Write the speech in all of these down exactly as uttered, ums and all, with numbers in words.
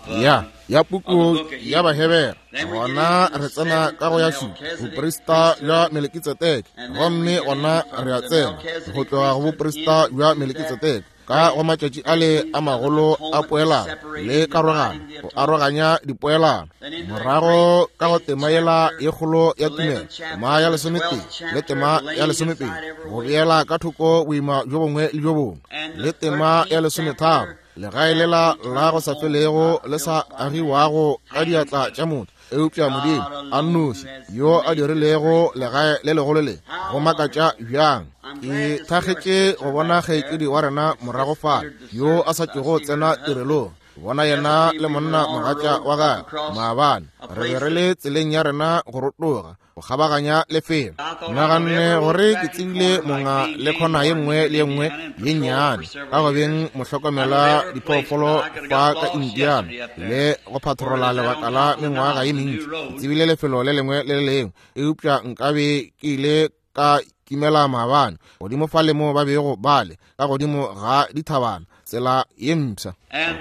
ya ya puku ya Bahebere. Gona re tsena ka go ya šupa, boprista bja Melekitsedeke. Gomme gona re a tsena go tloga go boprista bja Melekitsedeke ka go matšatši ale a magolo a poelano le karogano, go aroganya dipoelano. Morago ka go tema yela ye kgolo ya tumelo, tema ya lesometee le tema ya lesomepedi, go beela ka thoko boima bjo bongwe le bjo bongwe, le tema ya lesometharo, legae lela la go sa felego le sa agiwago ka diatla tša motho, eupša Modimo a nnoši yo a dirilego legae le legolo le. Go makatša bjang! Ke thakgetše go bona kgaetšedi wa rena morago fale yo a sa tšego tsena tirelong, bona yena le monna mogatša wa gagwe maabane. Re be re le tseleng ya rena go rotoga go kgabaganya lefelo. Naganne gore ke tsebile monga le khona ye nngwe le ye nngwe ye nnyane ka go beng mohlokomela diphoofolo fa ka Indiana le go patrola lebaka la mengwaga ye mentši. Ke tsebile lefelo le lengwe le le lengwe, eupša nkabe ke ile ka kimela maabane godimo fa le mo ba bego bale ka godimo ga dithabana, tsela ye mpsha.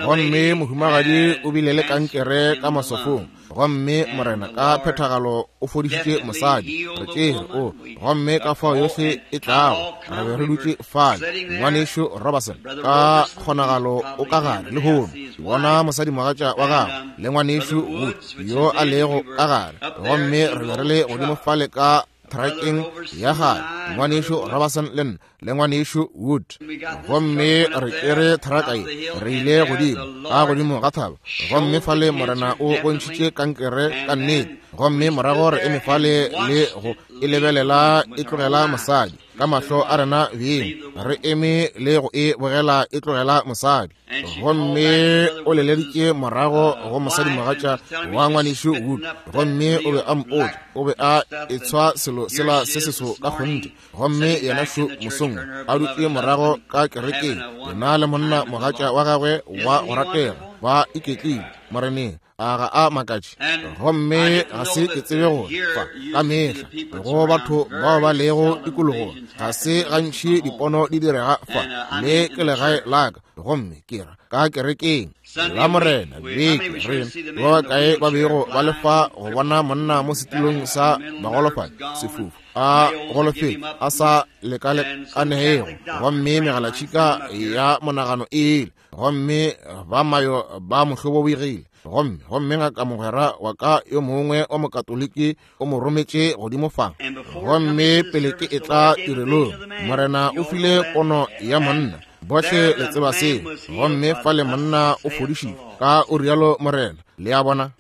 Gomme mohumagadi o bile le kankere ka maswafong, gomme Morena ka phethagalo o fodišitše mosadi. Re tšere o, gomme ka fao yohle e tlago re be re dutše fale. Ngwanešu Robertson ka kgonagalo o ka gare lehono, bona mosadimogatša wa gagwe le ngwanešu Wood yo a lego ka gare. Gomme re be re le godimo fale ka trakeng ya gare, ngwanešu Robertson le nna le ngwanešu Wood. Gomme re tšere thraka ye, re ile godimo ka godimo ga thaba, gomme fale Morena o bontšhitše kankere ka nnete. Gomme morago re eme fale le go e lebelela e tlogela mosadi ka mahlo a rena beng, re eme le go e bogela e tlogela mosadi. Gomme o leleditše morago go mosadimogatša wa ngwanešu Wood, gomme o be a mpotša o be a etshwa selo sela se seso ka kgonthe. Gomme yena šo mosong a dutše morago ka kerekeng, yena le monna mogatša wa gagwe wa go ratega ba iketlile Moreneng. A ga a makatše? Gomme ga se ke tsebe gore fa ka mehla go batho bao ba lego tikologong ga se gantši dipono di direga fa, le ke legae la ka, gomme ke ra ka kerekeng la Morena beke. Re ba bakae ba bego ba le fa go bona monna mo setulong sa bagolofadi, sefufu, a golofetše, a sa lekalekanego, gomme megalatšhika ya monagano e ile, gomme ba mayo ba mo hlobogile. Gomme gomme ngaka mogwera wa ka yo mongwe wa mokatoliki o mo rometše godimo fa. Gomme pele ke etla tirelong, Morena o file pono ya monna. Bohle le tseba seo. Gomme fale monna o fodišitšwe ka o rialo Morena, le a bona.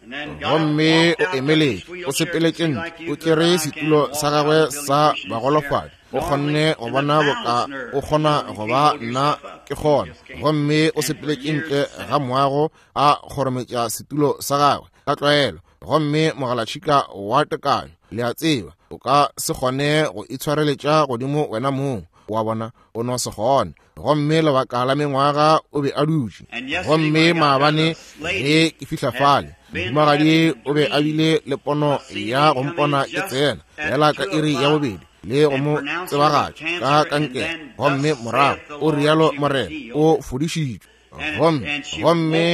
Gomme o emeletše, o sepeletše ntle, o tšere setulo sa gagwe sa bagolofadi, o kgonne go bona boka o kgona go ba nna ke kgona. Gomme o sepeletše ntle ga moago a kgorometša setulo sa gagwe ka tlwaelo. Gomme mogalatšhika wa tekanyo, le a tseba, o ka se kgone go itshwareletša godimo wena mong, wa bona, o no se kgone. Gomme lebaka la mengwaga o be a dutše. Gomme maabane ge ke fihla fale, mohumagadi o be a bile le pono ya go mpona ke tsena fela ka iri ya bobedi le go mo tsebagatša ka kankere. Gomme morago o rialo Morena, o fodišitšwe. Gomme gomme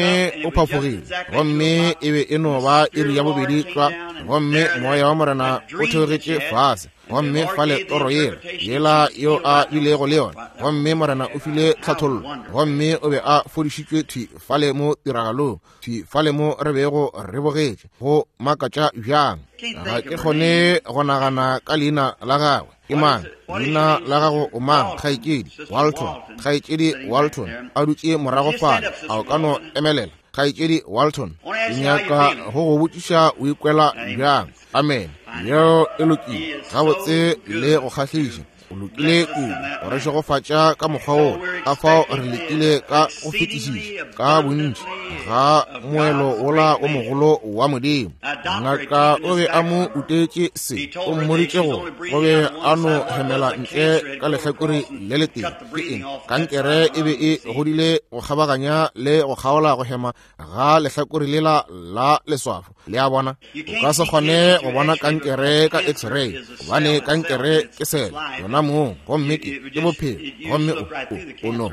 o phafogile, gomme e be e no ba iri ya bobedi tlwa. Gomme moya wa Morena o theogetše fase, gomme fale toro yela yela yo a bilego le yona, gomme Morena o file tlhathollo, gomme o be a fodišitšwe thwi fale mo tiragalong, thwi fale mo re bego re bogetše. Go makatša bjang! Ga ke kgone go nagana ka leina la gagwe. Ke mang leina la gago? O mang? Kgaetšedi Walton. Kgaetšedi Walton a dutše morago fale. A o ka no emelela? Kgaetšedi Walton, ke nyaka go go botšiša o ikwela bjang. Amen. Yeo e lokile gabotse le go kgahliša. O lokile kudu go re šegofatša ka mokgwa wo. Ka fao re lekile ka go fetišiša ka bontši ga moelo wola o mogolo wa Modimo. Ngaka o be a mo utetše se, o mmoditše gore o be a no hemela ntle ka lehlakore le letee. Ke eng? Kankere e be e godile go kgabaganya le go kgaola go hema ga lehlakore lela la leswafo. Le a bona, o ka se kgone go bona kankere ka x-ray, gobane kankere ke sele yona mong, gomme ke ke bophelo, gomme o, o, o no,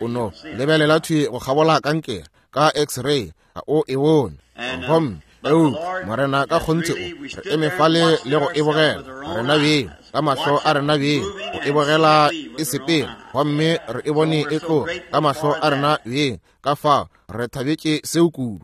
o, o no lebelela thwi go kgabola kankere ka x-ray, ga o e bone. Gomme eupša Morena ka kgonthe o re eme fale le go e bogela rena beng ka mahlo a rena beng, go e bogela e sepela, gomme re e bone e tloga ka mahlo a rena beng. Ka fao re thabetše seo kudu.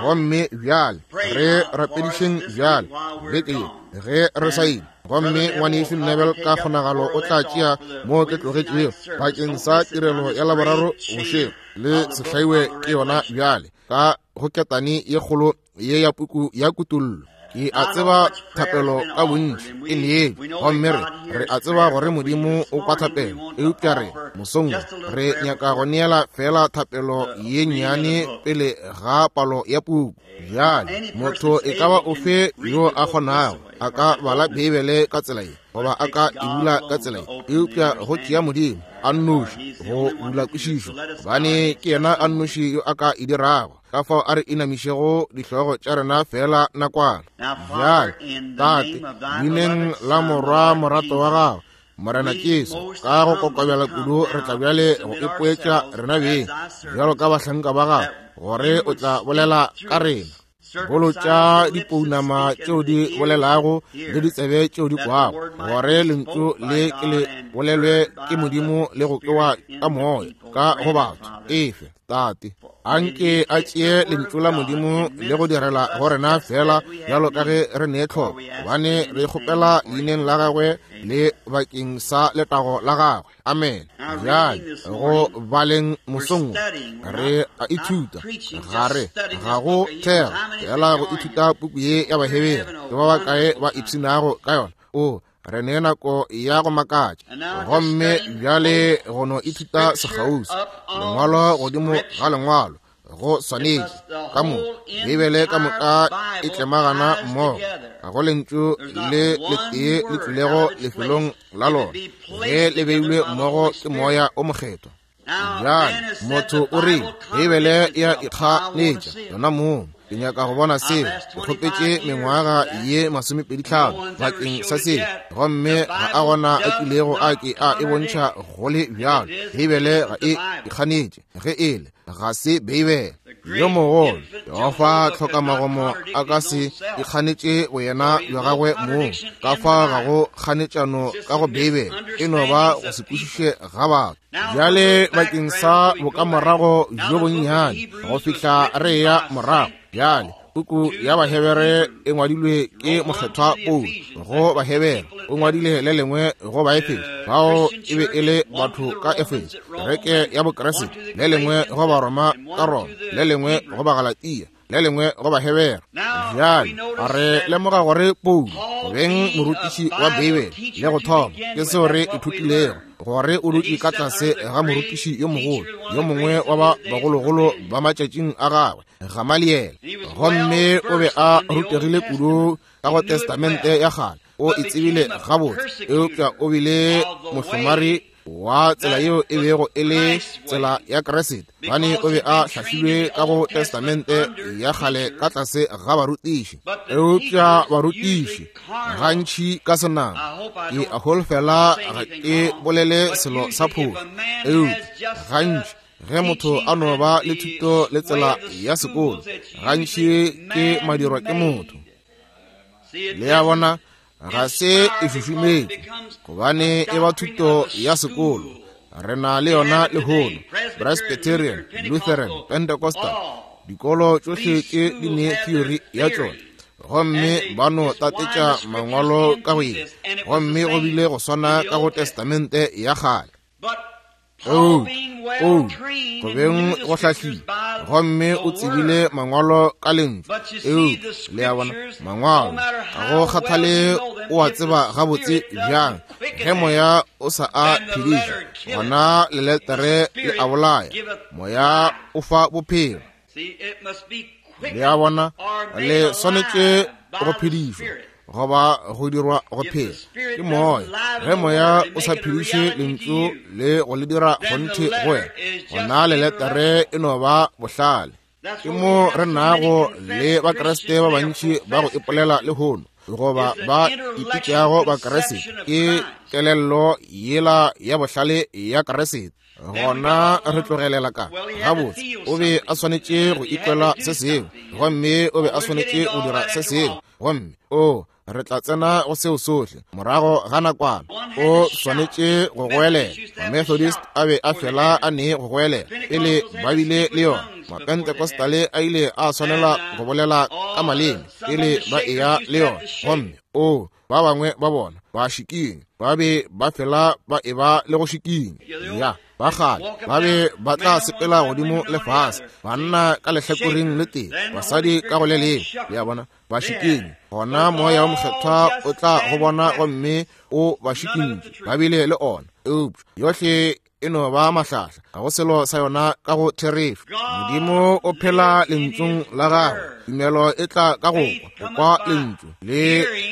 Gomme bjale re rapedišeng bjale beke ye ge re sa ile. Gomme ngwanešu Neville ka kgonagalo o tla tšea mo ke tlogetšego bakeng sa tirelo ya Laboraro bošego, le sehlaiwe ke yona bjale ka go ketane ye kgolo ye ya puku ya Kutollo. Ke a tseba thapelo ka bontši e neetšwe, gomme re re a tseba gore Modimo o kwa thapelo, eupša re mosong re nyaka go neela fela thapelo ye nnyane pele ga palo ya puku. Bjale motho e ka ba ofe yo a kgonago a ka bala Beibele ka tsela ye, goba a ka e bula ka tsela ye, eupša go tšea Modimo a nnoši go bula kwešišo, gobane ke yena a nnoši yo a ka e dirago. Ka fao a re inamišego dihlogo tša rena fela nakwana. Bjale Tate, leineng la Morwa morato wa gago Morena Jesu, ka go kokobela kudu re tla bjale go ipoetša rena beng bjalo ka bahlanka ba gago, gore o tla bolela ka rena. Bolotša dipounama tšeo di bolelago le ditsebe tšeo di kwago, gore lentšu le ke le bolelwe ke Modimo le go kwewa ka moya ka go batho. Efe Tate, anke a tšee lentšu la Modimo le go direla go rena fela bjalo ka ge re nee tlhoko, gobane re kgopela leineng la gagwe le bakeng sa letago la gagwe. Amen. Bjale go baleng mosong re a ithuta, ga re ga go thera fela go ithuta puku ye ya Bahebere. Ke ba bakae ba ipshinago ka yona? O re ne nako ya go makatša. Gomme bjale go no ithuta sekgauswi lengwalo godimo ga lengwalo go swanetše ka mo Beibele ka moka e tlemagana mmogo, ga go lentšu le letee le tlilego lefelong la lona ge le beilwe mmogo ke Moya o Mokgethwa. Bjale motho o rile Beibele e a ikganetša yona mong. Ke nyaka go bona seo. Ke kgopetše mengwaga ye masomepedi tlhano bakeng sa seo, gomme ga a gona a kilego a ke a e bontšha go le bjalo. Beibele ga e ikganetše, ge e le ga se Beibele. Yo mogolo Jehofa tlhokamagomo a ka se ikganetše boyena bja gagwe mong. Ka fa ga go kganetšano ka go Beibele, e no ba go se kwešiše ga batho. Bjale bakeng sa bokamorago bjo bonnyane go fihla re ya morago. Bjale puku ya Bahebere e ngwadilwe ke mokgethwa Paulo go Bahebere, o ngwadile le lengwe go Baefeso, bao e be e le batho ka Efeso, kereke ya Bokeresete, le lengwe go Baroma ka Roma, le lengwe go Bagalatia, le lengwe go Bahebere. Bjale re lemoga gore Paulo go beng morutiši wa Beibele le go thoma, ke seo re ithutilego, gore o dutše ka tlase ga morutiši yo mogolo, yo mongwe wa ba bagologolo ba matšatšing a gagwe, Gamaliele. Gomme o be a rutegile kudu ka go Testamente ya kgale, o e tsebile gabotse, eupša o bile mohlomari wa tsela yeo e bego e le tsela ya Kriste, gobane o be a hlahlilwe ka go Testamente ya kgale ka tlase ga barutiši. Eupša barutiši gantši ka senama, ke a holofela ga ke bolele selo sa phošo, eupša gantši ge motho a no ba le thuto le tsela ya sekolo, gantši ke madirwa ke motho. Le a bona, ga se e šušumetše, gobane e ba thuto ya sekolo. Re na le yona lehono, Presbyterian, Lutheran, Pentecostal, dikolo tšohle tše di ne theory ya tšona, gomme ba no tatetša mangwalo ka go ye, gomme go bile go swana ka go Testamente ya kgale. Paulo, Paulo, go beng go hlahlile, gomme o tsebile mangwalo ka lentšu. Eupša le a bona, mangwalo ga go kgathale o a tseba gabotse bjang, ge moya o sa a phediša, gona leletere le a bolaya, moya o fa bophelo. Le a bona, le swanetše go phedišwa goba go dirwa go phela ke moya. Ge moya o sa phediše lentšu le go le dira kgonthe go wena, gona leletere e no ba bohlale. Ke mo re nago le Bakriste ba bantši ba go ipolela lehono goba ba ipitšago Bakriste, ke kelello yela ya bohlale ya Kriste. Gona re tlogelela ka gabotse, o be a swanetše go ikwela se sengwe, gomme o be a swanetše go dira se sengwe, gomme o re tla tsena go seo sohle morago ga nakwana. O swanetše go goelela. Methodist a be a fela a ne go goelela pele ba bile le yona. Mapentecostale a ile a swanela go bolela ka maleme pele ba eya le yona, gomme o ba bangwe ba bona ba šikinya, ba be ba fela ba eba le go šikinya. Ya ba kgale ba be ba tla sepela godimo le fase, banna ka lehlakoreng le tee, basadi ka go le lengwe. Le a bona, ba šikinya. Gona moya wa mokgethwa o tla go bona gomme o ba šikintše, ba bile le ona. Eupša yohle e no ba mahlahla, ga go selo sa yona ka go therešo. Modimo o phela lentšung la gagwe. Tumelo e tla ka go kwa, go kwa lentšu le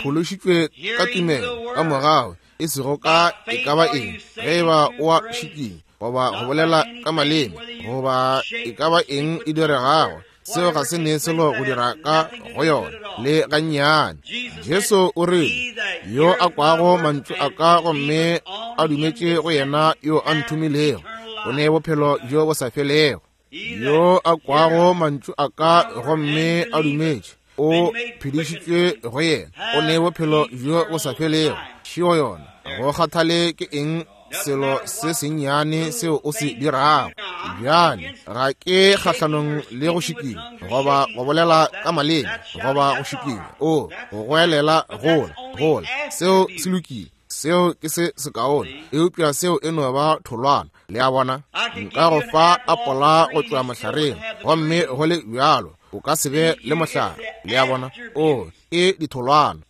phološitšwe ka tumelo ka morago, e sego ka e ka ba eng. Ge e ba o a šikinya goba go bolela ka maleme goba e ka ba eng e diregago, seo ga se ne selo go dira ka go yona le gannyane. Jesu o rile, yo a kwago mantšu a ka gomme a dumetše go yena yo a nthomilego, o ne bophelo bjo bo sa felego. Yo a kwago mantšu a ka gomme a dumetše, o phedišitšwe go yena, o ne bophelo bjo bo sa felego. Šio yona, go kgathale ke eng selo se sennyane seo o se dirago. Bjale ga ke kgahlanong le go šikinya goba go bolela ka maleme goba go šikinya o go goelela gola gola, seo se lokile, seo ke se sekaone, eupša seo e no ba tholwana. Le a bona, nka go fa apola go tšwa mohlareng, gomme go le bjalo o ka se be le mohlare. Le a bona, o ke ditholwana.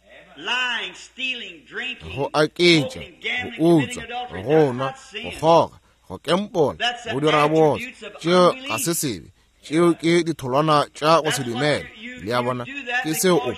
Go aketša, go utswa, go nwa, go kgoga, go kempola, go dira botse, tšeo ga se sebe, tšeo ke ditholwana tša go se dumele. Le a bona, ke seo o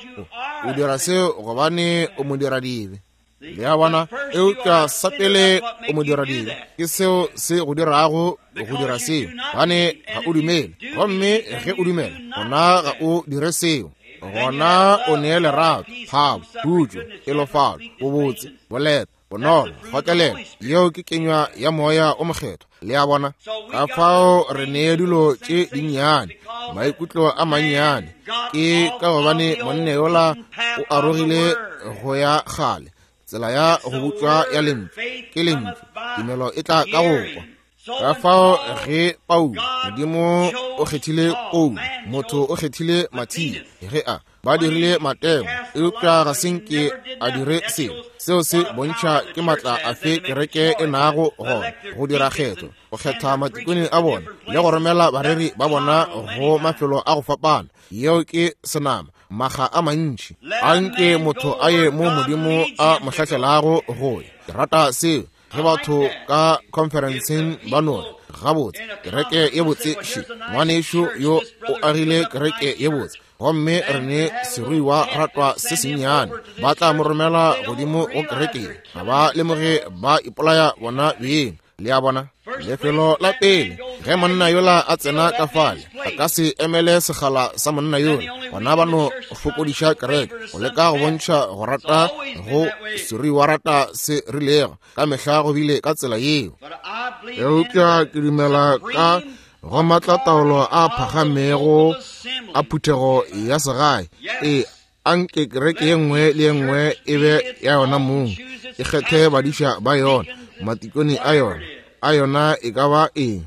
o dira seo gobane o mo dira dibe. Le a bona, eupša sa pele o mo dira dibe, ke seo se go dirago go dira seo, gobane ga o dumele. Gomme ge o dumela, gona ga o dire seo. Gona o nee lerato, thabo, khutšo, pelofalo, bobotse, boleta, bonolo, kgotlelelo. Yeo ke kenywa ya moya o mokgethwa. Le a bona, ka fao re nee dilo tše dinnyane, maikutlo a mannyane, ke ka gobane monna yola o arogile go ya kgale tsela ya go butšwa ya lentšu. Ke lentšu, tumelo e tla ka go kwa. Ka fao ge Paulo, Modimo o kgethile Paulo, motho o kgethile Mathia, ge a ba dirile Mateo, eupša ga se nke a dire selo. Seo se bontšha ke matla afe kereke e nago gona go dira kgetho, go kgetha matikone a bona le go romela bareri ba bona go mafelo a go fapana. Yeo ke senama, maga a mantši. Anke motho a ye mo Modimo a mo hlahlelago go ya. Ke rata seo. Ge batho ka conferenceng ba no re, gabotse, kereke ye botse še, ngwanešu yo o agile kereke ye botse, gomme re ne seruiwa ratwa se sennyane, ba tla mo romela godimo go kereke ye. Ga ba lemoge ba ipolaya bona beng. Le a bona, lefelo la pele ge monna yola a tsena ka fale, a ka se emele segala sa monna yola, gona ba no fokodiša kereke go leka go bontšha go rata go seruiwa rata se rilego. Ka mehla go bile ka tsela yeo. Eupša ke dumela ka go matlataolo a phagamego a phuthego ya segae. E anke kereke ye nngwe le ye nngwe e be ya yona mong, e kgethe badiša ba yona, matikone a yona, a yona e ka ba eng.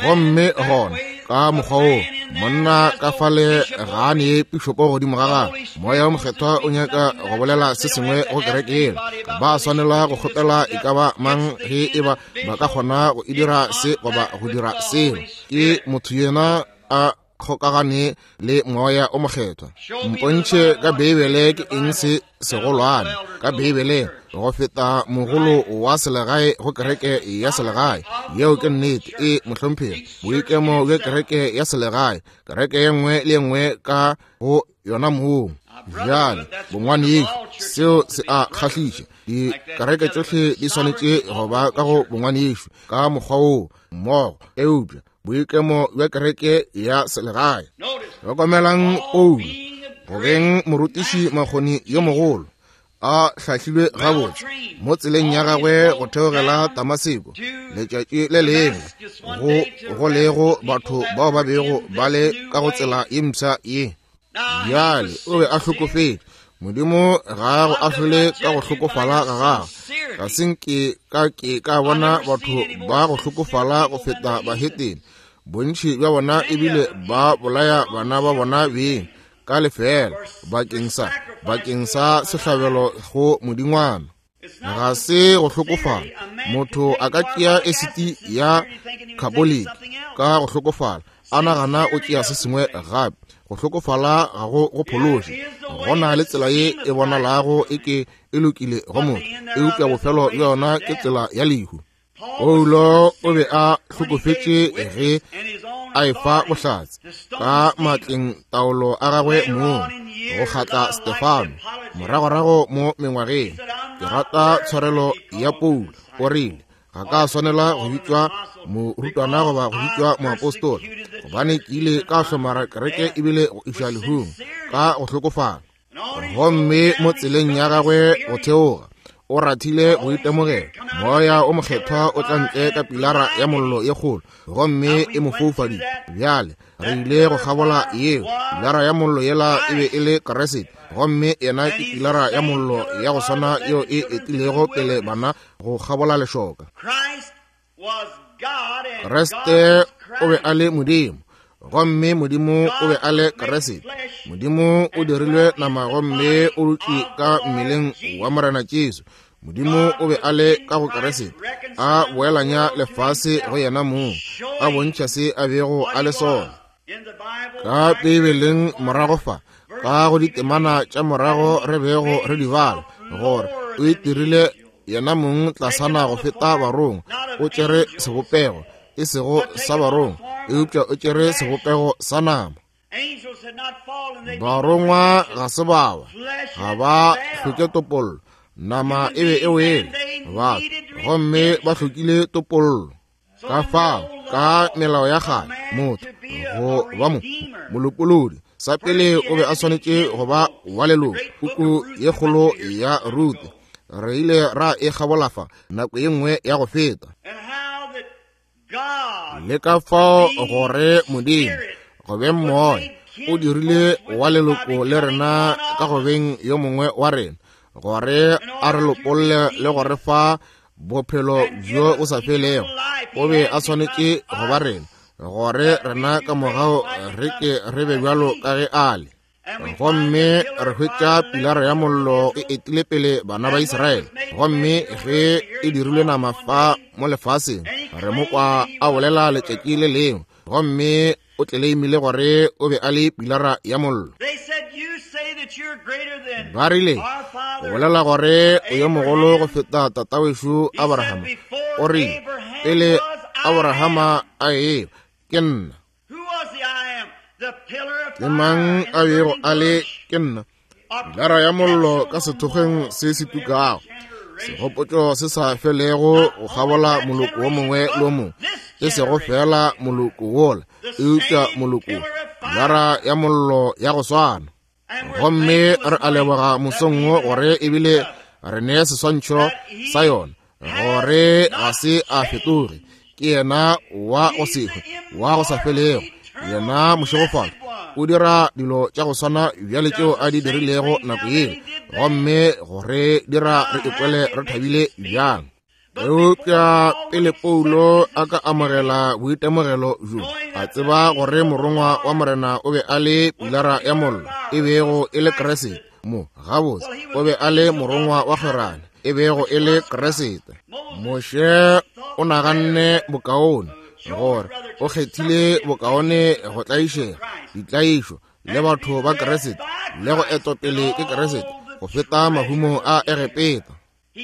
Gomme gona ka mokgwa wo monna ka fale ga a nee pišopo godimo ga gagwe. Moya wo mokgethwa o nyaka go bolela se sengwe go kereke yela. Ba swanela go kgopela e ka ba mang ge e ba ba ka kgona go e dira se goba go dira seo. Ke motho yena a kgokagane le moya o mokgethwa. Mpontšhe ka Beibele ke eng se segolwane ka Beibeleng go feta mogolo wa selegae go kereke ya selegae. Yeo ke nnete. E mohlomphegi, boikemo bja kereke ya selegae, kereke ye nngwe le ye nngwe ka go yona mong. Bjale bongwanešo, seo se a kgahliša. Dikereke tšohle di swanetše go ba ka go bongwanešo ka mokgwa woo mmogo, eupša boikemo bja kereke ya selegae. Hlokomelang Paulo, go beng morutiši makgoni yo mogolo, a hlahlilwe gabotse mo tseleng ya gagwe go theogela Damaseko letšatši le lengwe, go go lego batho bao ba bego ba le ka go tsela ye mpsha ye. Bjale o be a hlokofetše. Modimo ga a go ahlole ka go hlokofala ga gagwe. Ga se nke ka ke ka bona batho ba go hlokofala go feta bahetene. Bontši bja bona ebile ba bolaya bana ba bona beng ka lefeela bakeng sa bakeng sa sehlabelo go modingwana. Ga se go hlokofala. Motho a ka tšea esiti ya khaboliki ka go hlokofala, a nagana o tšea se sengwe gape. Go hlokofala ga go go phološe. Go na le tsela ye e bonalago e ke e lokile go motho, eupša bofelo bja yona ke tsela ya lehu. Paulo o be a hlokofetše ge a efa bohlatse ka matleng taolo a gagwe mong go kgatla Stefano moragorago mo mengwageng. Ke rata tshwarelo ya Paulo. O rile, ga ka swanela go bitšwa morutwana goba go bitšwa moapostola, gobane ke ile ka hlomara kereke ebile go iša lehung ka go hlokofala. Gomme mo tseleng ya gagwe go theoga o rathile go itemogela moya o mokgethwa o tla ntle ka pilara ya mollo ye kgolo, gomme e mo foufaditše. Bjale re ile go kgabola yeo. Pilara ya mollo yela e be e le Kriste, gomme yena ke pilara ya mollo ya go swana yeo e etilego pele bana go kgabola lešoka. Kriste o be a le Modimo, gomme Modimo o be a le Kriste. Modimo o dirilwe nama gomme o dutše ka mmeleng wa Morena Jesu. Modimo o be a le ka go Kriste, a boelanya lefase go yena mong, a bontšha se a bego a le sona. Ka Beibeleng morago fa, ka go ditemana tša morago re bego re di bala, gore o itirile yena mong tlasana go feta barongwa, o tšere sebopego e sego sa barongwa, eupša o tšere sebopego sa nama. Barongwa ga se bawa, ga ba hloke topollo. Nama e be e wele batho, gomme ba hlokile topollo. Ka fao, ka melao ya kgale, motho go ba mo molopolodi sa pele o be a swanetše go ba wa leloko. Puku ye kgolo ya Rute re ile ra e kgabola fa nako ye nngwe ya go feta. Le ka fao gore Modimo go beng moya o dirile wa leloko le rena ka go beng yo mongwe wa rena, gore a re lopolle le go re fa bophelo bjo bo sa felego. O be a swanetše go ba rena, gore rena ka mogau re ke re be bjalo ka ge a le. Gomme re hwetša pilara ya mollo e etile pele bana ba Israele, gomme ge e dirilwe nama fa mo lefaseng, re mo kwa a bolela letšatši le lengwe, gomme o tleleimile gore o be a le pilara ya mollo. Ba rile, o bolela gore o yo mogolo go feta tatawešo Abrahama. O rile, pele Abrahama a eba, ke nna. Ke mang a bego a le ke nna? Pilara ya mollo ka sethokgweng se se tukago, segopotšo se sa felego go kgabola moloko wo mongwe le wo mongwe, e sego fela moloko wola, eupša moloko. Pilara ya mollo ya go swana. Gomme re a leboga mosong wo gore ebile re ne seswantšho sa yona, gore ga se a fetoge. Ke yena wa go se hwe, wa go sa felego, yena mošegofalo. O dira dilo tša go swana bjale tšeo a di dirilego nako yeo, gomme gore dira re ikwele re thabile bjang. Eupša pele Paulo a ka amogela boitemogelo bjo, a tseba gore morongwa wa Morena o be a le pilara ya mollo e bego e le Kriste. Mo gabotse o be a le morongwa wa kgwerano e bego e le Kriste. Moshe o naganne bokaone, gore o kgethile bokaone go tlaišega ditlaišo le batho ba Kriste le go etopele ke Kriste go feta mahumo a Egepeta.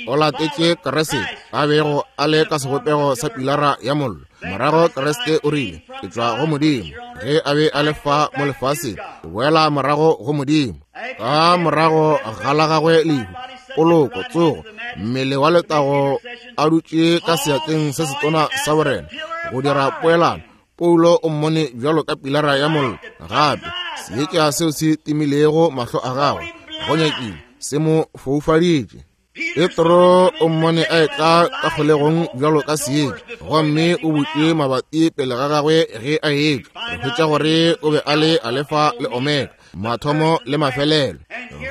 O latetše Kriste a bego a le ka sebopego sa pilara ya mollo. Morago Kriste o rile, ke tšwa go Modimo. Ge a be a le fa mo lefaseng, ke boela morago go Modimo. Ka morago ga la gagwe lehu, poloko, tsogo, mmele wa letago a dutše ka seatleng se setona sa borena go dira poelano, Paulo o mmone bjalo ka pilara ya mollo gape seetša seo se timilego mahlo a gagwe go nyakile se mo foufaditše. Petro o mmone a etla ka kgolegong bjalo ka seetša, gomme o butše mabati pele ga gagwe ge a etšwa. Re hwetša gore o be a le Alefa le Omega, mathomo le mafelelo.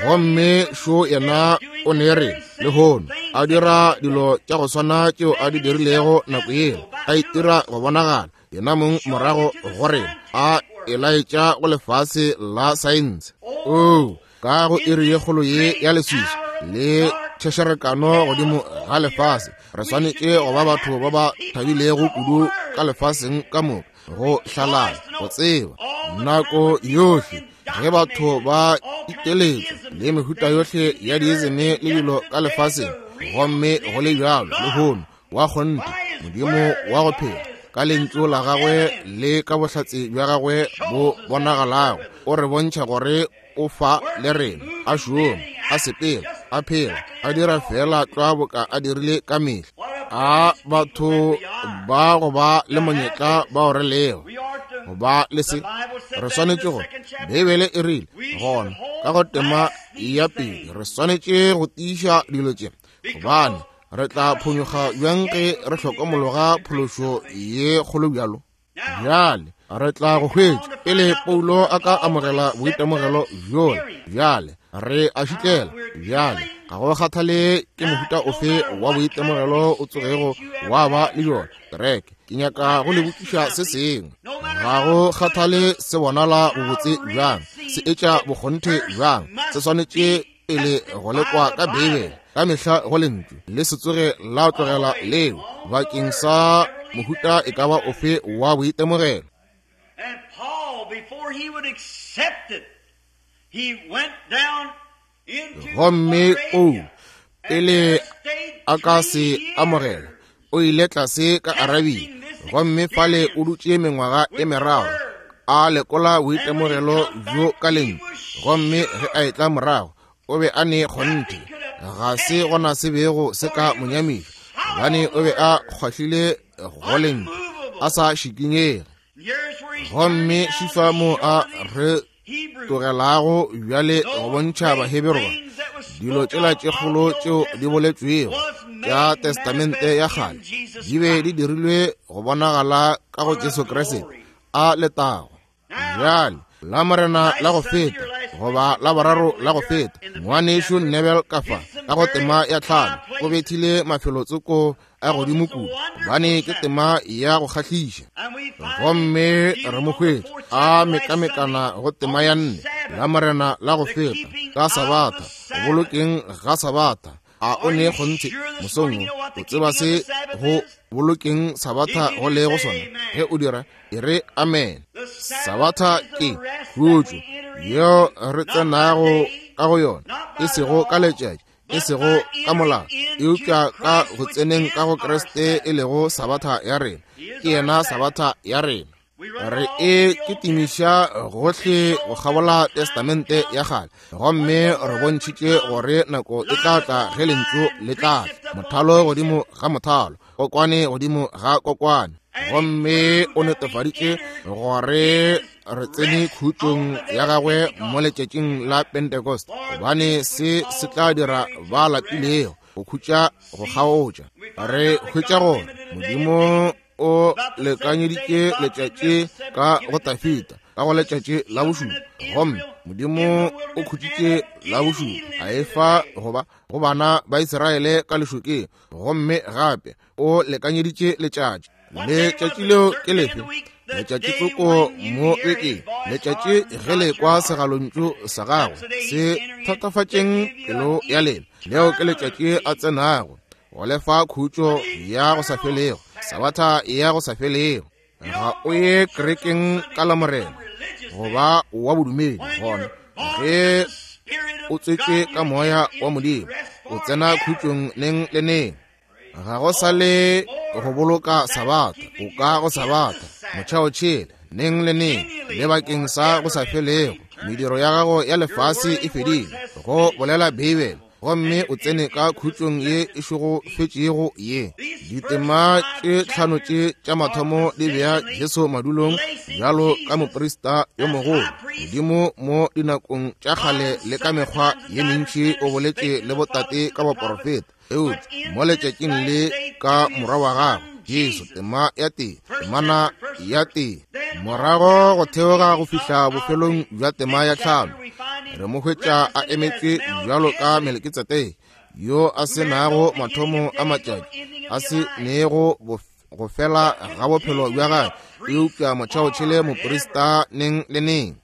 Gomme šo yena o ne re lehono a dira dilo tša go swana tšeo a di dirilego nako yeo, a itira go bonagala yena mong morago go rena, a e laetša go lefase la saense. Oo, ka go iri ye kgolo ye ya leswiswi le tšhešerekano godimo ga lefase, re swanetše go ba batho ba ba thabilego kudu ka lefaseng ka moka, go hlalala, go tseba nako yohle ge batho ba iteletša le mehuta yohle ya diizeme le dilo ka lefaseng. Gomme go le bjalo lehono wa kgonthe Modimo wa go phela ka lentšu la gagwe le ka bohlatse bja gagwe bo bonagalago o re bontšha gore o fa le rena, a šoma, a sepela, a phela, a dira fela tlwa boka a dirile ka mehla. A batho ba go ba le monyetla bao re lego go ba le se, re swanetše go, Beibele e rile gona ka go tema ya pele, re swanetše go tiiša dilo tše, gobane re tla phonyokga bjang ge re hlokomologa phološo ye kgolo bjalo. Bjale re tla go hwetša pele Paulo a ka amogela boitemogelo bjola. Bjale re a šitlela. Bjale ga go kgathale ke mohuta ofe wa boitemogelo o tsogego wa ba le bjona. Kereke, ke nyaka go le botšiša se sengwe. Ga go kgathale se bonala bobotse bjang, se etša bokgonthe bjang, se swanetše pele go lekwa ka Beibele ka mehla go lentšu, le se tsoge la tlogela leo bakeng sa mohuta e ka ba ofe wa boitemogelo. And Paul, before he would accept it, he went down into Gomme o Arabia pele a ka se amogela, o ile tlase ka Arabia, gomme fale o dutše mengwaga e meraro a lekola boitemogelo bjo ka lentšu. Gomme ge a etla morago, o be a ne kgonthe ga se gona se bego se ka mo nyamiša, gobane o be a kgwahlile go lentšu a sa šikinyege. Gomme šifa mo a re tlogelago bjale go bontšha Baheberu ba dilo tšela tše kgolo tšeo di boletšwego tša Testamente ya kgale di be di dirilwe go bonagala ka go Jesu Kriste a letago. Bjale la morena la go feta goba la boraro la go feta, ngwanešu Nebel ka fa ka go tema ya tlhano o bethile mafelotsoko a godimo kudu, gobane ke tema ya go kgahliša. Gomme re mo hwetša a mekamekana go tema ya nne la morena la go feta ka Sabatha, go bolokeng ga Sabatha. A o ne kgonthe mosong wo o tseba se go bolokeng Sabatha go le go sona? Ge o dira, e re amen. Sabatha ke khutšo yeo re tsenago ka go yona, e sego ka letšatši, e sego ka molao, eupša ka go tseneng ka go Kriste e lego Sabatha ya rena. Ke yena Sabatha ya rena. Re e kitimiša gohle go kgabola Testamente ya kgale, gomme re bontšhitše gore nako e tla tla ge lentšu le tla tla, mothalo godimo ga mothalo, kokwane godimo ga kokwane. Gomme o netefaditše gore re tsene khutšong ya gagwe mo letšatšing la Pentecost, gobane se se tla dira ba lapilego go khutša go kgaotša. Re hwetša gore Modimo o lekanyeditše letšatši ka go Tafita ka go letšatši la bošupa, gomme Modimo o khutšitše la bošupa a efa goba go bana ba Israele ka lešokeng. Gomme gape o lekanyeditše letšatši. Letšatši leo ke lefe? Letšatši tsoko mo bekeng, letšatši ge le kwa segalontšu sa gagwe se thatafatšeng pelo ya lena, leo ke letšatši a tsenago go lefa khutšo ya go sa felego, Sabatha ya go sa felego. Ga o ye kerekeng ka la morena goba wa bodumedi, gona ge o tswetšwe ka moya wa Modimo o tsena khutšong neng le neng. Ga go sa le go boloka Sabatha, o ka go Sabatha motšhaotšhele neng le neng le bakeng sa go sa felego. Mediro ya gago ya lefase e fedile, go bolela Beibele, gomme o tsene ka khutšong ye e šegofetšego ye. Ditema tše tlhano tše tša mathomo di bea Jesu madulong bjalo ka moprista yo mogolo. Modimo mo dinakong tša kgale le ka mekgwa ye mentši o boletše le botate ka baporofeta, eupša mo letšatšing le ka morwa wa gagwe Jesu. Tema ya tee, temana ya tee, morago go theoga go fihla bofelong bja tema ya tlhano, re mo hwetša a emetšwe bjalo ka Melekitsedeke, yo a se nago mathomo a matšatši, a se nego go fela ga bophelo bja gagwe, eupša motšhaotšhele moprista neng le neng.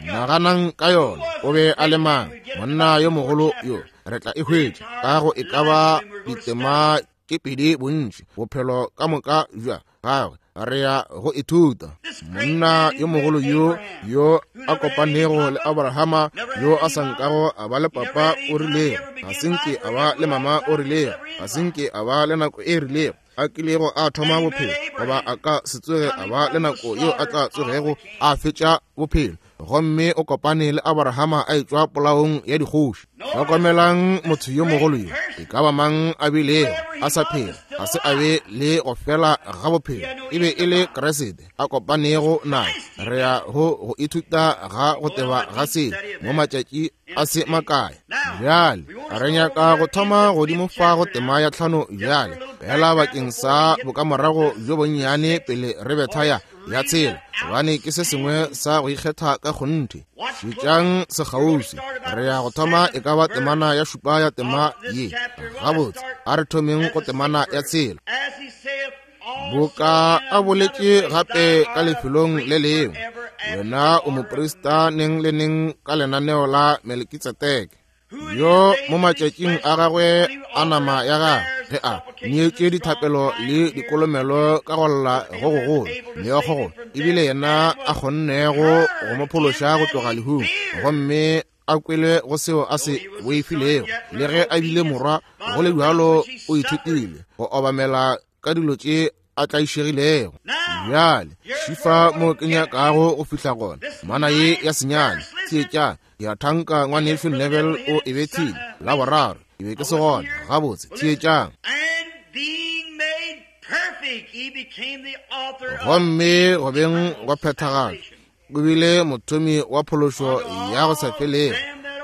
Naganang ka yona. O be a le mang monna yo mogolo yo? Re tla e hwetša ka go e ka ba ditema tše pedi bontši bophelo ka moka bja gagwe re ya go ithuta. Monna yo mogolo yo yo a kopanego le Abrahama, yo a sa nkago a ba le papa o rilego, ga se nke a ba le mama o rilego, ga se nke a ba le nako e rilego a kilego a thoma bophelo, goba a ka se tsoge a ba le nako yeo a tla tsogego a fetša bophelo. Gomme o kopane le Abrahama a etšwa polaong ya dikgoši. Hlokomelang motho yo mogolo yo, e ka ba mang a bilego a sa phela, ga se a be le go fela ga bophelo, e be e le Kriste a kopanego naye. Re ya go go ithuta ga go teba ga se mo matšatši a se makae. Bjale re nyaka go thoma godimo fa go tema ya tlhano bjale, fela bakeng sa bokamorago bjo bonnyane pele re betha ya ya tshela, gobane ke se sengwe sa go ikgetha ka kgonthe. Šetšang sekgauswi, re ya go thoma e ka ba temana ya šupa ya tema ye. Gabotse, a re thomeng go temana ya tshela. Boka a boletše gape ka lefelong le lengwe, wena o moprista neng le neng ka lenaneo la Melkitsedeke, yo mo matšatšing a gagwe a nama ya gagwe ge a neetše dithapelo le dikolomelo ka go lla go gogolo meokgo, ebile yena a kgonnego go mo phološa go tloga lehung, gomme a kwele go seo a se boifilego. Le ge a bile morwa, go le bjalo o ithutile go obamela ka dilo tše a tlaišegilego. Bjale šifa mo ke nyakago go fihla gona, mana ye ya senyane. Theetša, ke a thanka ngwanešu Neville o e bethile la boraro, ke be ke se gona. Gabotse, theetšang. Gomme go beng go phethagala, o bile mothomi wa phološo ya go sa felego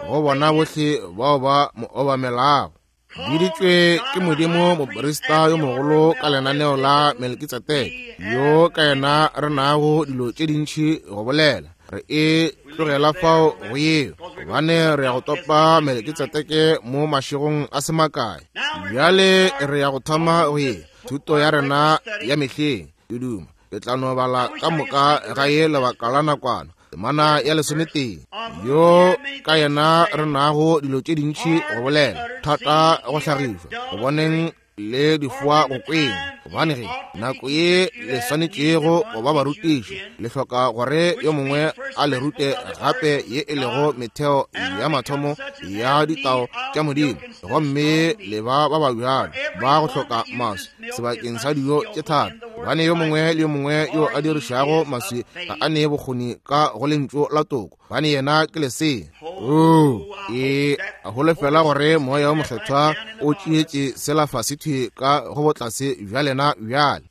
go bona bohle bao ba mo obamelago. Biditšwe ke Modimo moprista yo mogolo ka lenaneo la Melkitsedeke, yo ka yena re nago dilo tše dintši go bolela. Re e tlogela fao go yeo, gobane re ya go topa Melkitsedeke mo mašegong a se makae. Bjale re ya go thoma go ye thuto ya rena ya mehleng. Ke duma ke tla no bala ka moka ga ye lebaka la nakwana. Temana ya lesometee, yo ka yena re nago dilo tše dintši go bolela, thata go hlagišwa go boneng le difoa go kweng. Gobane ge nako ye le swanetšego go ba barutiši, le hloka gore yo mongwe a le rute gape ye e lego metheo ya mathomo ya ditao tša Modimo, gomme le ba ba ba bjalo ba go hloka maswi sebakeng sa dijo tše thata. Gobane yo mongwe le yo mongwe yo a dirišago maswi ga a nee bokgoni ka go lentšu la toko, gobane yena ke lesea. Oo, e holofela gore moya wo mokgethwa o tšeetše sela fase thwi ka go botlase bja lena bjale.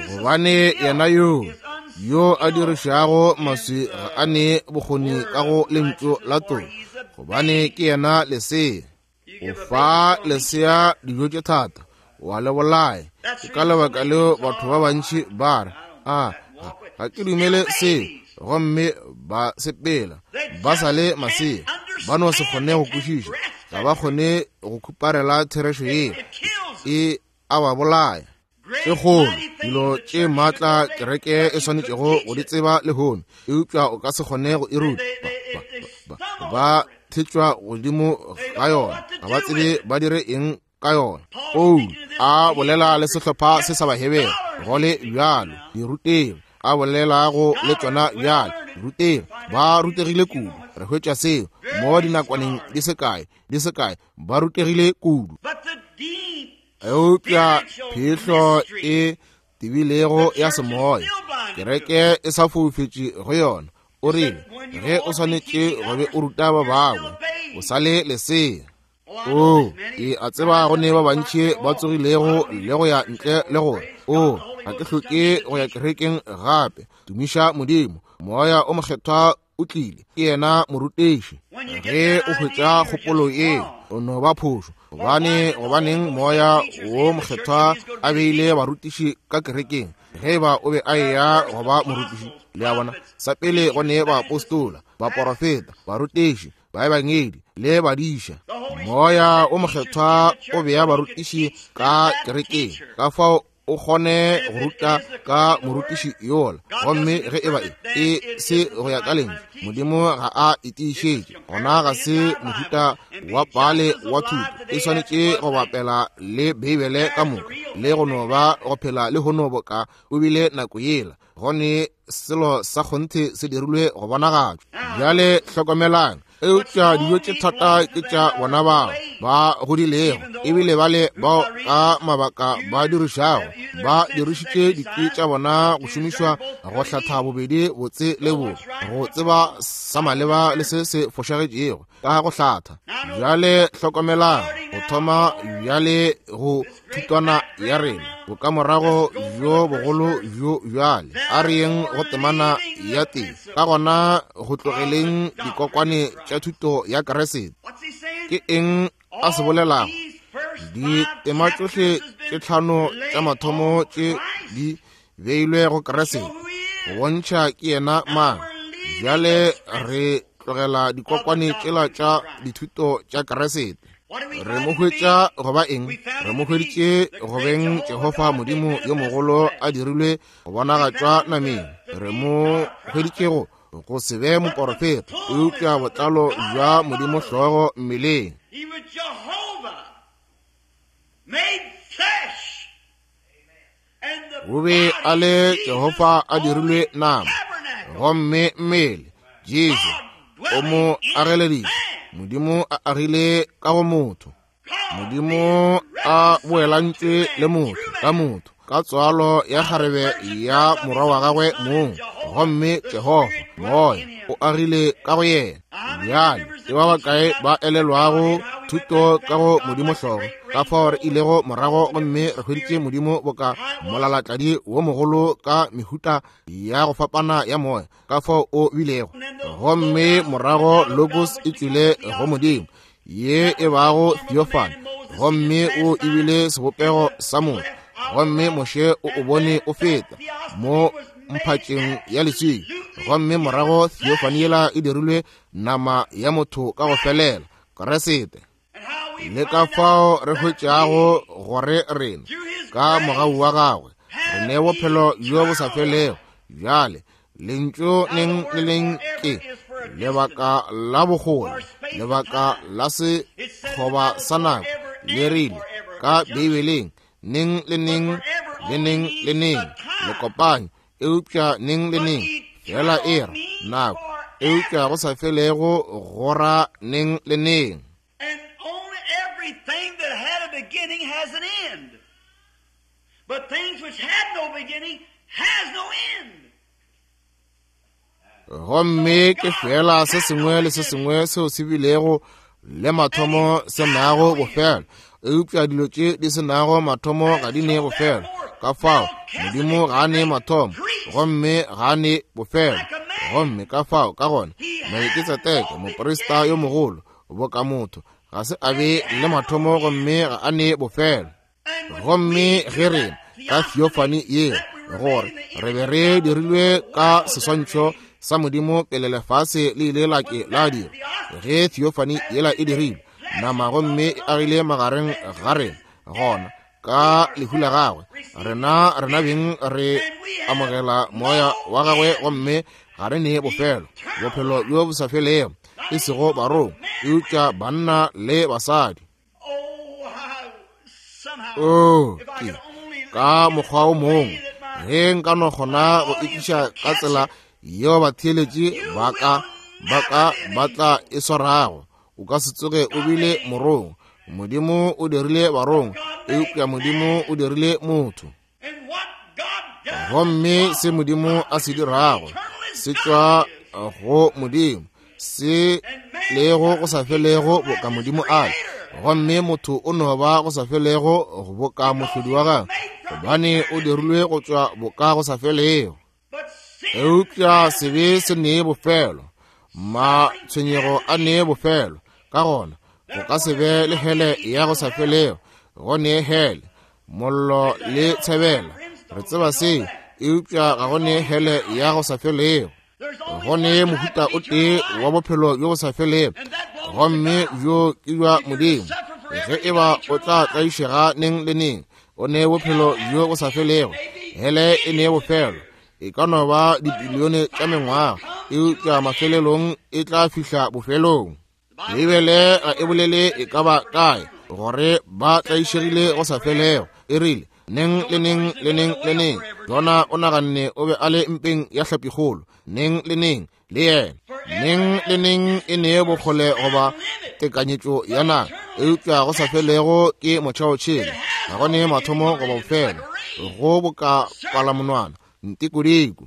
Gobane yena yo yo a dirišago maswi ga a nee bokgoni ka go lentšu la toko, gobane ke yena lesea. O fa lesea dijo tše thata, wa le bolaya. Ke ka lebaka leo batho ba bantši ba re, a ga ke dumele seo, gomme ba sepela ba sa le masea, ba no se kgone go kwešiša, ga ba kgone go khuparela therešo yeo, e a ba bolaya. Tše kgolo dilo tše maatla kereke e swanetšego go di tseba lehono, eupša o ka se kgone go e ruta. Ba, ba, ba thetšwa godimo ga yona, ga ba tsebe ba dire eng ka yona. Paulo a bolela le sehlopha se sa Bahebere go le bjalo, dirutegi a bolelago le tšona bjale, dirutegi ba rutegile kudu. Re hwetša seo mo dinakwaneng di se kae di se kae, ba rutegile kudu. Eupša phehlo e tebilego ya semoya, Kereke e sa foufetše go yona. O rile, ge o swanetše go be o ruta ba bangwe, o sa le lesea. O, ke a tseba go ne ba bantši ba tsogilego le go ya ntle le gore, o, ga ke hloke go ya kerekeng gape. Tumiša Modimo, Moya o Mokgethwa o tlile, ke yena morutiši. Ge o hwetša kgopolo ye, o no ba phošo. Gobane, gobaneng Moya wo Mokgethwa a beile barutiši ka kerekeng, ge ba o be a eya go ba morutiši? Le a bona, sa pele go ne baapostola, baporofeta, barutiši, baebangedi le badiša. Moya o Mokgethwa o bea barutiši ka kerekeng, ka fao o kgone go ruta ka morutiši yola. Gomme ge e ba e e se go ya ka lentšu, Modimo ga a e tiišetše, gona ga se mohuta wa pale wa thuto. E swanetše go bapela le Beibele ka moka, le go no ba go phela le hono boka o bile nako yela. Gone selo sa kgonthe se dirilwe go bonagatšwa. Bjale hlokomelang, eupša dijo tše thata ke tša bona bao ba godilego, ebile bale bao ka mabaka ba dirišago, ba dirišitše dikwi tša bona go šomišwa go hlatha bobedi botse le bobe, go tseba sa maleba le se se fošagetšego ka go hlatha. Bjale hlokomelang, go thoma bjale go thutwana ya rena, bokamorago bjo bogolo bjo bjale. A re yeng go temana ya teng, ka gona go tlogeleng dikokwane tša thuto ya Kriste. Ke eng a se bolelago? Ditema tšohle tše tlhano tša mathomo tše di beilwe go Kriste, go bontšha ke yena mang. Bjale re tlogela dikokwane tšela tša dithuto tša Kriste. Re mo hwetša go ba eng? Re mo hweditše go beng Jehofa Modimo yo mogolo a dirilwe go bonagatšwa nameng. Re mo hweditše go go se be moporofeta, eupša botlalo bja Modimo hlogo mmeleng. O be a le Jehofa a dirilwe nama, gomme mmele Jesu o mo ageleditše. Modimo a agile ka go motho. Modimo a boelantšwe le motho ka motho, ka tswalo ya kgarebe ya morwa wa gagwe mong. Gomme Jehofa Moya o agile ka go yena. Bjale ke ba bakae ba elelwago thuto ka go Modimo hlogo, ka fao re ilego morago gomme re hweditše Modimo boka molalatladi wo mogolo ka mehuta ya go fapana ya moya, ka fao o bilego. Gomme morago Logos e tšwile go Modimo, ye e bago theophany, gomme o ebile sebopego sa motho. Gomme Moshe o o bone o feta mo mphatšeng ya leswika, gomme morago theophany yela e dirilwe nama ya motho ka go felela, Kriste. Le ka fao re hwetšago gore rena ka mogau wa gagwe re ne bophelo bjo bo sa felego. Bjale lentšu neng le leng ke lebaka la bogole, lebaka la sekgoba sa nako. Le rile ka Beibeleng, neng le neng le neng le neng, le kopanye, eupša neng le neng fela e ra nako, eupša go sa felego go ra neng le neng. And only everything that had a beginning has an end. But things which had no beginning has no end. Gomme ke fela se sengwe le se sengwe seo se bilego le mathomo se nago bofelo, eupša dilo tše di se nago mathomo ga di ne bofelo. Ka fao Modimo ga a ne mathomo gomme ga a ne bofelo. Gomme ka fao ka gona Melkitsedeke moprista yo mogolo boka motho ga se a be le mathomo gomme ga a ne bofelo. Gomme ge rena ka theophany ye, gore re be re dirilwe ka seswantšho sa Modimo pele lefase le ile la ke la dira, ge theophany yela e dirilwe nama gomme e agile magareng ga rena, gona ka lehu la gagwe rena rena beng re amogela moya wa gagwe gomme ga re ne bofelo, bophelo bjo bo sa felego, e sego barong eupša banna le basadi. Oh, ke ka mokgwa o mongwe ge nka no kgona go etiša ka tsela yeo batheeletši ba ka ba ka ba tla e swarago, o ka se tsoge o bile morong. Modimo o dirile barong, eupša Modimo o dirile motho. Gomme se Modimo a se dirago se tšwa go Modimo, se lego go sa felego boka Modimo a le. Gomme motho o no ba go sa felego boka mohlodi wa gagwe, gobane o dirilwe go tšwa boka go sa felego. Eupša sebe se nee bofelo, matshwenyego a nee bofelo. Ka gona go ka se be le hele ya go sa felego, go nee hele, mollo le tshebela. Re tseba seo, eupša ga go nee hele ya go sa felego. Go nee mohuta o tee wa bophelo bjo bo sa felego, gomme bjo ke bja Modimo. Ge e ba o tla tlaišega neng le neng, o nee bophelo bjo bo sa felego. Hele e nee bofelo, e ka no ba dibilione tša mengwaga, eupša mafelelong e tla fihla bofelong. Beibele ga e bolele e ka ba kae gore ba tlaišegile go sa felego. E rile neng le neng le neng le neng. Jona o naganne o be a le mpeng ya hlapikgolo neng le neng le yena. Neng le neng e nee bokgole goba tekanyetšo ya naga, eupša go sa felego ke motšhaotšhele. Ga go nee mathomo goba bofelo, go boka palamonwana ntikodiko.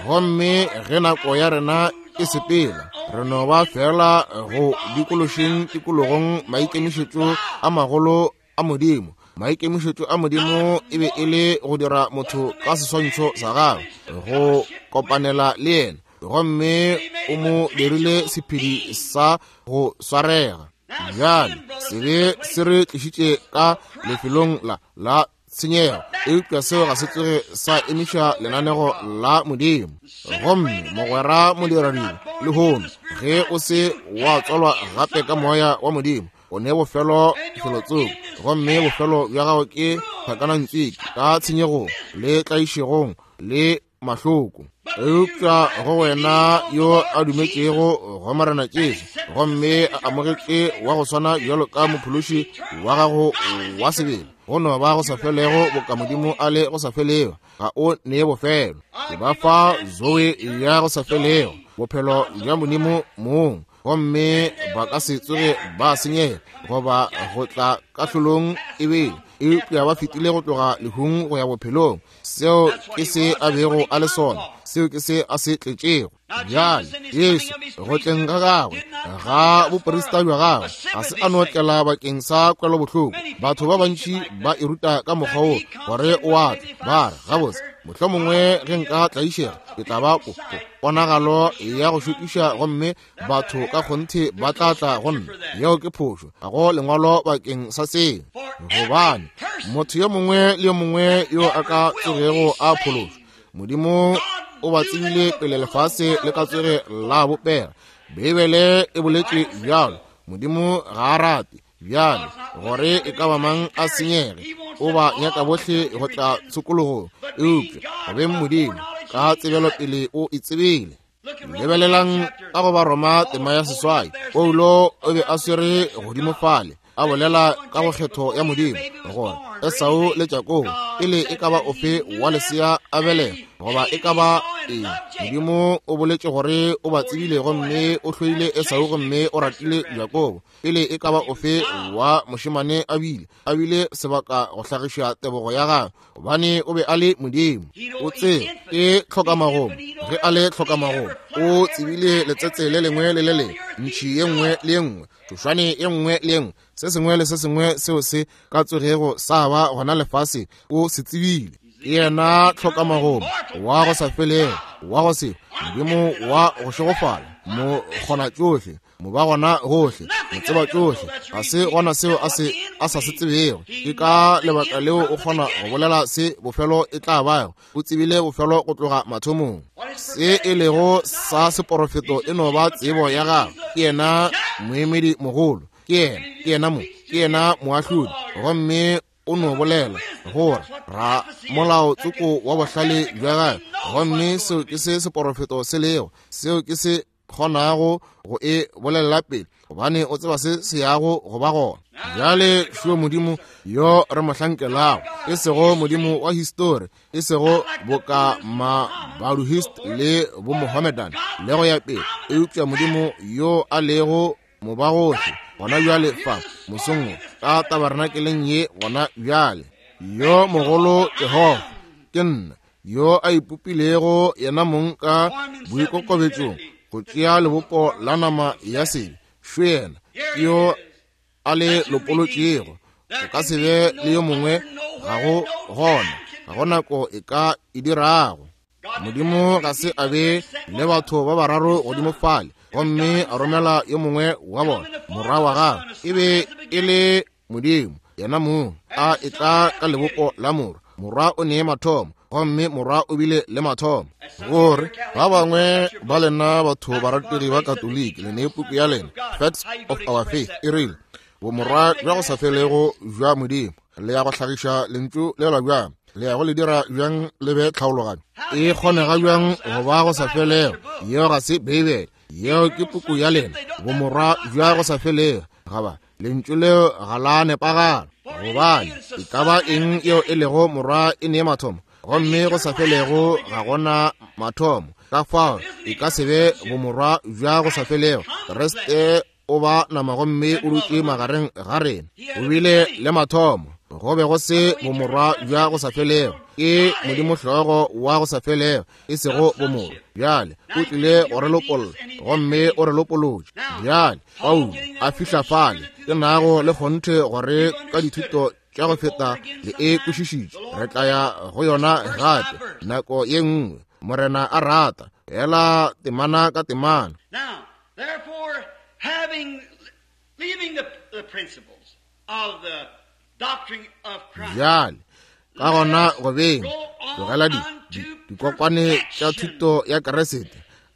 Gomme ge nako ya rena e sepela, re no ba fela go dikološeng tikologong maikemišetšo a magolo a Modimo. Maikemišetšo a Modimo e be e le go dira motho ka seswantšho sa gagwe, go kopanela le yena, gomme o mo dirile sephedi sa go swarega. Bjale sebe se re tlišitše ka lefelong la la tshenyego, eupša seo ga se tsoge sa emiša lenanego la Modimo. Gomme mogwera modiradibe lehono, ge o se wa tswalwa gape ka moya wa Modimo, o ne bofelo felotsoko, gomme bofelo bja gago ke tlhakanantswiki ka tshenyegong le tlaišegong le mahloko. Eupša go wena yo a dumetšego go Morena Jesu, gomme a amogetše wa go swana bjalo ka mophološi wa gago wa sebele, go no ba go sa felego boka Modimo a le go sa felego, ga o nee bofelo. Ke ba fa zoe ya go sa felego, bophelo bja Modimo mong, gomme ba ka se tsoge ba senyega goba go tla kahlolong ebele, eupša ba fetile go tloga lehung go ya bophelong. Seo ke se a bego a le sona, seo ke se a se tletšego. Bjale Jesu go tleng ga gagwe ga boprista bja gagwe ga se a no tlela bakeng sa kwelobohloko. Batho ba bantši ba e ruta ka mokgwa wo gore o a tla, ba re gabotse mohlomongwe ge nka tlaišega ke tla ba po ponagalo ya go šokiša, gomme batho ka kgonthe ba tla tla go nna. Yeo ke phošo, ga go lengwalo bakeng sa seo, gobane motho yo mongwe le yo mongwe yo a ka tsogego a phološwa, Modimo o ba tsebile pele lefase le ka tsoge la bopega. Beibele e boletše bjalo. Modimo ga a rate bjale gore e ka ba mang a senyege, o ba nyaka bohle go tla tshokologong, eupša go beng Modimo ka tsebelopele o e tsebile. Lebelelang ka go ba Roma tema ya seswai, Paulo o be a swere godimo fale a bolela ka go kgetho ya Modimo gore Esau le Jakobo pele e ka ba ofe wa lesea a belega goba e ka ba eng, Modimo o boletše gore o ba tsebile, gomme o hloile Esau gomme o ratile Jakobo pele e ka ba ofe wa mošemane a bile a bile sebaka go hlagiša tebogo ya gagwe, gobane o be a le Modimo. O tsebe ke tlhokamagomo, ge a le tlhokamagomo o tsebile letsetse le lengwe le le lengwe, ntšhi ye nngwe le ye nngwe, tšhošwane ye nngwe le ye nngwe, se sengwe le se sengwe seo se ka tsogego sa ba gona lefase o se tsebile. Ke yena tlhokamagomo wa go sa felego, wa go se Modimo wa go šegofala, mo kgona tšohle, mo ba gona gohle, mo tseba tšohle. Ga se gona seo a se a sa se tsebego. Ke ka lebaka leo o kgona go bolela se bofelo e tla bago. O tsebile bofelo go tloga mathomong. Se e lego sa seporofeto e no ba tsebo ya gagwe. Ke yena moemedi mogolo, ke yena, ke yena mo, ke yena moahlodi, gomme o no bolela gore ra molao tsoko wa bohlale bja gagwe, gomme seo ke se seporofeto se lego, seo ke se kgonago go e bolelela pele, gobane o tseba se se yago go ba gona. Bjale šo Modimo yo re mo hlankelago, e sego Modimo wa histori, e sego boka ma-Baduhist le bo-Mohammedan le go ya pele, eupša Modimo yo a lego mobagohle gona bjale fa mosong wo ka tabernakeleng ye gona bjale. Yo mogolo Jehofa ke nna yo a ipopilego yena mong ka boikokobetšong go tšea lebopo la nama ya sebe, šo yena ke yo a le lopolotšego. Go ka se be le yo mongwe, ga go gona, ga go nako e ka e dirago. Modimo ga se a be le batho ba bararo godimo fale, gomme a romela yo mongwe wa bona, morwa wa gagwe. E be e le Modimo yena mong a etla ka lebopo la morwa. Morwa o nee mathomo, gomme morwa o bile le mathomo. Gore ba bangwe ba lena batho barategi ba Katoliki le nee puku ya lena Facts of Our Faith e rile bomorwa bja go sa felego bja Modimo. Le ya go hlagiša lentšu lela bjang? Le ya go le dira bjang le be tlhaologanyo? E kgonega bjang go ba go sa felego? Yeo ga se Beibele, yeo ke puku ya lena, bomorwa bja go sa felego. Gaba lentšu leo ga la nepagala, gobane e ka ba eng yeo e lego morwa e nee mathomo, gomme go sa felego ga gona mathomo. Ka fao e ka se be bomorwa bja go sa felego. Kriste o ba nama gomme o dutše magareng ga rena. O bile le mathomo, go be go se bomorwa bja go sa felego. Ke Modimo hlogo wa go sa felego, e sego bomorwa. Bjale o tlile go re lopolla, gomme o re lopolotše. Bjale Paulo a fihla fale, ke nago le kgonthe gore ka dithuto tša go feta le e kwešišitše. Re tla ya go yona gape nako ye nngwe, Morena a rata, fela temana ka temana. Now, therefore, having leaving the, the principles of the doctrine of Christ, Bjale ka gona go beng tlogela di dikokwane tša thuto ya Kriste,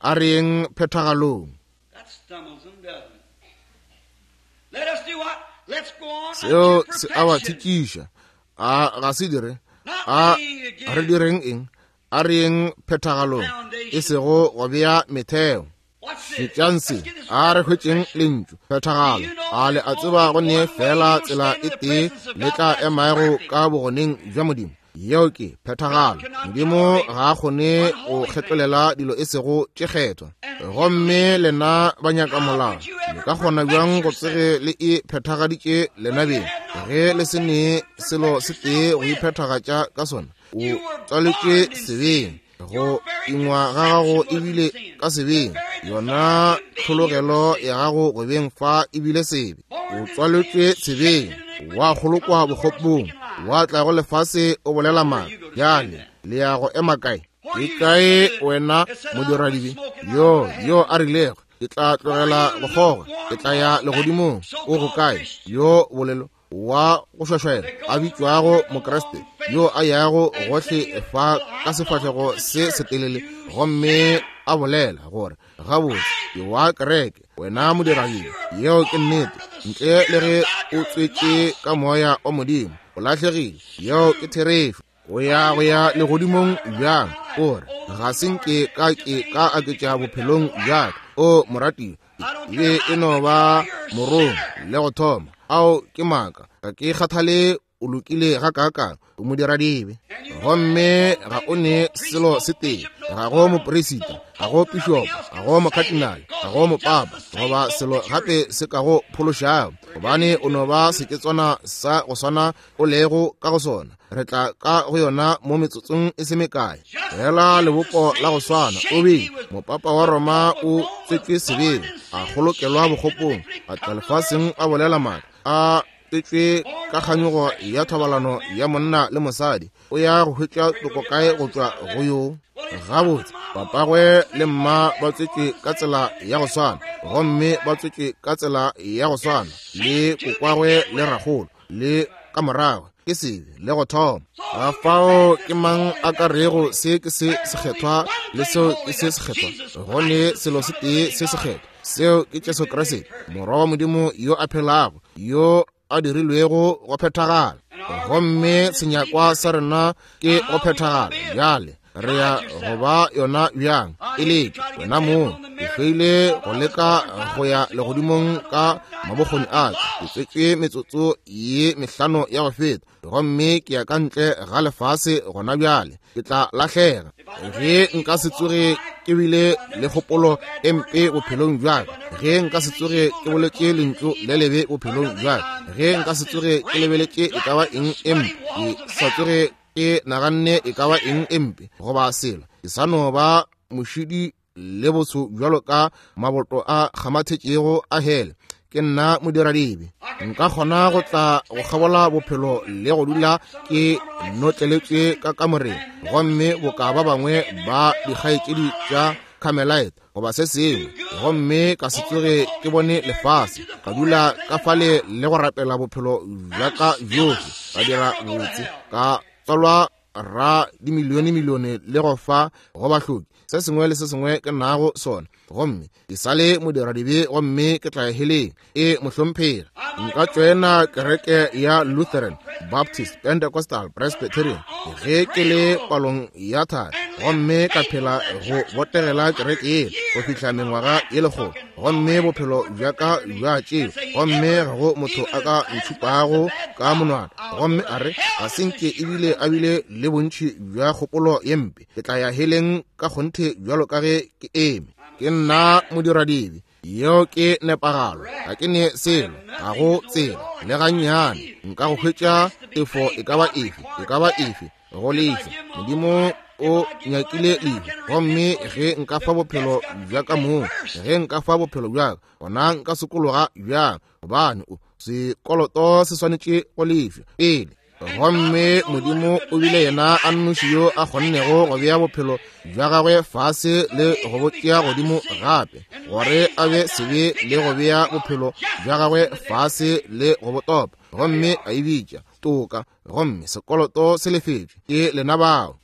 a re yeng phethagalong. That stumbles them, doesn't it? Let us do what? Let's go on Seo unto se a ba perfection. thikiša. A ga se dire? Not A laying again re direng eng? A re yeng phethagalong, e sego go bea metheo. What's this? Šetšang Let's se, get this a re word hwetšeng perfection. lentšu phethagalo. Do you know A le there's a tseba only go nee one way fela you'll tsela stand e in the tee presence of le God? tla That's emago perfect. ka bogoneng bja Modimo. Yeo ke phethagalo. God cannot Modimo tolerate ga a kgone go unholy things. kgetlolela dilo e sego tše kgethwa. And if you Gomme believe, lena ba nyaka how molao, could you le ever ka kgona perfect bjang go yourself tsege le e phethagaditše lena when you beng, have not ge le one se thing nee to selo perfect se tee yourself go with? iphethagatša ka sona? O You were tswaletšwe born in sebeng, sin. go Your very ingwa ga gago conception was in ebile sin. ka The sebeng, very yona desire to be here was tlhologelo sin. ya gago go beng fa ebile sebe. O Born in sin, tswaletšwe sebeng, shaped in iniquity, wa come kgolokwa to the world bokgopong, speaking lies. wa tla go lefase o bolela Where maaka. you go to stand Bjale at? le ya go ema kae? Where Ke you kae stood wena that said, I'll quit modiradibe smoking, I'll yo go to yo heaven? a rilego, ke tla Where tlogela you go kgoga, ke tla ya lukewarm, legodimong? O go so-called kae Christian yo bolelo wa go šwašwaela that a goes around bitšwago here with a Mokriste, long face yo a yago and gohle saying, fa well, ka I belong to sefahlego the se church. setelele, You gomme sinner! a bolela gore gabotse ke wa kereke, wena Unless modiradibe? you are Yeo ke born nnete. of the Ntle le Spirit of ge God, o you're tswetše lost. ka moya wa Modimo, o lahlegile. Yeo ke therešo. O ya go ya legodimong bjang? O re ga se nke ka ke ka aketša bophelong bja ka. O moratiwa, I don't e care be how e no good you ba are, you're a morong sinner. le go thoma. Ao ke maaka, ga ke kgathale o lokile gakaakang, o modiradibe. And you know there Gomme ain't no ga thing o that ne no priest, selo no se tee, bishop, no ga go cardinal, moperisita, no ga go pope, or nothing pišopo, else ga can go save you, mokhatinale, ga because go he's just mopapa, the same goba boat selo that you're in. gape se ka go phološago, We're getting gobane o into no it. ba seketswana sa go swana o lego ka go sona. Re tla ka go yona mo metsotsong e se mekae. Just Fela in the lebopo la go same swana o shape he bile was, mopapa wa the Roma Pope of o Rome was tswetšwe born sebeng, in a sin, kgolokelwa shaped in bokgopong, iniquity, a tla come to the world lefaseng a bolela maaka, a tswetšwe born ka of kganyogo the ya sexual thobalano man. ya monna le mosadi. O ya go hwetša Where you toko go get kae go righteousness tšwa out of go that? yo? Well, it's not Gabotse when my mom papagwe was the le same way, mma ba they were tswetšwe born the ka same tsela way, ya go their swana, grandpa gomme all ba back. tswetšwe ka tsela ya go swana It's le sin to kokwagwe begin le with. ragolo le ka morago ke sebe le go thoma. So Ga who can fao pass ke this mang holy, a ka that's rego holy? se ke se There's only sekgethwa one le thing seo ke holy, se that's sekgethwa? Jesus Go ne Christ, the selo se Son of the tee living se God, sekgethwa, seo ke Jesu who's been made Kriste, perfect. Morwa wa Modimo yo a phelago, yo a dirilwego go phethagala. And our Gomme requirement is to be senyakwa sa perfect. rena ke Now, go how are we going to phethagala. be it? Bjale re ya Try it go yourself. ba yona bjang? I E hate to leke try to get wena to heaven mong. on the Ke merit hloile of go I was leka born five go ya months ago and legodimong I don't ka know right now mabokgoni I'd be a ka. Ke lost. tswetšwe metsotso ye mehlano ya go feta, gomme ke ya ka ntle ga lefase gona bjale. Ke tla lahlega If I never ge had an nka se evil thought tsoge in my life, ke bile if I le never spoke kgopolo a bad e word in mpe my life, bophelong bja if ka, I never ge looked at nka se anything tsoge evil, ke never boletše thought lentšu anything le evil, lebe or bophelong nothing, bja ka, I'm ge nka se just as tsoge ke great lebeletše and e ka ba black as eng the e sweaty mpe, ke walls of sa hell. tsoge ke naganne e ka ba eng e mpe goba selo. Ke sa no ba mošidi le botsho bjalo ka maboto a kgamathetšego a hele. Ke nna modiradibe. Nka kgona go tla go kgabola bophelo le go dula ke notleletšwe ka kamoreng, gomme boka ba bangwe ba dikgaetšedi tša Carmelite goba se sengwe, gomme ka se tsoge ke bone lefase, ka dula ka fale le go rapela bophelo bja ka bjohle, ka dira botse, ka tswalwa ra dimilione milione le go fa go bahloki se sengwe le se sengwe ke nago sona, gomme ke sale modiradibe, gomme ke tla heleng. E mohlomphegi, nka tšoena kereke ya Lutheran, Baptist, Pentecostal, Presbyterian ge ke le palong ya thari, gomme ka phela go botegela kereke ye go fihla mengwaga ye lekgolo, gomme bophelo bja ka bja tšeo, gomme ga go motho a ka ntšhupago ka monwana gomme a re ga se nke ebile a bile le bontši bja kgopolo ye mpe. Ke tla ya heleng ka kgonthe bjalo ka ge ke eme. Ke nna modiradibe. Yeo ke nepagalo. Ga ke ne selo, ga go tsela le gannyane nka go hwetša tefo e ka ba efe, e ka ba efe go lefa. Modimo o nyakile lehu, gomme ge nka fa bophelo bja ka moo, ge nka fa bophelo bja ka, gona nka sokologa bjang? Gobane o sekoloto se swanetše go lefša pele. Gomme Modimo o bile yena a nnoši yo a kgonnego go bea bophelo bja gagwe fase le go bo tšea godimo gape, gore a be sebe le go bea bophelo bja gagwe fase le go bo topa, gomme a e bitša toka, gomme sekoloto se lefetšwe ke lena bao.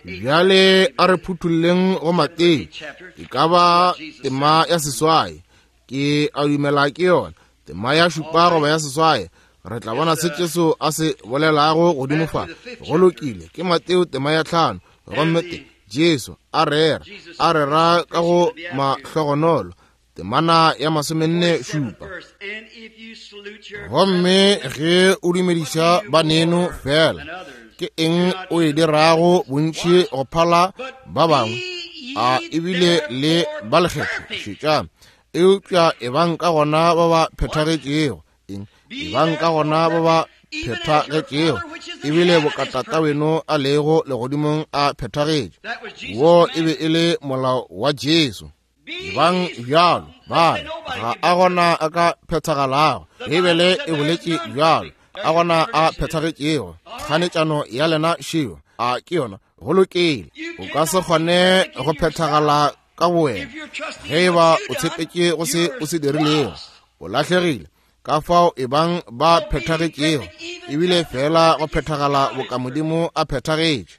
Bjale a re phuthulleng go Mateo, e ka ba tema ya seswai, ke a dumela ke yona, tema ya šupa goba ya seswai. Re tla bona se Jesu a se bolelago godimo fa. Go lokile, ke Mateo tema ya tlhano, gomme te Jesu a rera, a rera ka go mahlogonolo, temana ya masomenne šupa. Gomme ge o dumediša baneno fela, ke eng o e dirago bontši go phala ba bangwe? A ebile le ba lekgetho? Šetšang. Eupša e bang ka gona ba ba phethagetšego, eng? E bang ka gona ba ba phethagetšego, ebile bokatata weno a lego legodimong a phethagetše. Wo e be e le molao wa Jesu. E bang bjalo, ba ga a gona a ka phethagalago. Beibele e boletše bjalo, a gona a phethagetšego. Kganetšano ya lena šeo, a ke yona? Go lokile. O ka se kgone go phethagala ka bowena ge e ba o tshepetše go se o se dirilego, o lahlegile. Ka fao e bang ba phethagetšego, ebile fela go phethagala boka Modimo a phethagetše.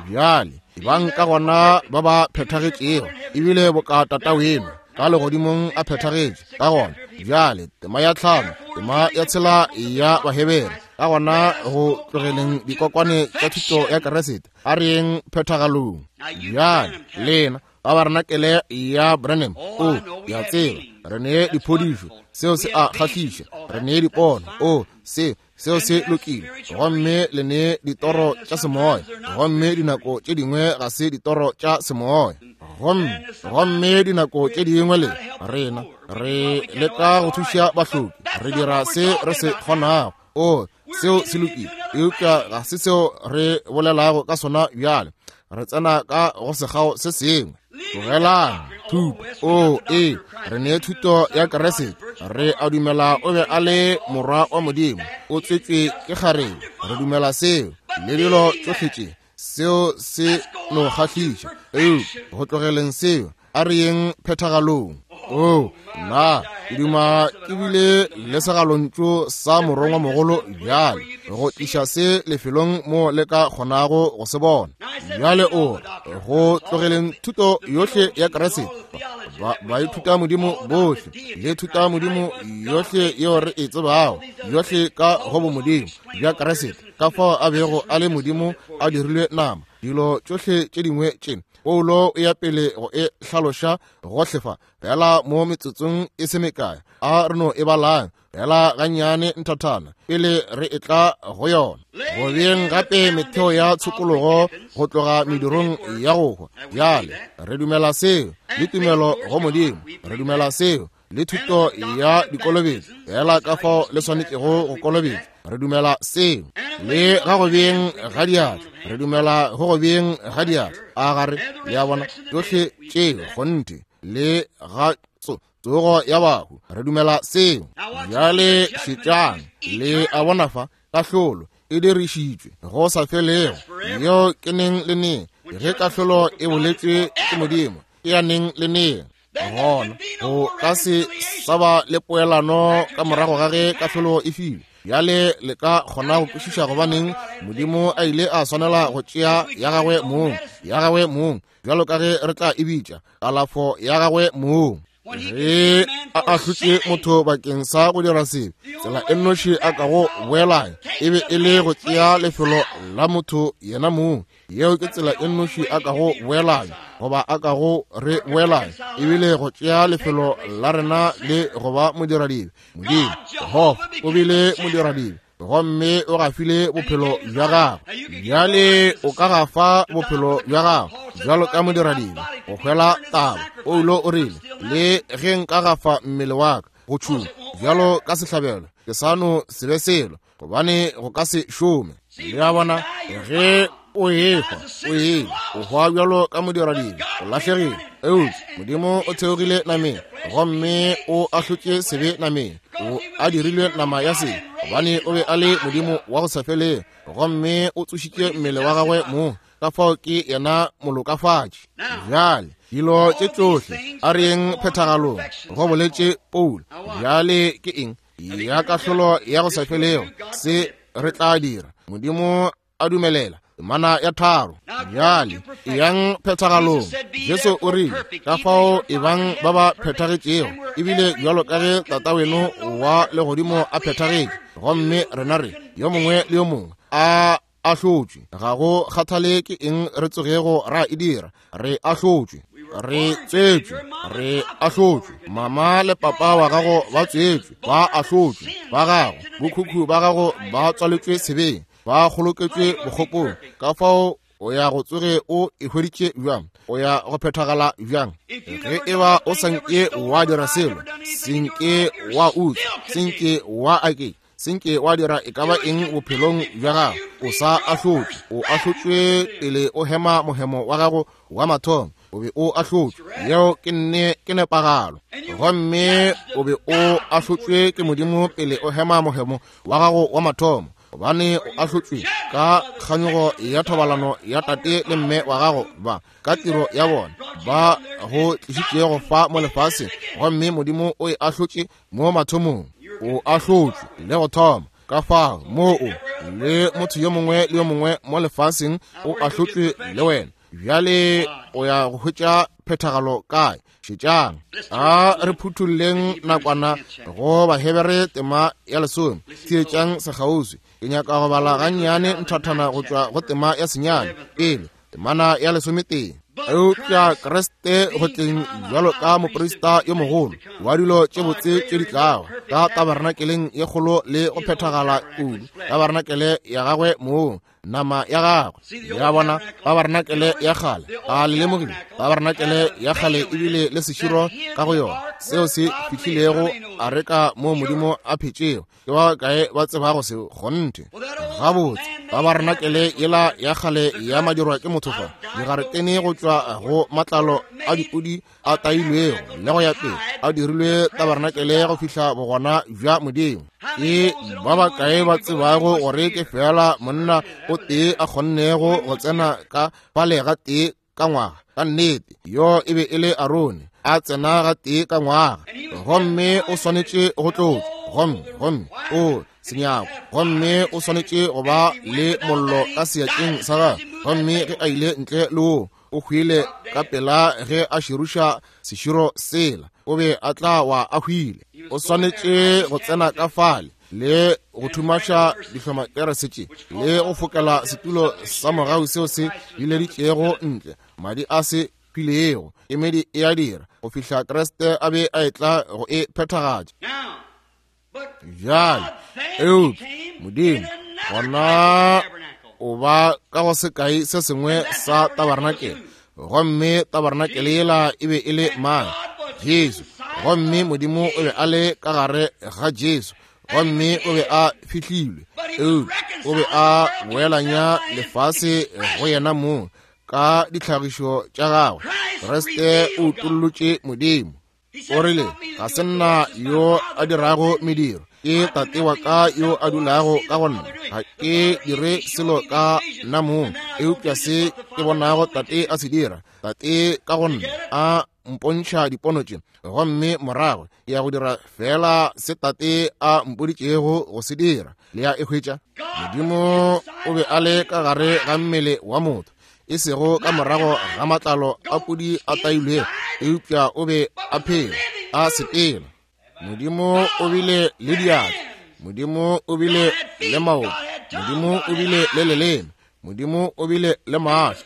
Bjale e bang ka gona ba ba phethagetšego, ebile boka Tataweno ka legodimong a phethagetše. Ka gona bjale tema ya tlhano, tema ya tshela ya Bahebere, ka gona go tlogeleng dikokwane tša thuto ya Keresete, a re yeng phethagalong. Bjale lena ba ba renakele ya Branham, o ya tseba, re ne diphodišo, seo se a kgahliša, re ne dipono, o se seo se lokile, gomme le ne ditoro tša semoya, gomme dinako tše dingwe ga se ditoro tša semoya, gomme gomme dinako tše dingwe le rena re leka go thuša bahloki, re dira se re se kgonago, o seo se lokile, eupša ga se seo re bolelago ka sona bjale. Re tsena ka go sekgao se sengwe. Tlogelang thuto. O e re ne thuto ya Keresete. Re a dumela o be a le morwa wa Modimo, o tswetšwe ke kgarebe. Re dumela seo le dilo tšohle tše, seo se no kgahliša. Eupša go tlogeleng seo, a re yeng phethagalong. O nna ke duma ke bile le segalontšu sa morongwa mogolo bjale go tliša se lefelong mo le ka kgonago go se bona. Bjale o go tlogeleng thuto yohle ya Keresete, ba ba ithuta Modimo bohle le thuta Modimo yohle yeo re e tsebago, yohle ka go bomodimo bja Keresete, ka fao a bego a le Modimo a dirilwe nama, dilo tšohle tše dingwe tše. Paulo o ya pele go e hlaloša gohle fa, fela mo metsotsong e se mekae, a re no e balang fela gannyane nthathana pele re e tla go yona. Go beeng gape metheo ya tshokologo go tloga medirong ya go hwa. Bjale re dumela seo le tumelo go Modimo, re dumela seo le thuto ya dikolobetšo, fela ka fao le swanetšego go kolobetšwa. Re dumela seo. Le ga go beng ga diatla, re dumela go go beng ga diatla. A gare le a bona tšohle tšeo kgonthe le ga tsogo ya bahu, re dumela seo. Bjale šetšang, le a bona fa kahlolo e dirišitšwe go sa felego, yeo ke neng le neng. Ge kahlolo e boletšwe ke Modimo, e ya neng le neng. Gona go ka se sa ba le poelano ka morago ga ge kahlolo e filwe. Bjale le ka kgona go kwešiša gobaneng Modimo a ile a swanela go tšea ya gagwe mong, ya gagwe mong, bjalo ka ge re tla e bitša, kalafo ya gagwe mong. Ge a ahlotše motho bakeng sa go dira sebe, tsela e nnoši a ka go boelanya e be e le go tšea lefelo la motho yena mong. Yeo ke tsela e nnoši a ka go boelanya, goba a ka go re boelanya, ebile go tšea lefelo la rena le go ba modiradibe. Modimo Jehofa o bile modiradibe, gomme o gafile bophelo bja gagwe. Bjale o ka gafa bophelo bja gago bjalo ka modiradibe go hwela taba. Paulo o rile, le ge nka gafa mmele wa ka go tšhuma bjalo ka sehlabelo, ke sa no se be selo, gobane go ka se šome. Le a bona, ge o ehwa, o ile, o hwa bjalo ka modiradibe, o lahlegile. Eupša Modimo o theogile nameng, gomme o ahlotše sebe nameng, o a dirilwe nama ya sebe, gobane o be a le Modimo wa go sa felego, gomme o tsošitše mmele wa gagwe mong. Ka fao ke yena molokafatši. Bjale dilo tše tšohle a re yeng phethagalong, go boletše Paulo. Bjale ke eng ya kahlolo ya go sa felego se re tla dira? Modimo a dumelela temana ya tharo. Bjale eyang phethagalong. Jesu o rile, ka fao e bang ba ba phethagetšego, ebile bjalo ka ge Tataweno wa legodimo a phethagetše. Gomme rena re yo mongwe le yo mongwe a ahlotšwe. Ga go kgathale ke eng re tsogego ra e dira, re ahlotšwe, re tswetšwe, re ahlotšwe. Mama le papa wa gago ba tswetšwe, ba ahlotšwe. Ba gago, bokhukhu ba gago ba tswaletšwe sebeng, ba kgoloketšwe bokgopong. Ka fao o ya go tsoge o e hweditše bjang? O ya go phethagala bjang? Ge e ba o sa nke wa dira selo, senke wa utswa, senke wa ake, senke wa dira e ka ba eng bophelong bja gago, o sa ahlotšwe. O ahlotšwe pele o hema mohemo wa gago wa mathomo, o be o ahlotšwe. Yeo ke nne ke nepagalo. Gomme o be o ahlotšwe ke Modimo pele o hema mohemo wa gago wa mathomo, gobane o ahlotšwe ka kganyogo ya thobalano ya tate le mme wa gago ba ka tiro ya bona ba go tlišitšego fa mo lefaseng, gomme Modimo o e ahlotše mo mathomong. O ahlotšwe le go thoma. Ka fao moo o le motho yo mongwe le yo mongwe mo lefaseng o ahlotšwe le wena. Bjale o ya go hwetša phethagalo kae? Šetšang, a re phuthulleng nakwana go Bahebere tema ya lesome. Theetšang sekgauswi, ke nyaka go bala gannyane nthathana go tšwa go tema ya senyane pele, temana ya lesometee. Eupša Kriste go tleng bjalo ka moprista yo mogolo wa dilo tše botse tše di tlago ka tabernakeleng ye kgolo le go phethagala kudu, tabernakeleng ya gagwe mong, nama ya gagwe. Ya bona tabernakeleng ya kgale, a le lemogile tabernakeleng ya kgale ebile le seširo ka go yona, seo se fihlilego areka mo Modimo a phetšego. Ke ba kae ba tsebago seo? Kgonthe. Gabotse, tabernakeleng yela ya kgale ya madirwa ke motho fa, digaretene go tšwa go matlalo a dipudi a tailwego le go ya pele, a dirilwe tabernakeleng go fihla bogona bja Modimo. Ke ba bakae ba tsebago gore ke fela monna o tee a kgonnego go tsena ka fale ga tee ka ngwaga? Ka nnete, yo e be e le Arone, a tsena ga tee ka ngwaga, gomme o swanetše go tlotšwa, gomme gomme o senyako, gomme o swanetše go ba le mollo ka seatleng sa gagwe. Gomme ge a ile ntle le wo, o hwile ka pela ge a širuša seširo sela, o be a tla wa a hwile. O swanetše go tsena ka fale le go thumaša dihlomakerese tše le go fokela setulo sa mogau seo se bileditšego ntle madi a se hwilego. Kemedi e a dira go fihla Kriste a be a etla go e phethagatša. Bjale eupša Modimo gona o ba ka go sekai se sengwe sa tabernakeleng, gomme tabernakeleng yela e be e le mang? Jesu. Gomme Modimo o be a le ka gare ga Jesu, Gomme o be a fihlilwe, eupša o be a boelanya lefase go yena mong ka ditlhagišo tša gagwe. Kriste o utollotše Modimo. O rile, ga se nna yo a dirago mediro, ke Tate wa ka yo a dulago ka go nna. Ga ke dire selo ka nna mong, eupša se ke bonago Tate a se dira, Tate ka go nna a mpontšha dipono tše, gomme morago ke ya go dira fela se Tate a mpoditšego go se dira. Le ya e hwetša? Modimo o be a le ka gare ga mmele wa motho, e sego ka morago ga matlalo a pudi a tailwego, eupša o be a phela, a sepela. Modimo o bile le diatla, Modimo o bile le maoto, Modimo o bile le leleme, Modimo o bile le mahlo,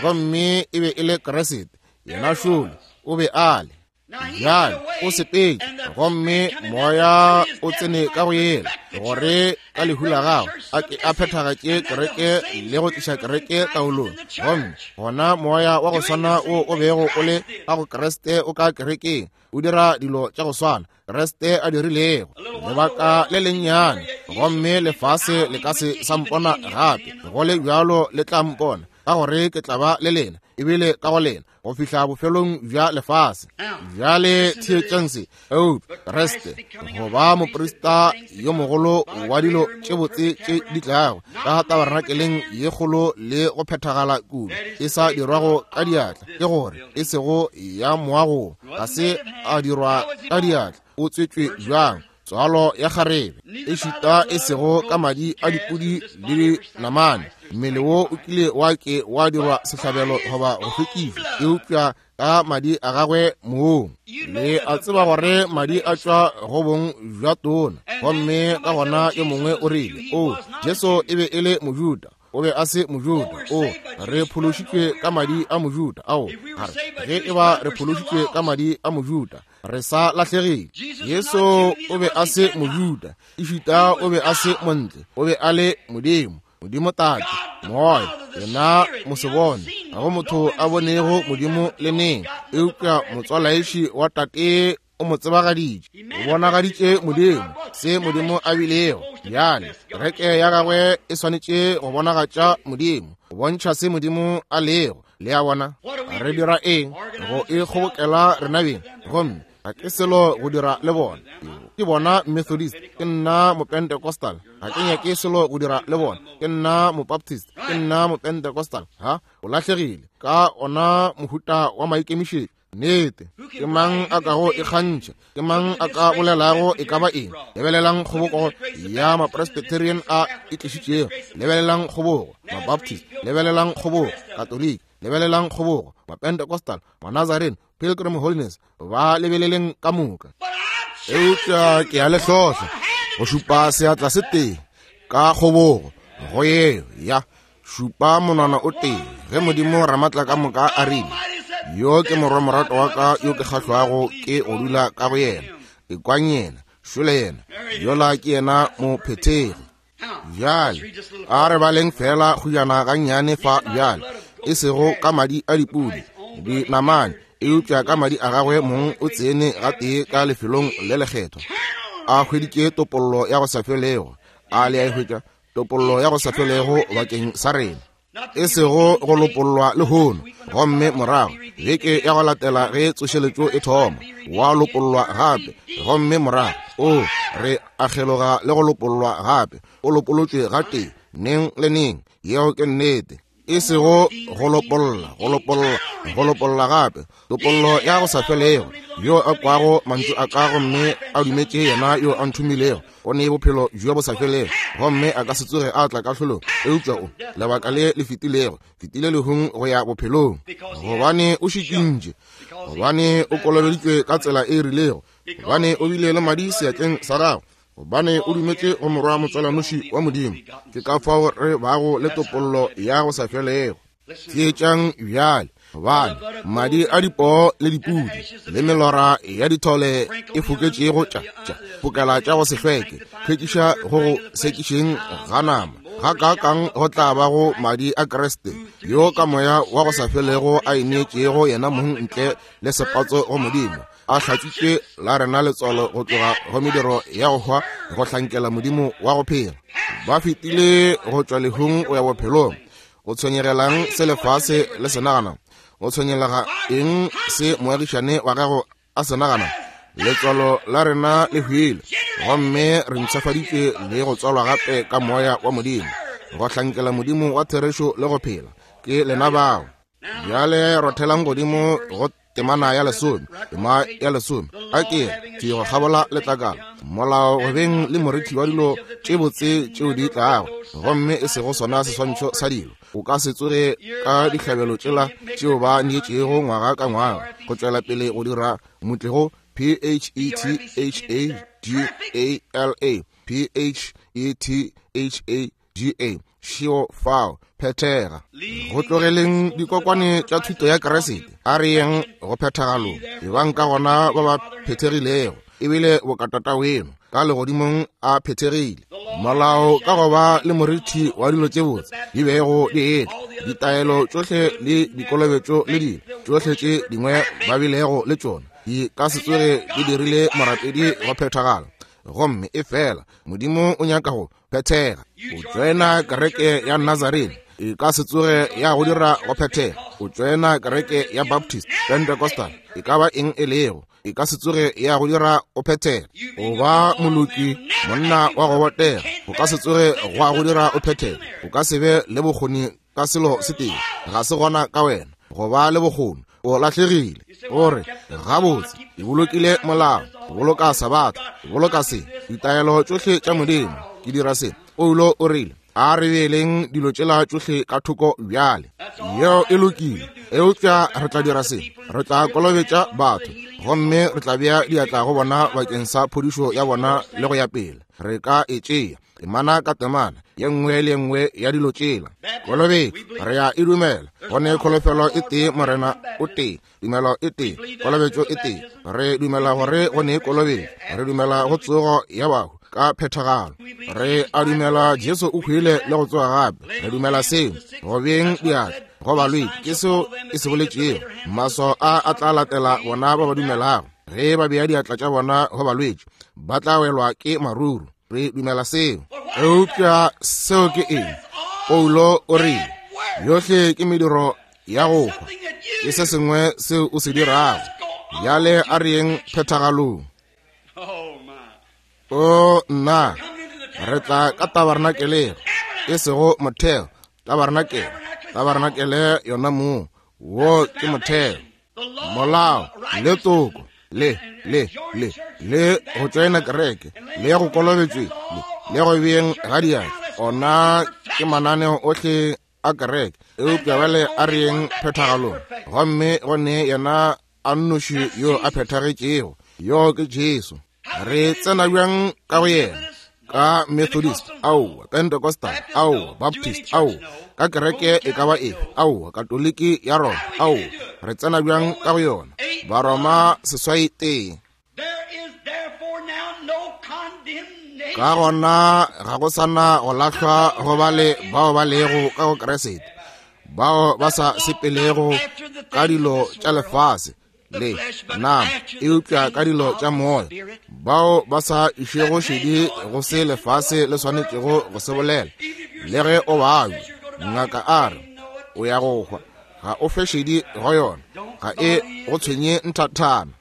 gomme e be e le Kriste, yena šole o be a le. Bjale o sepetše, gomme moya o tsene ka go yena, gore ka lehu la gagwe a ke a phethagatše kereke le go tliša kereke taolong. Gomme gona moya wa go swana wo o bego o le ka go Kriste o ka kerekeng, o dira dilo tša go swana Kriste a dirilego. Lebaka le lennyane, gomme lefase le ka se sa mpona gape, go le bjalo le tla mpona, ka gore ke tla ba le lena, ebile ka go lena, go fihla bofelong bja lefase. Bjale theetšang se, eupša Kriste go ba moprista yo mogolo wa dilo tše botse tše di tlago ka tabernakeleng ye kgolo le go phethagala kudu, e sa dirwago ka diatla, ke gore e sego ya moago, ga se a dirwa ka diatla. O tswetšwe bjang? Tswalo ya kgarebe, ešita e sego ka madi a dipudi le dinamane. Mmele wo o kile wa ke wa dirwa sehlabelo goba go hlwekišwa, eupša ka madi a gagwe mong. Le a tseba gore madi a tšwa go bong bja tona. Gomme ka gona yo mongwe o rile, o Jesu e be e le Mojuda, o be a se Mojuda. O re phološitšwe ka madi a Mojuda. Ao, ge e ba re phološitšwe ka madi a Mojuda, re sa lahlegile. Jesu o be a se Mojuda, ešita o be a se montle, o be a le Modimo, Modimo Tate, Moya, yena mosebone. Ga go motho a bonego Modimo le neng, eupša motswalaiši wa Tate o mo tsebagaditše, o bonagaditše Modimo, se Modimo a bilego. Bjale kereke ya gagwe e swanetše go bonagatša Modimo, go bontšha se Modimo a lego. Le a bona? Re dira eng? Go e kgobokela rena beng, gomme ga ke selo go dira le bona. Ke bona Methodist, ke nna Mopentecostal, ga ke nyake selo go dira le bona. Ke nna Mobaptist, ke nna Mopentecostal. Ha, o lahlegile ka ona mohuta wa maikemišetšo. Nnete, ke mang a kago ikgantšha? Ke mang a ka bolelago e ka ba eng? Lebelelang kgoboko ya Mapresbyterian a e tlišitšego, lebelelang kgobogo Mabaptist, lebelelang kgobogo Katoliki, lebelelang kgobogo Mapentecostal, Manazarene, Pilgrim Holiness, ba lebeleleng ka moka. Eupša ke a le hlohla go šupa seatla se tee ka kgobogo go yeo ya šupa monwana o tee, ge Modimo Ramatla ka moka a rile, yo ke morwa morato wa ka yo ke kgahlwago ke go dula ka go yena, ekwang yena, šole yena, yola ke yena mophethegi. Bjale a re baleng fela kgujana gannyane fa bjale, e sego ka madi a dipudi dinamane, eupša ka madi a gagwe mong o tsene gatee ka lefelong le lekgethwa, a hweditše topollo ya go sa felego. A le a e hwetša? Topollo ya go sa felego bakeng sa rena, e sego go lopollwa lehono, gomme morago beke ya go latela ge tsošeletšo e thoma wa lopollwa gape, gomme morago o re akgeloga le go lopollwa gape. O lopolotšwe gatee neng le neng. Yeo ke nnete. E sego go lopolla, go lopolla, go lopolla gape, topollo ya go sa felego. Yo a kwago mantšu a ka gomme a dumetše yena yo a nthomilego, o ne bophelo bjo bo sa felego, gomme a ka se tsoge a tla kahlolong, eupša o lebaka le le fetilego, fetile lehung go ya bophelong, gobane o šikintše, gobane o kolobeditšwe ka tsela e rilego, gobane o bile le madi seatleng sa gagwe, gobane o dumetše go morwa motswalanoši wa Modimo. Ke ka fao re bago le topollo ya go sa felego. Theetšang bjale, gobane madi a dipoo le dipudi le melora ya dithole e foketšego tša tša fokela tša go se hlweke, hlwekiša go go sekišeng ga nama, ga kaakang go tla ba go madi a Kriste, yo ka moya wa go sa felego a ineetšego yena mong ntle le sepatso go Modimo. a hlatswitše la rena letswalo go tloga go mediro ya go hwa go hlankela Modimo wa go phela. Ba fetile go tšwa lehung go ya bophelong. Go tshwenyegelang se lefase le se nagana? Go tshwenyelega eng se moagišane wa gago a se nagana? Letswalo la rena le hwile, gomme re ntshafaditšwe le go tswalwa gape ka moya wa Modimo, go hlankela Modimo wa therešo le go phela. Ke lena bao. Bjale rothelang godimo go temana ya lesome, tema ya lesome. A ke ke go kgabola letlakala. Molao go beng le morithi wa dilo tše botse tšeo di tlago, gomme e sego sona seswantšho sa dilo. O ka se tsoge ka dihlabelo tšela tšeo ba neetšego ngwaga ka ngwaga go tšwela pele go dira motlego P H E T H A G A L A P H E T H A G A šio fao phethega. Go tlogeleng dikokwane tša thuto ya Kriste, a re yeng go phethagalong. Ebang ka gona ba ba phethegilego, ebile bokatata weno ka legodimong a phethegile. Molao ka go ba le morithi wa dilo tše botse di bego di etla, ditaelo tšohle le dikolobetšo le dilo tšohle tše dingwe ba bilego le tšona di ka se tsoge di dirile morapedi go phethagala. Gomme e fela Modimo o nyaka go phethega. O tšoena kereke ya Nazarene, e ka se tsoge ya go dira go phethega. O tšoena kereke ya Baptist, Pentecostal, e ka ba eng e lego, e ka se tsoge ya go dira go phethega. O ba moloki, monna wa go botega, o ka se tsoge gwa go dira o phethega. O ka se be le bokgoni ka selo se tee, ga se gona ka wena go ba le bokgoni. O lahlegile. O re, gabotse, ke bolokile molao, ke boloka sabatha, ke boloka se, ditaelo tšohle tša Modimo, ke dira se. Paulo o rile, a re beeleng dilo tšela tšohle ka thoko bjale. Yeo e lokile, eupša re tla dira se. Re tla kolobetša batho, gomme re tla bea diatla go bona bakeng sa phodišo ya bona le go ya pele. Re ka e tšea temana ka temana ye nngwe le ye nngwe ya dilo tšela. Kolobetšo re ya e dumela. Go ne kholofelo e tee, Morena o tee, tumelo e tee, kolobetšo e tee. Re dumela gore go ne kolobetšo, re dumela go tsogo ya bahu ka phethagalo. Re a dumela Jesu o hwile le go tsoga gape. Re dumela seo. Go beng diatla go balwetši ke seo e se boletšego. Maswao a a tla latela bona ba ba dumelago. Ge ba bea diatla tša bona go balwetši, ba tla welwa ke maruru. Re dumela seo. Eupša seo ke eng? Paulo o rile, yohle ke mediro ya go hwa, ke se sengwe seo o se dirago. Bjale a re yeng phethagalong. O nna, re tla ka tabernakeleng, e sego motheo, tabernakel, tabernakel yona moo, wo ke motheo. Molao le toko le le le le go tšoena kereke le go kolobetšwe le le go beeng ga diatla, ona ke mananeo ohle a kereke. Eupša bjale a re yeng phethagalong, gomme go ne yena a nnoši yo a phethagetšego, yo ke Jesu. Re tsena bjang ka go yena? Ka Methodist, aowa, Pentecostal, aowa, Baptist, aowa, ka kereke e ka ba efe, aowa, Katoliki ya Roma, aowa. Re tsena bjang ka go yona? Baroma seswai tee. Ka gona ga go sana go lahlwa go ba le bao ba lego ka go Kriste, bao ba sa sepelego ka dilo tša lefase le nama, eupša ka dilo tša moya, bao ba sa išego šedi go se lefase le swanetšego go se bolela. Le ge o babja, ngaka a re o ya go hwa, ga o fe šedi go yona, ga e go tshwenye nthathana.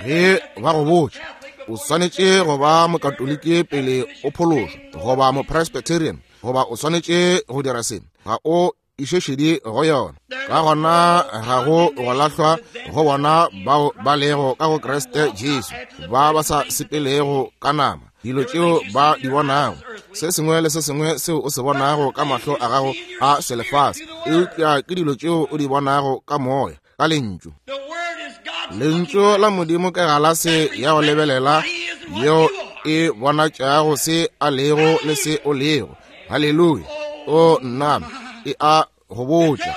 Ge ba go botša o swanetše go ba mokatoliki pele o phološwa, goba mopresbyterian, goba o swanetše go dira se, ga o iše šedi go yona. Ka gona ga go go lahlwa go bona bao ba lego ka go Kriste Jesu, ba ba sa sepelego ka nama, dilo tšeo ba di bonago, se sengwe le se sengwe seo o se bonago ka mahlo a gago a selefase, eupša ke dilo tšeo o di bonago ka moya, ka lentšu. Lentšu la Modimo ke galase ya go lebelela yeo e bonatšago se a lego le se o lego. Haleluya! O nna, e a go botša.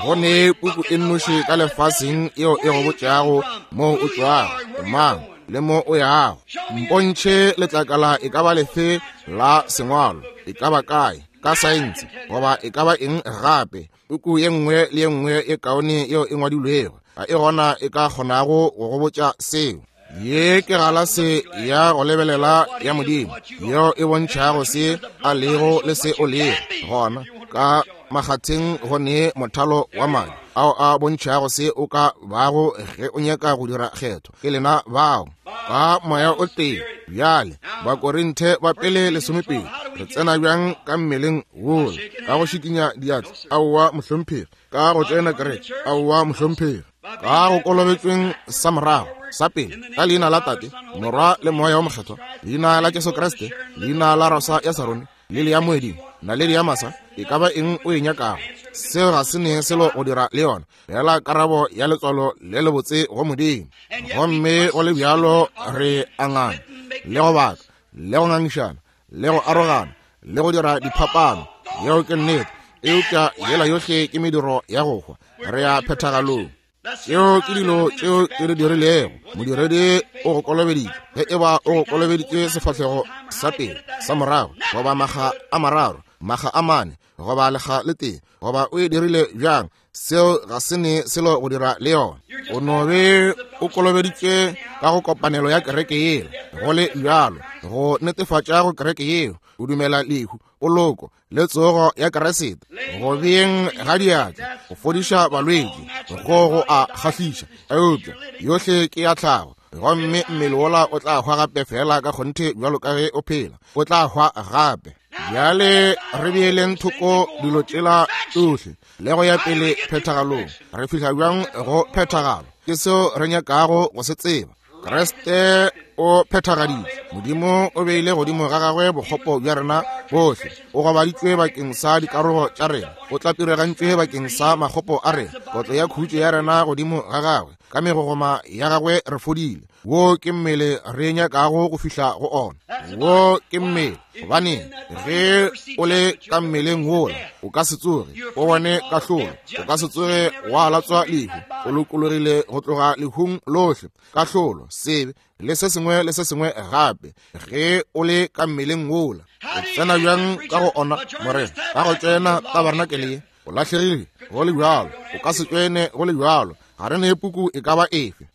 Go ne puku e nnoši ka lefaseng yeo e go botšago mo o tšwago, mang le mo o yago. Mpontšhe letlakala e ka ba lefe la sengwalo, e ka ba kae, ka saense, goba e ka ba eng gape, Puku ye nngwe le ye nngwe e kaone yeo e ngwadilwego ga e gona e ka kgonago go go botša seo. Ye ke galase ya go lebelela ya Modimo yeo e bontšhago se a lego le se o lego. Gona ka makgatheng go ne mothalo wa madi ao a bontšhago se o ka bago ge o nyaka go dira kgetho. Ke lena bao ka moya o tee. Bjale Bakorinthe ba pele lesomepedi, re tsena bjang ka mmeleng wola? Ka go šikinya diatla? Aowa mohlomphegi. Ka go tsena kereke? Aowa mohlomphegi. Ka go kolobetšweng sa morago sa pele ka leina la Tate, Morwa le Moya o Mokgethwa, leina la Jesu Kriste, leina la Rosa ya Sarone, lele ya moeding, naledi ya masa, e ka ba eng o e nyakago, seo ga se ne selo go dira le yona, fela karabo ya letswalo le lebotse go Modimo. Gomme go le bjalo re angana le go baka le go ngangišana le go arogana le go dira diphapano. Yeo ke nnete, eupša yela yohle ke mediro ya go hwa. Re ya phethagalong. Tšeo ke dilo tšeo ke di dirilego. Modiredi o go kolobeditše, ge e ba o go kolobeditše sefahlego sa pele, sa morago, goba makga a mararo, makga a mane, goba lekga le tee, goba o e dirile bjang, seo ga se ne selo go dira le yona. O no be o kolobeditše ka go kopanelo ya kereke yeo, go le bjalo, go netefatša go kereke yeo o dumela lehu, poloko le tsogo ya Kriste, go beeng ga diatla, go fodiša balwetši, go go a kgahliša, eupša yohle ke ya tlhago. Gomme mmele wola o tla hwa gape fela ka kgonthe bjalo ka ge o phela, o tla hwa gape. Bjale re beeleng thoko dilo tšela tšohle le go ya pele phethagalong. Re fihla bjang go phethagalo? Ke seo re nyakago go se tseba. Kriste o phethagaditše. Modimo o beile godimo ga gagwe bokgopo bja rena bohle. O gobaditšwe bakeng sa dikarogo tša rena, o tlapiregantšwe bakeng sa makgopo a rena. Kotlo ya khutšo ya rena godimo ga gagwe, ka megogoma ya gagwe re fodile. Wo ke mmele re nyakago go fihla go ona. Wo ke mmele, gobane ge o le ka mmeleng wola o ka se tsoge o bone kahlolo, o ka se tsoge wa latswa lehu. O lokologile go tloga lehung lohle, kahlolo, sebe le se sengwe le se sengwe gape, ge o le ka mmeleng wola. O tsena bjang ka go ona, Morena? Ka go tsena tabernakeleng ye o lahlegile go le bjalo, o ka se tsene go le bjalo. Ga re ne puku e ka ba efe.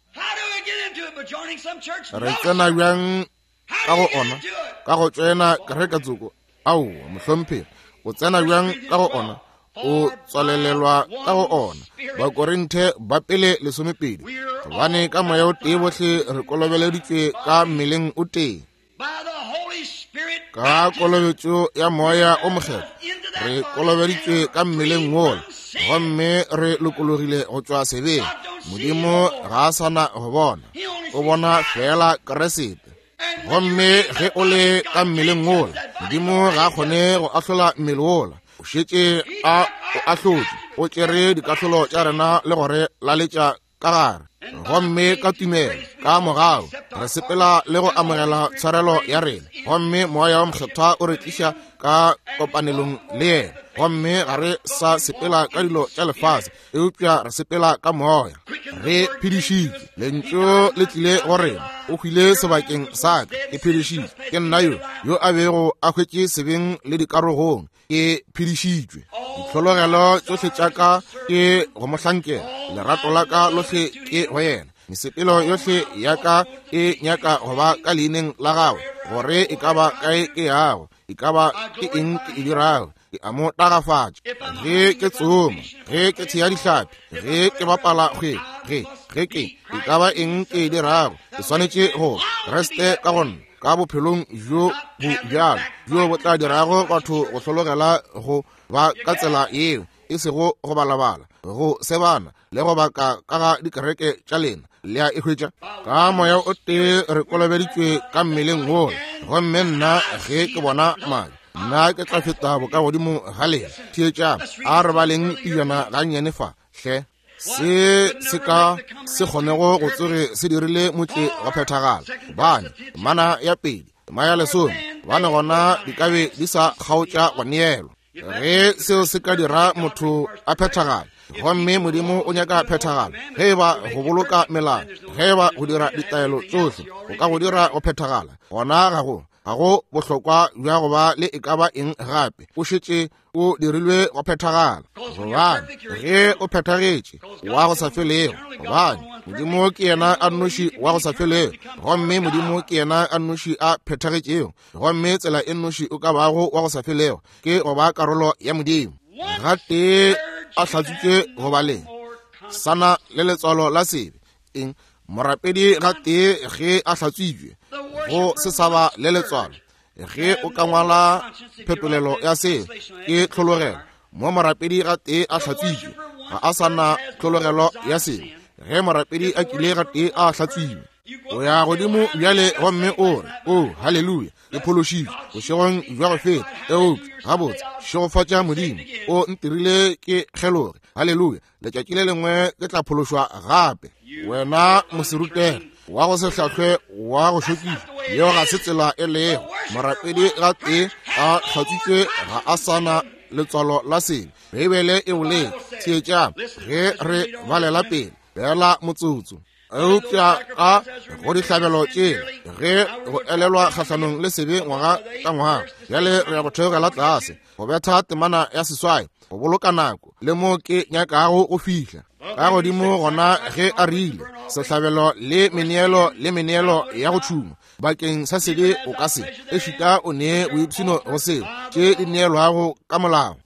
Re tsena bjang ka go ona? Ka go tsena kereke tsoko? Aowa mohlomphegi. O tsena bjang ka go ona? O tswalelelwa ka go ona. Bakorinthe ba pele lesomepedi, gobane ka moya o tee bohle re kolobeleditšwe ka mmeleng o tee, ka kolobetšo ya Moya o Mokgethwa re kolobeditšwe ka mmeleng wola, gomme re lokologile go tšwa sebeng. Modimo ga a sana go bona, o bona fela Kriste. Gomme ge o le ka mmeleng wola, Modimo ga a kgone go ahlola mmele wola. O šetše a o ahlotše, o tšere dikahlolo tša rena le gore laletša ka gare. Gomme ka tumelo, ka mogau, re sepela le go amogela tshwarelo ya rena. Gomme Moya wa Mokgethwa o re tliša ka kopanelong le yena. Gomme ga re sa sepela ka dilo tša lefase, eupša re sepela ka moya. Re phedišitšwe, lentšu le tlile go rena. O hwile sebakeng sa ka, ke phedišitšwe. Ke nna yo yo a bego a hwetše sebeng le dikarogong, ke phedišitšwe. Ditlhologelo tšohle tša ka ke go mo hlankela, lerato la ka lohle ke go yena. Mesepelo yohle ya ka e nyaka go ba ka leineng la gagwe, gore e ka ba kae ke yago, e ka ba ke eng ke e dirago, ke a mo tagafatša. Ge ke tsoma, ge ke thea dihlapi, ge ke bapala kgwele, ge ge ke e ka ba eng ke e dirago, ke swanetše go Kriste ka go nna, ka bophelong bjo bo bjalo bjo bo tla dirago batho go hlologela go ba ka tsela yeo, e sego go balabala, go sebana le go baka ka ga dikereke tša lena. Le a e hwetša? Ka moya o tee re kolobeditšwe ka mmeleng wola. Gomme nna ge ke bona madi, nna ke tla feta bokagodimo ga lena. Theetšang, a re baleng pejana gannyane fa hle. Se se ka se kgonego go tsoge se dirile motle go phethagala, gobane mana ya pedi, tema ya lesome, gobane gona di ka be di sa kgaotša go neelwa. Ge seo se ka dira motho a phethagala, gomme Modimo o nyaka phethagalo, ge e ba go boloka melao, ge e ba go dira ditaelo tšohle go ka go dira go phethagala, gona ga go ga go bohlokwa bja go ba le e ka ba eng gape. O šetše O dirilwe go phethagala. Gobane ge o phethagetše wa go sa felego, gobane Modimo ke yena a nnoši wa go sa felego, gomme Modimo ke yena a nnoši a phethagetšego, gomme tsela e nnoši o ka bago wa go sa felego ke go ba karolo ya Modimo. Gatee a hlatswitšwe go ba le sana le letswalo la sebe. Eng? Morapedi gatee ge a hlatswitšwe go se sa ba le letswalo. Ge o ka ngwala phetolelo ya se ke tlhologelo, mo morapedi gatee a hlatswitšwe ga a sa na tlhologelo ya sebe. Ge morapedi a kile gatee a hlatswiwe, o ya godimo bjale gomme o re, o haleluya, ke phološitšwe bošegong bja go feta, eupša gabotse šegofatša Modimo, o ntirile ke kgeloge, haleluya, letšatši le lengwe ke tla phološwa gape. Wena moserutege wa go se hlahlwe wa go šokiša, yeo ga se tsela e lego. Morapedi gatee a hlatswitšwe ga a sa na letswalo la sebe. Beibele e boletše. Theetšang ge re balela pele fela motsotso. Eupša ka go dihlabelo tše ge go elelwa kgahlanong le sebe ngwaga ka ngwaga, bjale re ya go theogela tlase go betha temana ya seswai go boloka nako le mo ke nyakago go fihla ka godimo. Gona ge a rile sehlabelo le meneelo le meneelo ya go tšhuma bakeng sa sebe o ka se ešita o nee boipshino go seo tše di neelwago ka molao.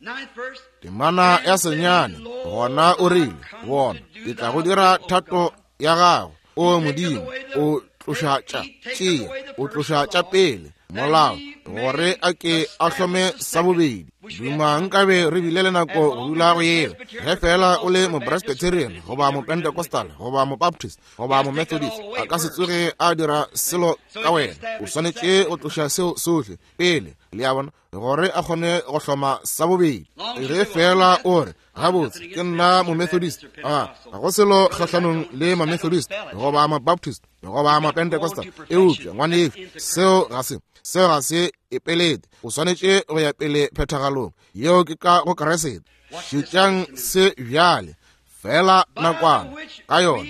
Temana ya senyane gona o rile, bona ke tla go dira thato ya gago, o Modimo, o tloša tša tšea, o tloša tša pele molao gore a ke a hlome sa bobedi. Duma nkabe re bile le nako go dula go yela. Ge fela o le mopresbyterian goba mopentecostal goba mobaptist goba momethodist, a ka se tsoge a dira selo ka wena. O swanetše go tloša seo sohle pele, le a bona, gore a kgone go hloma sa bobedi. Ge fela o re, gabotse ke nna momethodist, a ga go selo kgahlanong le mamethodist goba mabaptist goba mapentecostal, eupša ngwanešu seo ga se seo ga se epelete. O swanetše go ya pele phethagalong yeo ke ka go Kriste. Šetšang se bjale fela nakwana ka yona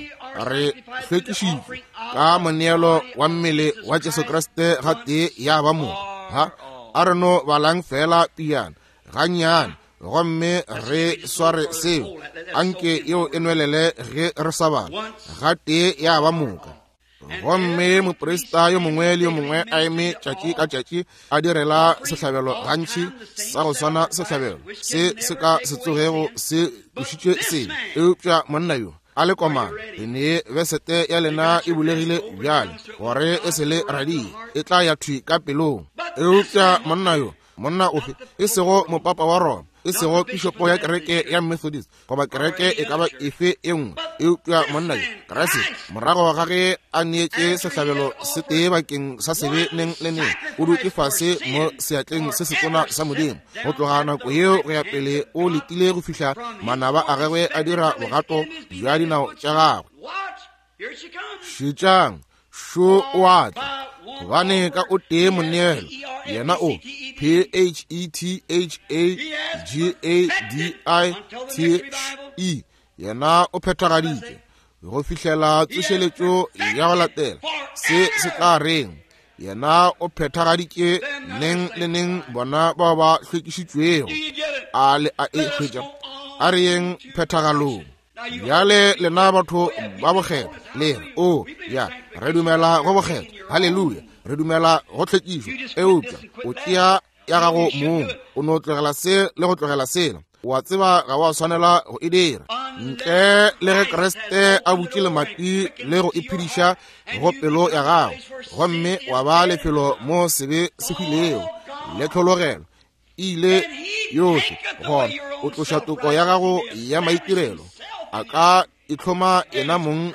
re hlwekišitšwe ka moneelo wa mmele wa Jesu Kriste gatee ya ba moka. Ha a re no balang fela piana gannyane gomme re sware seo, anke yeo e nwelele ge re sa bala, gatee ya ba moka. Gomme moprista yo mongwe le yo mongwe a eme tšatši ka tšatši a direla sehlabelo gantši sa go swana sehlabelo se se ka se tsogego se tlošitšwe sebe. Eupša monna yo a le komana, le nee besete ya lena e bulegile bjale gore e se le radie, e tla ya thwi ka pelong. Eupša monna yo, monna ofe, e sego mopapa wa Roma, e sego pišopo ya kereke ya Methodist goba kereke e ka ba efe e nngwe, eupša monna yo Kriste, morago ga ge a neetše sehlabelo se tee bakeng sa sebe neng le neng, o dutše fase mo seatleng se setona sa Modimo. Go tloga nako yeo go ya pele o letile go fihla manaba a gagwe a dira bogato bja dinao tša gagwe. Šetšang, šo o a tla, gobane ka o tee moneelo, yena o P H E T H A G A D I T E, yena o phethagaditše go fihlela tsošeletšo ya go latela. Se se tla reng? Yena o phethagaditše neng le neng bona bao ba hlwekišitšwego. A le a e hwetša? A re yeng phethagalong. Bjale lena batho ba bokgethwa le re, o ya, re dumela go bokgethwa, haleluya, re dumela go tlhwekišo. Eupša o tšea ya gago mong, o no tlogela se le go tlogela sela, wa tseba ga wa swanela go e dira ntle le ge Kriste a butše lemati le go iphediša go pelo ya gago, gomme wa ba lefelo mo sebe se hwilego le tlhologelo e ile yohle. Gona o tloša toko ya gago ya maitirelo, a ka itlhoma yena mong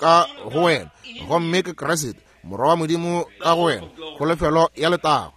ka go wena, gomme ke Kriste morwa wa Modimo ka go wena, kholofelo ya letago.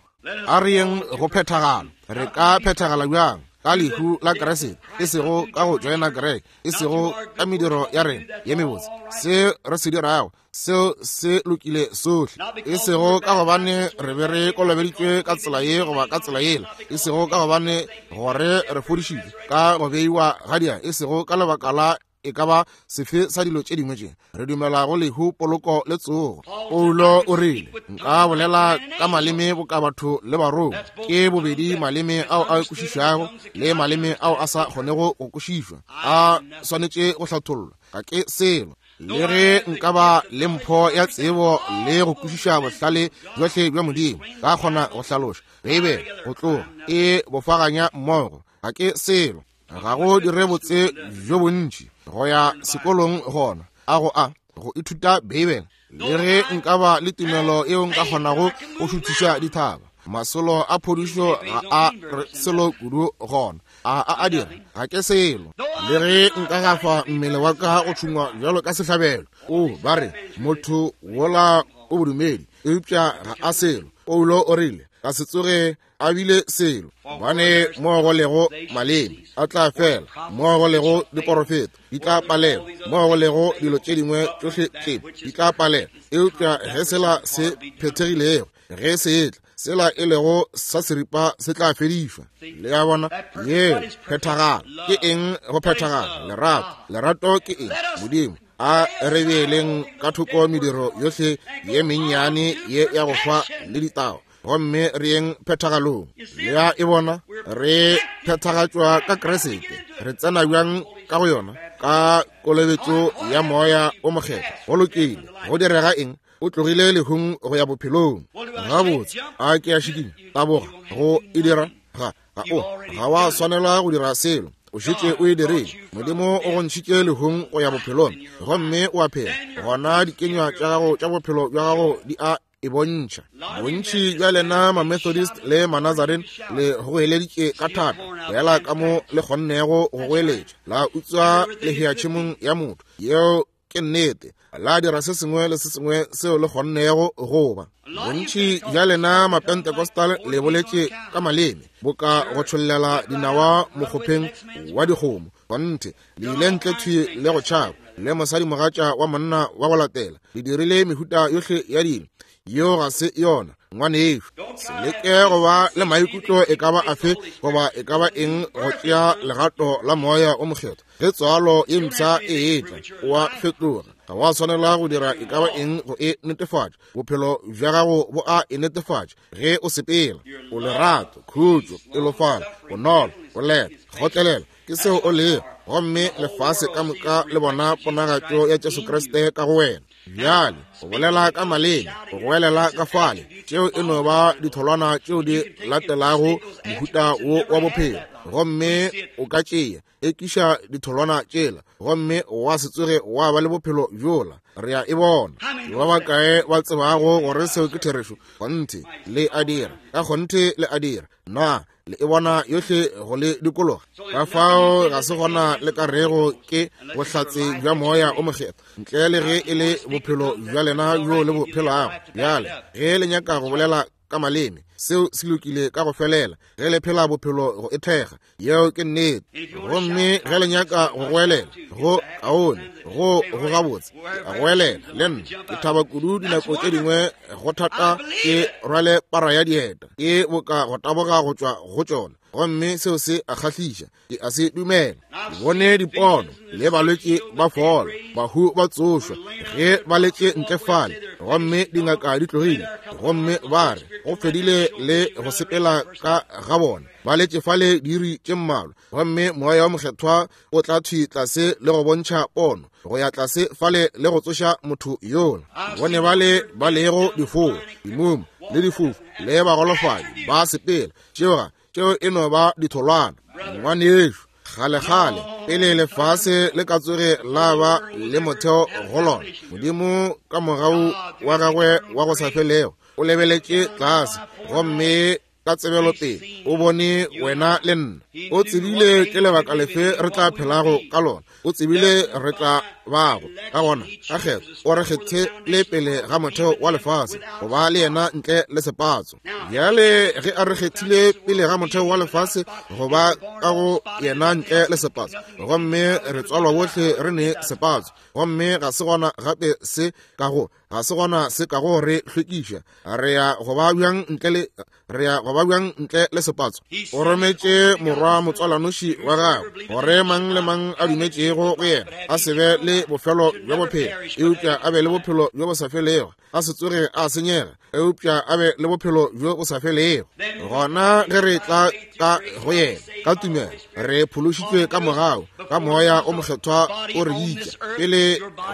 A re yeng go phethagala. Re ka phethagala bjang? Ka lehu la Kriste, e sego ka go joina kereke, e sego ka mediro ya rena ye mebotse. Se re se dirago seo se lokile sohle, e sego ka gobane re be re kolobeditšwe ka tsela ye goba ka tsela yela, e sego ka gobane gore re fodišitšwe ka go beiwa ga dia, e sego ka lebaka la e ka ba sefe sa dilo tše dingwe tše. Re dumela go lehu, poloko le tsogo. Paulo o rile, nka bolela ka maleme boka batho le barongwa. Ke bobedi maleme ao a kwešišwago le maleme ao a sa kgonego go kwešišwa, a swanetše go hlathollwa. Ga ke selo. Le ge nka ba le mpho ya tsebo le go kwešiša bohlale bjohle bja Modimo, ka kgona go hlaloša Beibele go tloga e bofaganya mmogo, ga ke selo. Ga go dire botse bjo bontši go ya sekolong gona a go a go ithuta Beibele. Le ge nka ba le tumelo yeo nka kgonago go šuthiša dithaba, masolo a phodišo ga a re selo kudu gona, a a a dira, ga ke selo. Le ge nka gafa mmele wa ka go tšhungwa bjalo ka sehlabelo, o ba re motho wola o bodumedi, eupša ga a selo. Paulo o rile ka se tsoge a bile selo, gobane mo go lego maleme a tla fela, mo go lego diporofeto di tla palela, mo go lego dilo tše dingwe tšohle tše di tla palela. Eupša ge sela se phethegilego, ge se etla, sela e lego sa seripa se tla fedišwa. Le a bona? Yeo phethagala ke eng? Go phethagala lerato. Lerato ke eng? Modimo. A re beeleng ka thoko mediro yohle ye mennyane ye ya go hwa le ditao, gomme re yeng phethagalong. Le a e bona? Re phethagatšwa ka Kriste. Re tsena bjang ka go yona? Ka kolobetšo ya Moya o Mokgethwa. Go lokile. Go direga eng? O tlogile lehung go ya bophelong. Gabotse, a ke a šikinya, taboga go e dira? Ga ga o ga wa swanela go dira selo. O šetše o e dirile. Modimo o go ntšhitše lehung go ya bophelong, gomme o a phela. Gona dikenywa tša gago tša bophelo bja gago di a e bontšha. Bontši bja lena ma-Methodist le ma-Nazarene le goeleditše ka thata fela ka mo le kgonnego go goeletša, la utswa lehea tšhemong ya motho. Yeo ke nnete. La dira se sengwe le se sengwe seo le kgonnego go ba. Bontši bja lena ma-Pentecostal le boletše ka maleme boka go tšhollela dinawa mokgopheng wa dikgomo. Kgonthe, le ile ntle thwi le go tšhaba le mosadimogatša wa monna wa go latela. Le dirile mehuta yohle ya dilo. Yeo ga se yona, ngwanešo. Se leke go ba le maikutlo e ka ba afe goba e ka ba eng go tšea legato la Moya o Mokgethwa. Ge tswalo ye mpsha e etla, o a fetoga. Ga wa swanela go dira e ka ba eng go e netefatša. Bophelo bja gago bo a e netefatša ge o sepela. O lerato, khutšo, pelofalo, bonolo, boleta, kgotlelela, ke seo o lego. Gomme lefase ka moka le bona ponagatšo ya Jesu Kriste ka go wena. Bjale go bolela ka maleme, go goelela ka fale, tšeo e no ba ditholwana tšeo di latelago mohuta wo wa bophelo. Gomme o ka tšea ekiša ditholwana tšela, gomme wa se tsoge wa ba le bophelo bjola. Re a e bona. Ba bakae ba tsebago gore seo ke therešo? Kgonthe le a dira. Ka kgonthe le a dira. Na le e bona yohle go le dikologa? Ka fao ga se gona le ka rego ke bohlatse bja Moya o Mokgethwa, ntle le ge e le bophelo bja lena bjo le bo phelago. Bjale ge le nyaka go bolela ka maleme, seo se lokile ka go felela. Ge le phela bophelo go e thekga, yeo ke nnete. Gomme ge le nyaka go goelela, go kaone, go go gabotse, ke a goelela le nna. Ke thaba kudu dinako tše dingwe go thata ke rwale para ya dieta, ke boka go taboga go tšwa go tšona, gomme seo se a kgahliša. Ke a se dumela. Ke bone dipono le balwetši ba fola, bahu ba tsošwa ge ba letše ntle fale, gomme dingaka di tlogile, gomme ba re go fedile le go sepela ka ga bona. Ba letše fale diiri tše mmalwa, gomme Moya wa Mokgethwa o tla thwi tlase le go bontšha pono go ya tlase fale le go tsoša motho yola. Bone bale ba lego difoa, dimumu le difofu le bagolofadi ba sepela. Tšeo tšeo e no ba ditholwana. Ngwanešo, kgale-kgale pele lefase le ka tsoge la ba le motheo go lona, Modimo ka mogau wa gagwe wa go sa felego o lebeletše tlase, gomme ka tsebelopele o bone wena le nna. O tsebile ke lebaka lefe re tla phelago ka lona. O tsebile re tla bago ka gona. Ka kgetho o re kgethile pele ga motheo wa lefase go ba le yena ntle le sepatso. Bjale ge a re kgethile pele ga motheo wa lefase go ba ka go yena ntle le sepatso, gomme re tswalwa bohle re ne sepatso, gomme ga se gona gape se ka go ga se gona se ka go re hlwekiša. Re ya go ba bjang ntle le re ya go ba ba bjang ntle le sepatso? O rometše morwa motswalanoši wa gagwe, gore mang le mang a dumetšego go yena a se be le bofelo bja bophelo, eupša a be le bophelo bjo bo sa felego, a se tsoge a senyega, eupša a be le bophelo bjo bo sa felego. Gona ge re tla ka go yena ka tumelo, re phološitšwe ka mogau, ka moya o mokgethwa o re bitša. Pele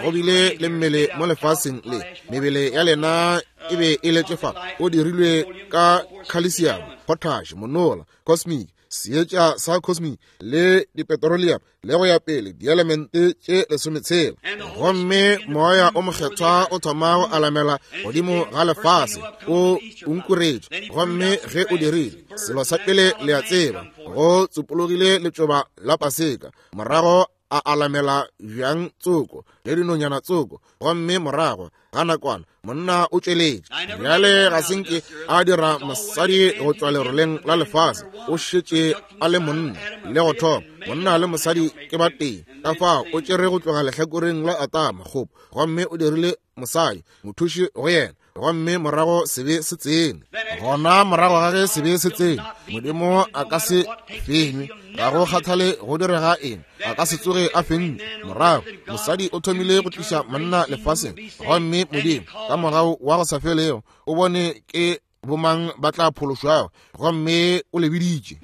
go bile le mmele mo lefaseng le, mebele ya lena e be e letše fa, o dirilwe ka calcium, potash, monola, cosmic, seetša sa cosmic le dipetroleum le go ya pele, dielemente tše lesometshela. Gomme moya o mokgethwa o thoma go alamela godimo ga lefase, o unkuretše. Gomme ge o dirile, selo sa pele le a tseba, go tsopologile letšoba la paseka, morago a alamela bjang tsoko le dinonyana tsoko, gomme morago ga nakwana monna o tšweletše. Bjale ga se nke a dira mosadi go tšwa leroleng la lefase, o šetše a le monna le go thoma. Monna le mosadi ke ba tee. Ka fao o tšere go tloga lehlakoreng la Atama kgopo, gomme o dirile mosadi mothuši go yena, gomme morago sebe se tsene. Gona morago ga ge sebe se tsene, Modimo a ka se fenywe, ga go kgathale go direga eng, a ka se tsoge a fentšwe. Morago mosadi o thomile go tliša monna lefaseng, gomme Modimo ka mogau wa go sa felego o bone ke bomang ba tla phološwago, gomme o le biditše.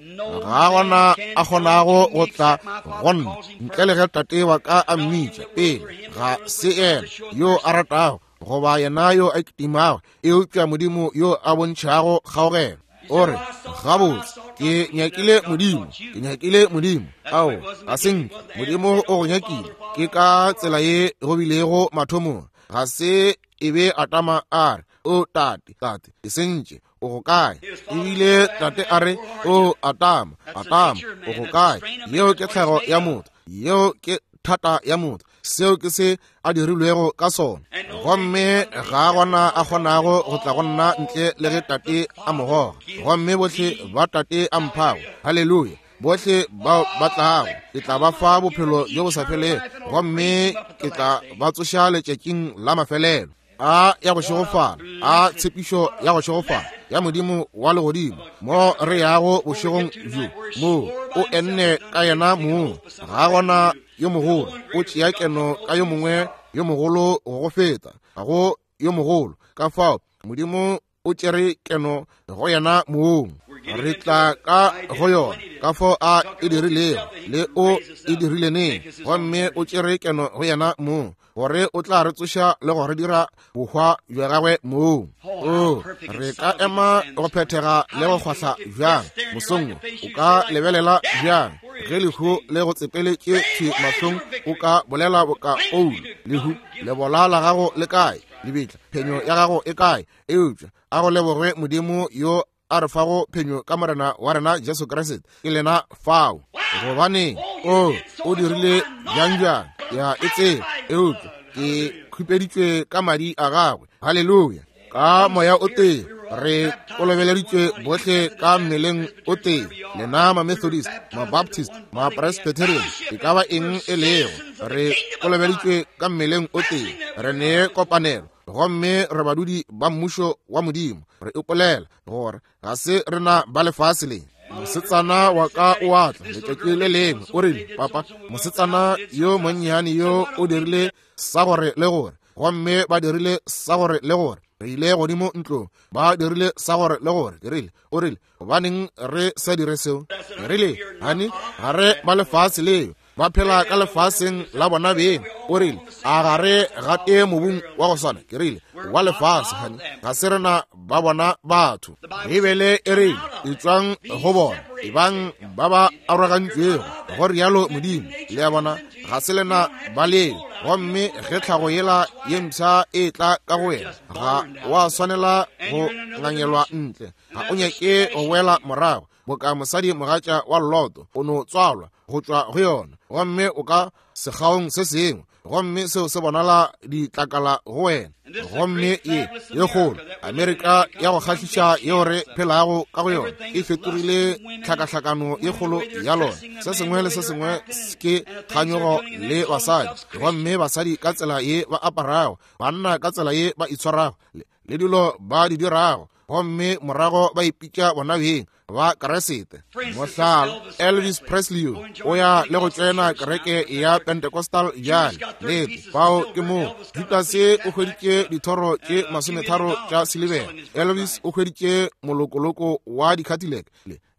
Ga gona a kgonago go tla go nna ntle le ge tate wa ka a mmitša pele. Ga se yena yo a ratago goba yena yo a kitimago, eupša Modimo yo a bontšhago kgaogelo. O re, gabotse, ke nyakile Modimo, ke nyakile Modimo. Ao, ga se nke Modimo o go nyakile. Ke ka tsela ye go bilego mathomong. Ga se e be Atama a re, o tate, tate, ke sentše, o go kae? Ebile tate a re, o Atama, Atama, o go kae? Yeo ke tlhago ya motho, yeo ke thata ya motho, seo ke se a dirilwego ka sona. Gomme ga gona a kgonago go tla go nna ntle le ge tate a mo goga. Gomme bohle ba tate a mphago, haleluya, bohle bao ba tlago, ke tla ba fa bophelo bjo bo sa felego, gomme ke tla ba tsoša letšatšing la mafelelo. A ya go šegofala, a tshepišo ya go šegofala ya Modimo wa legodimo, mo re yago bošegong bjo, mo o enne ka yena mong. Ga gona yo mogolo o tšea keno ka yo mongwe yo mogolo go go feta, ga go yo mogolo. Ka fao Modimo o tšere keno go yena mong. Re tla ka go yona ka fao a e dirilego le o e dirile neng, gomme o tšere keno go yena mong, gore o tla re tsoša le go re dira bohwa bja gagwe mong. O re ka ema go phethega le go kgwahla bjang mosong? O ka lebelela bjang ge lehu le go tsepeletše thwi mahlong? O ka bolela boka Paulo, lehu lebola la gago le kae? Lebitla phenyo ya gago e kae? Eupša a go lebogwe Modimo yo a re fago phenyo ka Morena wa rena Jesu Kriste. Ke lena fao. Gobane o o dirile bjang bjang ya e tseba, eupša ke khupeditšwe ka madi a gagwe. Haleluya. Ka moya o tee re kolobeleditšwe bohle ka mmeleng o tee. Lena ma-Methodist, ma-Baptist, ma-Presbyterian, e ka ba eng e lego, re kolobeditšwe ka mmeleng o tee. Re ne kopanelo, gomme re badudi ba mmušo wa Modimo. Re ipolela gore ga se rena ba lefase le. Mosetsana wa ka o a tla letšatši le lengwe, o rile, papa, mosetsana yo monnyane yo o dirile sa gore le gore, gomme ba dirile sa gore le gore. Re ile godimo ntlong, ba dirile sa gore le gore. Ke rile, o rile, gobaneng re sa dire seo? Ke rile, hani, ga re ba lefase leo, ba phela ka lefaseng la bona beng. O rile, a ga re gate mobung wa go swana? Ke rile, wa lefase, hani, ga se rena ba bona batho. Beibele e rile, etšwang go bona, ebang ba ba arogantšwego, go rialo Modimo. Le a bona, ga se lena ba leo. Gomme ge tlhago yela ye mpsha e tla ka go wena, ga wa swanela go ngangelwa ntle, ga o nyake go boela morago boka mosadi mogatša wa Loto. O no tswalwa go tšwa go yona, gomme o ka sekgaong se sengwe, gomme seo se bonala ditlakala go wena. Gomme ye ye kgolo Amerika ya go kgahliša yeo re phelago ka go yona e fetogile tlhakahlakano ye kgolo ya lona. Se sengwe le se sengwe ke kganyogo le basadi, gomme basadi ka tsela ye ba aparago, banna ka tsela ye ba itshwarago, le dilo ba di dirago. gomme morago ba ipitša bona beng ba Keresete. Mohlala, Elvis Presley o ya le go tsena kereke ya Pentecostal bjale. Lete, fao ke moo Judase o hweditše dithoro tše masometharo tša silibera, Elvis o hweditše molokoloko wa di-Cadillac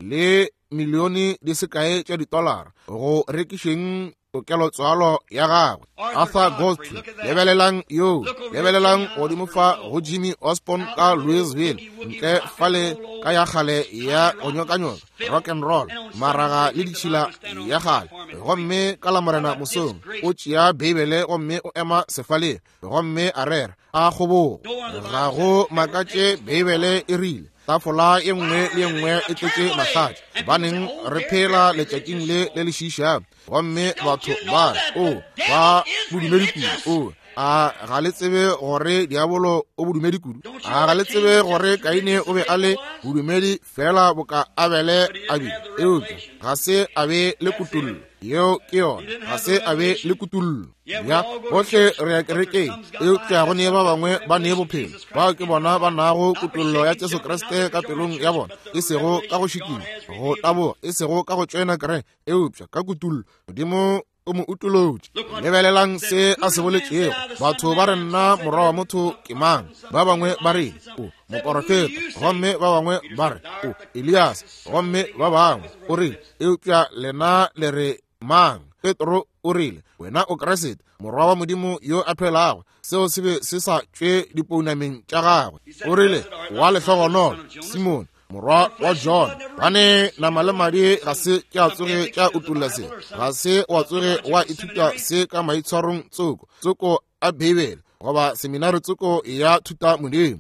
le milione di sekae tša ditolara go rekišeng tokelotswalo ya gagwe. Arthur Godfrey, lebelelang yo, lebelelang godimo fa go Jimmy Osborne ka Louisville, ntle fale ka ya kgale ya go nyokanyoka rock and roll, maraga le ditšhila ya kgale. Gomme ka la Morena mosong o tšea Beibele gomme o ema sefaleng gomme a rera a kgobogo. Ga go makatše Beibele e rile tafola ye nngwe le ye nngwe e tletše mahlatša, gobaneng re phela letšatšing le le le šiišago. Gomme batho ba re, o ba bodumedi kudu. O a ga le tsebe gore diabolo o bodumedi kudu? A ga le tsebe gore Kaine o be a le bodumedi fela boka Abele a bile? Eupša ga se a be le kutollo. Yeo ke yona, ga se a be le kutollo. Ya bohle re ya kerekeng, eupša go ne ba bangwe ba ne bophelo. Bao ke bona ba nago kutollo ya Jesu Kriste ka pelong ya bona, e sego ka go šikinya, go taboga, e sego ka go tšoena kereke, eupša ka kutollo. Modimo o mo utolotše. Lebelelang se a se boletšego. Batho ba re nna morwa wa motho ke mang? Ba bangwe ba re o moporofeta, gomme ba bangwe ba re o Elias, gomme ba bangwe o rile, eupša lena le re mang? Petro o rile, wena o Kriste, morwa wa Modimo yo a phelago. Seo se be se sa tšwe dipounameng tša gagwe. O rile, wa lehlogonolo Simone, morwa wa John, bane nama le madi ga se tša tsoge tša utolla se, ga se wa tsoge wa ithuta se ka maitshwarong tsoko tsoko a Beibele goba seminari tsoko ya thuta Modimo.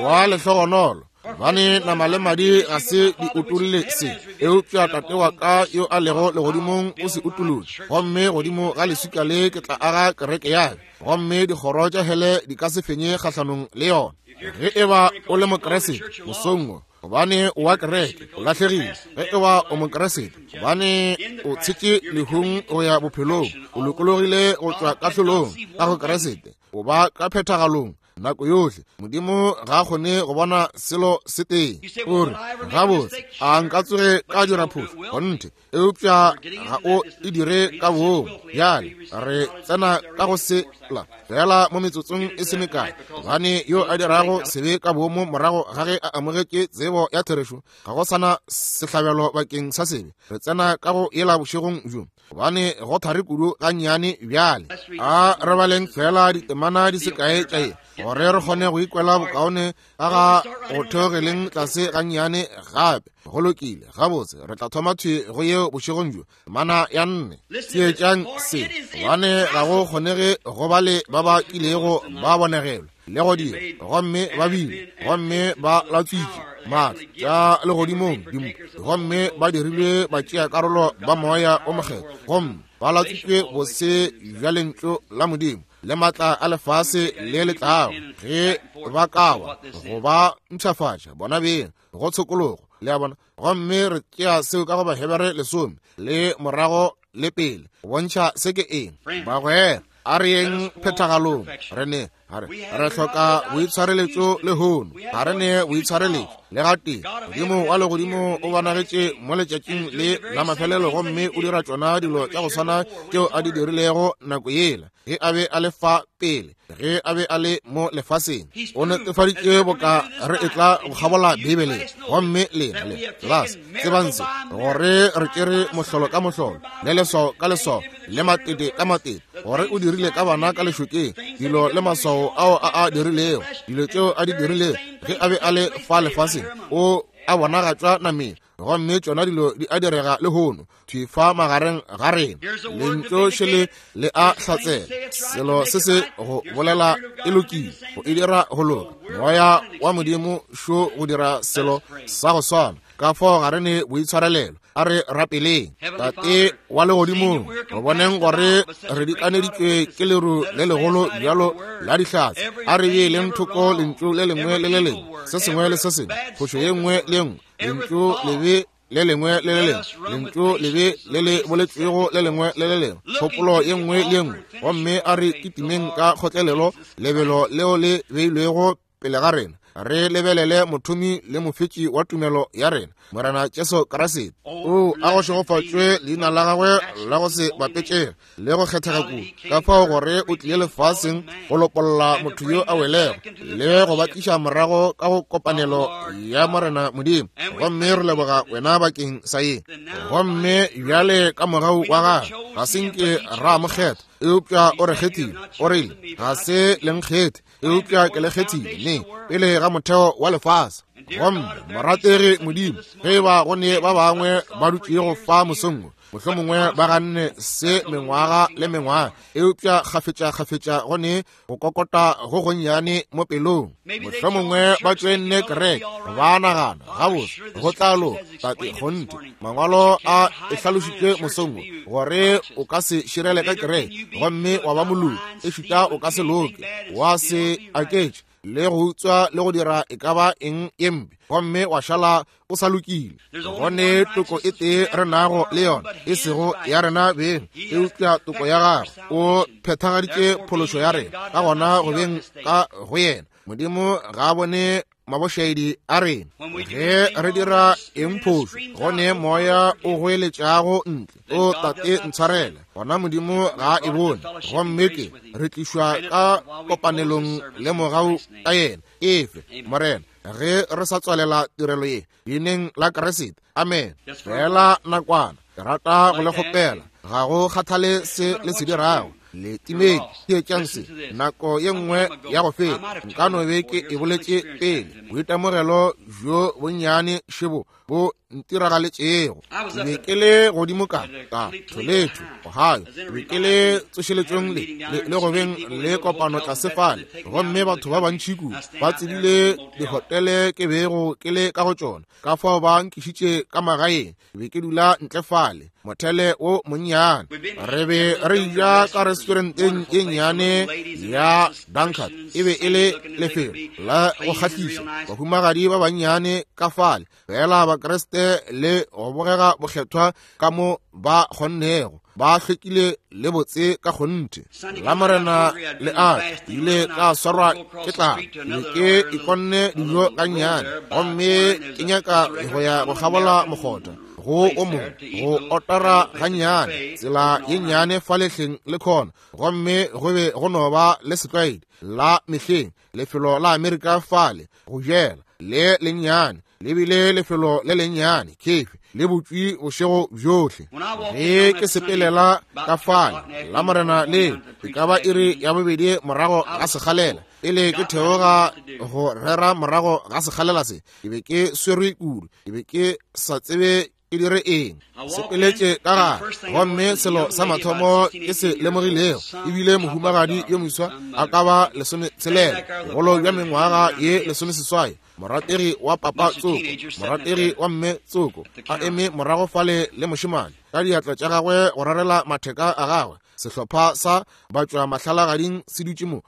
Wa lehlogonolo, bane nama le madi ga se di utolle se, eupša Tate wa ka yo a lego legodimong o se utolotše. Gomme godimo ga leswika le ke tla aga kereke ya ka, gomme dikgoro tša hele di ka se fenye kgahlanong le yona. Ge e ba o le Mokeresete mosong wo, gobane o wa kereke, o lahlegile. Ge e ba o Mokeresete, gobane o tshetše lehung go ya bophelong, o lokologile go tšwa kahlolong ka go Keresete, o ba ka phethagalong nako yohle. Modimo ga a kgone go bona selo se tee. O re, gabotse, a nka tsoge ka dira phošo? Kgonthe, eupša ga o e dire ka boomo. Bjale re tsena ka go se la fela mo metsotsong e se mekae, gobane yo a dirago sebe ka boomo morago ga ge a amogetše tsebo ya therešo, ga go sana sehlabelo bakeng sa sebe. Re tsena ka go yela bošegong bjo, gobane go thari kudu gannyane bjale. A re baleng fela ditemana di sekae tša ye, gore re kgone go ikwela bokaone ka ga go theogeleng tlase gannyane gape. Go lokile, gabotse, re tla thoma thwi go yeo bošegong bjo, temana ya nne. Theetšang se, gobane ga go kgonege go ba le ba ba kilego ba bonegelwa le go dira, gomme ba bile, gomme ba latswitše maatla tša legodimong dimpho, gomme ba dirilwe ba tšea karolo ba moya o mokgethwa, gomme ba latswitšwe bose bja lentšu la Modimo le maatla a lefase le le tlago, ge ba ka wa go ba mpshafatša bona beng go tshokologo. Le a bona? Gomme re tšea seo ka go Bahebere lesome le morago le pele go bontšha se ke eng. Bagwera, a re yeng phethagalong. Re ne re re hloka boitshwareletšo lehono. Ga re ne boitshwareletšo le gatee. Modimo wa legodimo o bonagetše mo letšatšing le la mafelelo, gomme o dira tšona dilo tša go swana tšeo a di dirilego nako yela ge a be a le fa pele, ge a be a le mo lefaseng. O netefaditše boka re etla go kgabola Beibele. Gomme lena le las tsebang se, gore re tšere mohlolo ka mohlolo, le leswao ka leswao, le matete ka matete, gore o dirile ka bana ka lešokeng dilo le maswao ao a a dirilego, dilo tšeo a di dirilego ge a be a le fa lefaseng, o a bonagatšwa nameng. Gomme tšona dilo di a direga lehono thwi fa magareng ga rena. Lentšu šele le a hlatsela. Selo se se go bolela e lokile, go e dira go loka. Moya wa Modimo šo go dira selo sa go swana. Ka fao ga re ne boitshwarelelo. A re rapeleng. Tate wa legodimong, re boneng gore re dikaneditšwe ke leru le legolo bjalo la dihlatse. A re beeleng thoko lentšu le lengwe le le lengwe, se sengwe le se sengwe, phošo ye nngwe le ye nngwe, lentšu lebe le lengwe le le lengwe, lentšu lebe le le boletšwego le lengwe le le lengwe, kgopolo ye nngwe le ye nngwe. Gomme a re kitimeng ka kgotlelelo lebelo leo le beilwego pele ga rena, Re lebelele mothomi le mofetši wa tumelo ya rena, Morena Jesu Kriste. O a go šegofatšwe leina la gagwe la go se bapetšege le go kgethega kudu, ka fao gore o tlile lefaseng go lopolla motho yo a welego le go ba tliša morago ka go kopanelo ya Morena Modimo. Gomme re leboga wena bakeng sa ye. Gomme bjale ka mogau wa gagwe ga se nke ra mo kgetha, eupša o re kgethile. O rile, ga se le nkgethe, eupša ke le kgethile ne pele ga motheo wa lefase. Gomme morategi Modimo, ge ba go ne ba bangwe ba dutšego fa mosong wo, mohlomongwe ba ganne se mengwaga le mengwaga, eupša kgafetša-kgafetša go ne go kokota go gonnyane mo pelong. Mohlomongwe ba tšoenne kereke, ba nagana gabotse go tla loka. Tate, kgonthe mangwalo a e hlalošitše mosong wo gore o ka se širele ka kereke gomme wa ba moloki, ešita o ka se loke, wa se aketše le go utswa le go dira e ka ba eng ye mpe, gomme wa šala o sa lokile. Gone toko e tee re nago le yona, e sego ya rena beng, eupša toko ya gagwe. O phethagaditše phološo ya rena, ka gona go beng ka go yena Modimo ga a bone mabošaedi a rena. Ge re dira eng phošo, gone moya o goeletšago ntle, o Tate ntshwarele, gona Modimo ga a e bone. Gomme ke re tlišwa ka kopanelong le mogau ka yena. Efe Morena, ge re sa tswalela tirelo ye leineng la Kriste, amen. Fela nakwana, ke rata go le kgopela, ga go kgathale se le se dirago, le timedi theetšang se. Nako ye nngwe ya go feta nka no be ke e boletše pele, boitemogelo bjo bonnyane šebo bo ntiragaletšego. Ke be ke le godimo ka ka Toledo, Ohio. Ke be ke le tsošeletšong le le go beng le kopano tlase fale, gomme batho ba bantši kudu ba tsebile dihotele ke bego ke le ka go tšona, ka fao ba nkišitše ka magaeng. Ke be ke dula ntle fale mothele wo monnyane. Re be re ja ka restauranteng ye nnyane ya Dunkard. E be e le lefelo la go kgahliša, bahumagadi ba bannyane ka fale, fela Bakriste le go bogega bokgethwa ka mo ba kgonnego, ba hlwekile le botse ka kgonthe. La Morena le a ile ka swarwa ke tlala, be ke ikonne dijo gannyane, gomme ke nyaka go ya go kgabola mokgotha go o mongwe, go otara gannyane tsela ye nnyane fa lehleng le khona. Gomme go be go no ba le setlwaedi la mehleng, lefelo la Amerika fale go jela le lennyane, le bile lefelo le lennyane kefe le butšwi bošego bjohle. Ge ke sepelela ka fale la Morena le e ka ba iri ya bobedi morago ga sekgalela, pele ke theoga go rera morago ga sekgalela se, ke be ke swerwe kudu, ke be ke sa tsebe ke dire eng. Sepeletše ka gare, gomme selo sa mathomo ke se lemogilego ebile mohumagadi yo moswa a ka ba lesometshelela, bogolo bja mengwaga ye lesomeseswai, morategi wa papa tsoko, morategi wa mme tsoko, a eme morago fale le mošemane ka diatla tša gagwe go rarela matheka a gagwe. Sehlopha sa batšwa mahlalagading se dutše mo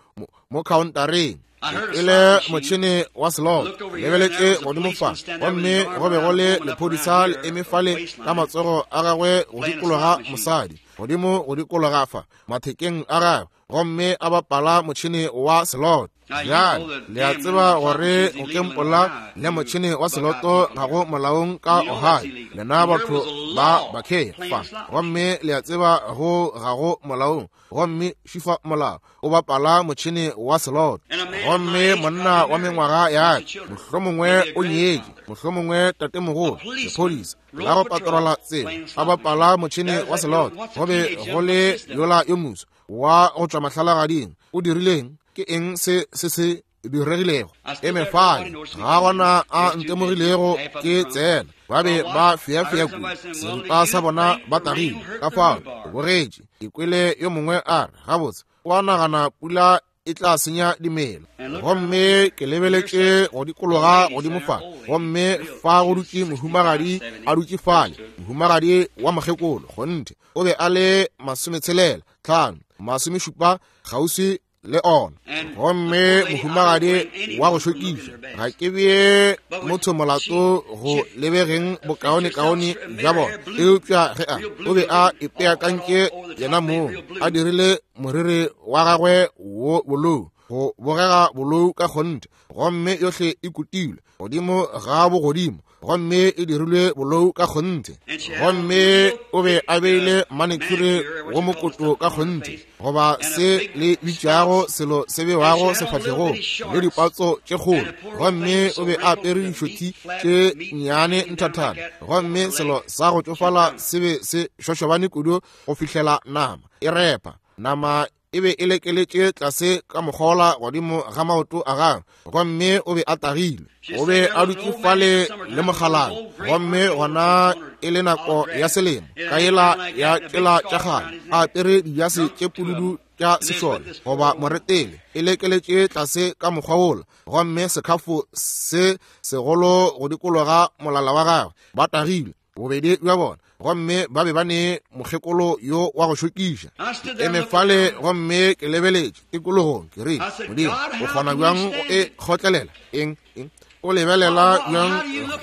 mo khaontareng, e le motšhene wa slot. Lebeletše godimo fa, gomme go be go le lephodisa le eme fale ka matsogo a gagwe go dikologa mosadi, godimo go dikologa fa mathekeng a gagwe, gomme a bapala motšhene wa slot. Bjale le a tseba gore go kempola le motšhene wa seloto ga go molaong ka Ohio, lena batho ba bakhe fa, gomme le a tseba go ga go molaong. Gomme šifa molao o bapala motšhene wa seloto. Gomme monna wa mengwaga ya ka, mohlomongwe o nyetše, mohlomongwe tatemogolo, lephodisa la go patrola tsela, a bapala motšhene wa seloto. Go be go le yola yo moswa wa go tšwa mahlalagading. O dirileng? Ke eng se se se diregilego? Eme fale, ga gona a ntemogilego ke tsena. Ba be ba feafea kudu, seripa sa bona ba tagile. Ka fao ke bogetše, ke kwele yo mongwe a re, gabotse, o a nagana pula e tla senya dimela. Gomme ke lebeletše go dikologa godimo fa, gomme fa go dutše mohumagadi a dutše fale, mohumagadi wa mokgekolo, kgonthe o be a le masometshelela tlhano masomešupa kgauswi le ona. Gomme mohumagadi wa go šokiša, ga ke bee motho molato go lebegeng bokaonekaone bja bona, eupša ge a o be a ipeakantše yena mong, a dirile moriri wa gagwe wo bolou, go bogega bolou ka kgonthe, gomme yohle e kutilwe godimo ga bogodimo, gomme e dirilwe bolou ka kgonthe. Gomme o be a beile manicure go mokoto ka kgonthe, goba se le bitšago selo se bewago sefahlegong, le dipatso tše kgolo. Gomme o be a apere dišothi tše nnyane nthathana, gomme selo sa go tšofala se be se šošobane kudu go fihlela nama e repa. Nama e be e lekeletše tlase ka mokgola godimo ga maoto a gagwe, gomme o be a tagilwe. O be a dutše fale le mokgalana, gomme gona e le nako ya selemo, ka yela ya tšela tša kgale, a apere dijase tše pududu tša sešole goba moretele, e lekeletše tlase ka mokgwa wola, gomme sekhafo se segolo go dikologa molala wa gagwe. Ba tagilwe bobedi bja bona, gomme ba be ba ne mokgekolo yo wa go šokiša. Ke eme fale gomme ke lebeletše tikologong, ke rile, Modimo, o kgona bjang go e kgotlelela? Eng eng o lebelela bjang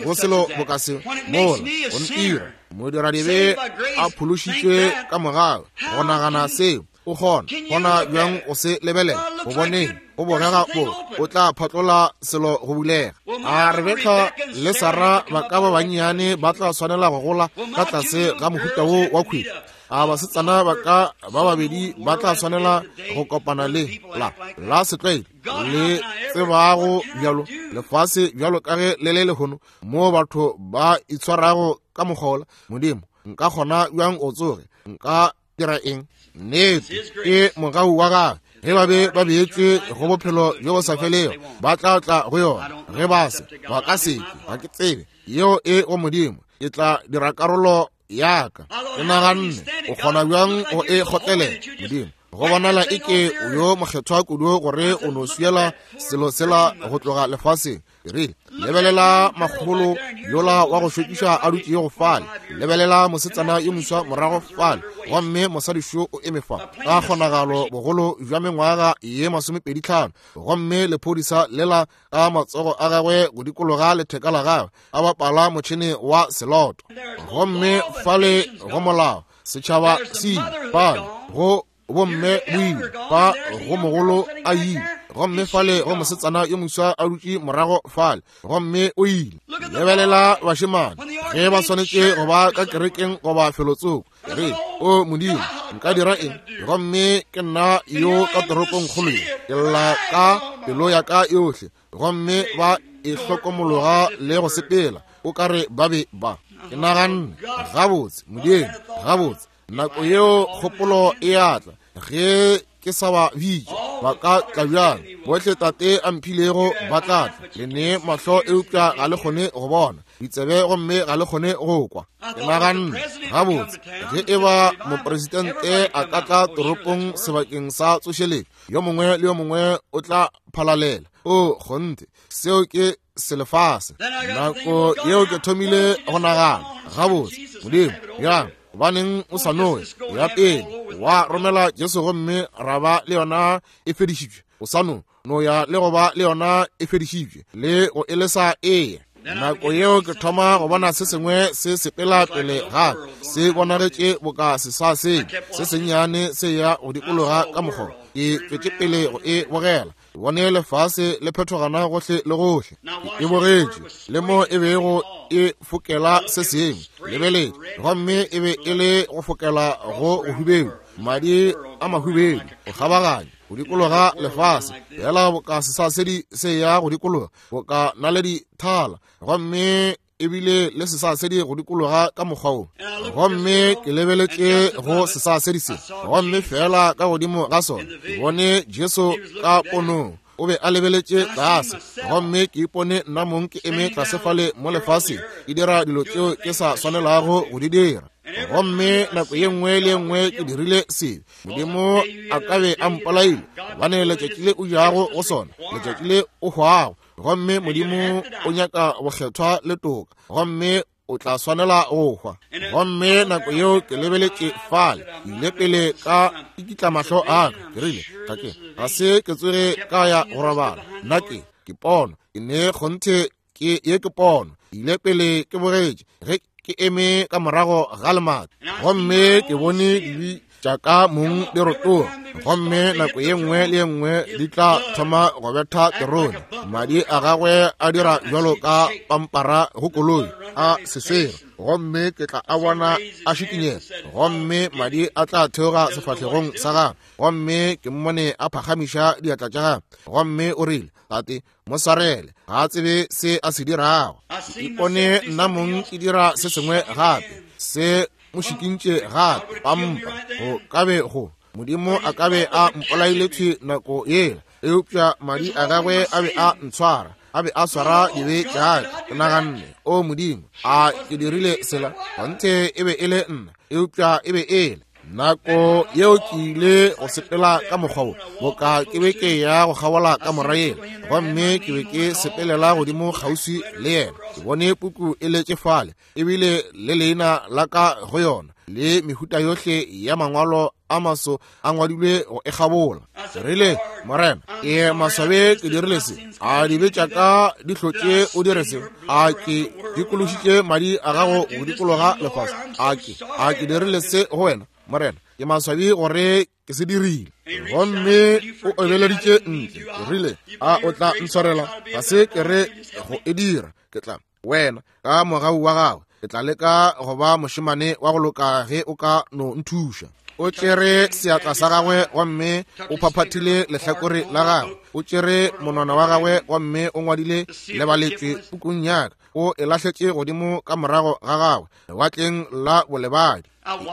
go selo boka se mola o ntira modiradibe a phološitšwe ka mogau? Go nagana seo, o kgona kgona bjang go se lebelela? O boneng o bogega bo o tla phatlola selo go bulega. A Rebeka le Sara ba ka ba bannyane ba tla swanela go gola ka tlase ga mohuta wo wa kgwedi? A basetsana ba ka ba babedi ba tla swanela go kopana le la la setlwaedi le tsebago bjalo lefase bjalo ka ge le le lehono, moo batho ba itshwarago ka mokgola? Modimo, nka kgona bjang o tsoge nka dira eng? Nnete ke mogau wa gagwe. Ge ba be ba beetšwe go bophelo bjo bo sa felego, ba tla tla go yona. Ge ba se, ba ka se ke, ga ke tsebe. Yeo e go Modimo. Ke tla dira karolo ya ka. Ke naganne, o kgona bjang go e kgotlelela? Modimo, go bonala e ke o yo mokgethwa kudu gore o no swiela selo sela go tloga lefaseng. Ke rile, lebelela makgolo yola wa go šokiša a dutšego fale, lebelela mosetsana yo moswa morago fale, gomme mosadi šo o eme fa ka kgonagalo bogolo bja mengwaga ye masomepedi tlhano, gomme lephodisa lela ka matsogo a gagwe go dikologa letheka la gagwe a bapala motšhene wa seloto. Gomme fale go molao setšhaba se ile, fale go bomme boile, fa go mogolo a ile, gomme fale go mosetsana yo moswa a dutše morago fale, gomme o ile. Lebelela bašemane ge ba swanetše go ba ka kerekeng goba felotsoko. Re, o Modimo, nka dira eng? Gomme ke nna yo ka toropong kgolo ye, ke lla ka pelo ya ka yohle, gomme ba e hlokomologa le go sepela o ka re ba be ba. Ke naganne, gabotse Modimo, gabotse. Nako yeo kgopolo e atla ge ke sa ba bitša, ba ka tla bjang? Bohle tate a mphilego ba tla tla. Le ne mahlo eupša ga le kgone go bona, ditsebe gomme ga le kgone go kwa. Ke naganne, gabotse, ge e ba mopresidente a ka tla toropong sebakeng sa tsošeletšo, yo mongwe le yo mongwe o tla phalalela. O kgonthe, seo ke selefase. Nako yeo ke thomile go nagana, gabotse Modimo, bjang gobaneng o sa noe ya pele wa romela Jesu gomme ra ba le yona e fedišitšwe? O sa no no ya le go ba le yona e fedišitšwe le go elesa eya. Nako yeo ke thoma go bona se sengwe se sepela pele ga se bonagetše boka sesasedi se sennyane se ya go dikologa ka mokgwa. Ke tšwetše pele go e bogela, ke bone lefase le phethogana gohle le gohle. Ke e bogetše le mo e bego e fokela se sengwe, lebeletše, gomme e be e le go fokela go bohubedu, madi a mahubedu go kgabaganya go dikologa lefase, fela boka sesasedi se ya go dikologa boka naledi thala, gomme ebile le sesasedi go dikologa ka mokgwa wo. Gomme ke lebeletše go sesasedi se, gomme fela ka godimo ga sona ke bone Jesu ka ponong. O be a lebeletše tlase, gomme ke ipone nna mong ke eme tlase fale mo lefaseng, ke dira dilo tšeo ke sa swanelago go di dira. Gomme nako ye nngwe le ye nngwe ke dirile sebe, Modimo a ka be a mpolaile, gobane letšatši le o jago go sona, letšatši le o hwago. Gomme Modimo o nyaka bokgethwa le toka, gomme o tla swanela go hwa. Gomme nako yeo ke lebeletše fale, ke ile pele ka ikitla mahlo a ka, ke rile, ga ke ga se ke tsoge ka ya go robala. Nna ke ke pono, ke ne kgonthe ke ye ke pono. Ke ile pele ke bogetše ge ke eme ka morago ga lemati, gomme ke bone dibi tša ka mong di rotoga, gomme nako ye nngwe le ye nngwe di tla thoma go betha terone. Madi a gagwe a dira bjalo ka pampara go koloi a seswere, gomme ke tla a bona a šikinyega, gomme madi a tla theoga sefahlegong sa gagwe. Gomme ke mmone a phagamiša diatla tša gagwe, gomme o rile, Tate, mo swarele, ga a tsebe se a se dirago. Ke ipone nna mong ke dira se sengwe gape, se mo šikintše gape, pampa go kabe go Modimo a kabe a mpolaile thwi nako yela, eupša madi a gagwe a be a ntshwara, a be a swara dibe tša ka. Ke naganne, o Modimo, a ke dirile sela? Kgonthe e be e le nna, eupša e be e le nako yeo ke ile go sepela ka mokgwa wo, boka ke be ke ya go kgabola ka mora yela, gomme ke be ke sepelela godimo kgauswi le yena. Ke bone puku e letše fale, ebile le leina la ka go yona, le mehuta yohle ya mangwalo a maso a ngwadilwe go e kgabola. Ke rile, Morena, ke maswabe ke dirile se. A dibe tša ka di hlotše o dire se? A ke dikološitše madi a gago go dikologa lefase? A ke a ke dirile se go wena, Morena? Ke maswabi gore ke se dirile. Gomme o obeleditše ntle. Ke rile, a o tla ntshwarela? Ga se ke re go e dira. Ke tla wena ka mogau wa gago, ke tla leka go ba mošemane wa go loka ge o ka no nthuša. O tšere seatla sa gagwe gomme o phaphathile lehlakore la gagwe. O tšere monwana wa gagwe gomme o ngwadile lebaletšwe pukung ya ka. O e lahletše godimo ka morago ga gagwe lewatleng la bolebadi.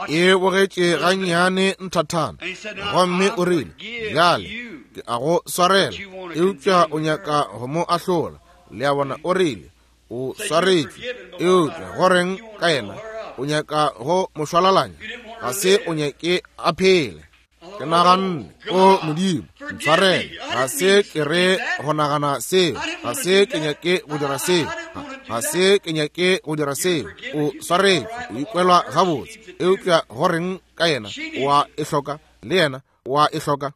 E bogetše gannyane nthathana, gomme o rile, bjale ke a go swarela, eupša o nyaka go mo ahlola. Le a bona, o rile, o swaretšwe, eupša goreng ka yena? O nyaka go mo šwalalanya, ga se o nyake a phele. Ke naganne, o Modimo, ntshwarele, ga se ke re go nagana seo, ga se ke nyake go dira seo, ga se ke nyake go dira seo. O swaretšwe, o ikwelwa gabotse, eupša goreng ka yena? O a e hloka, le yena o a e hloka.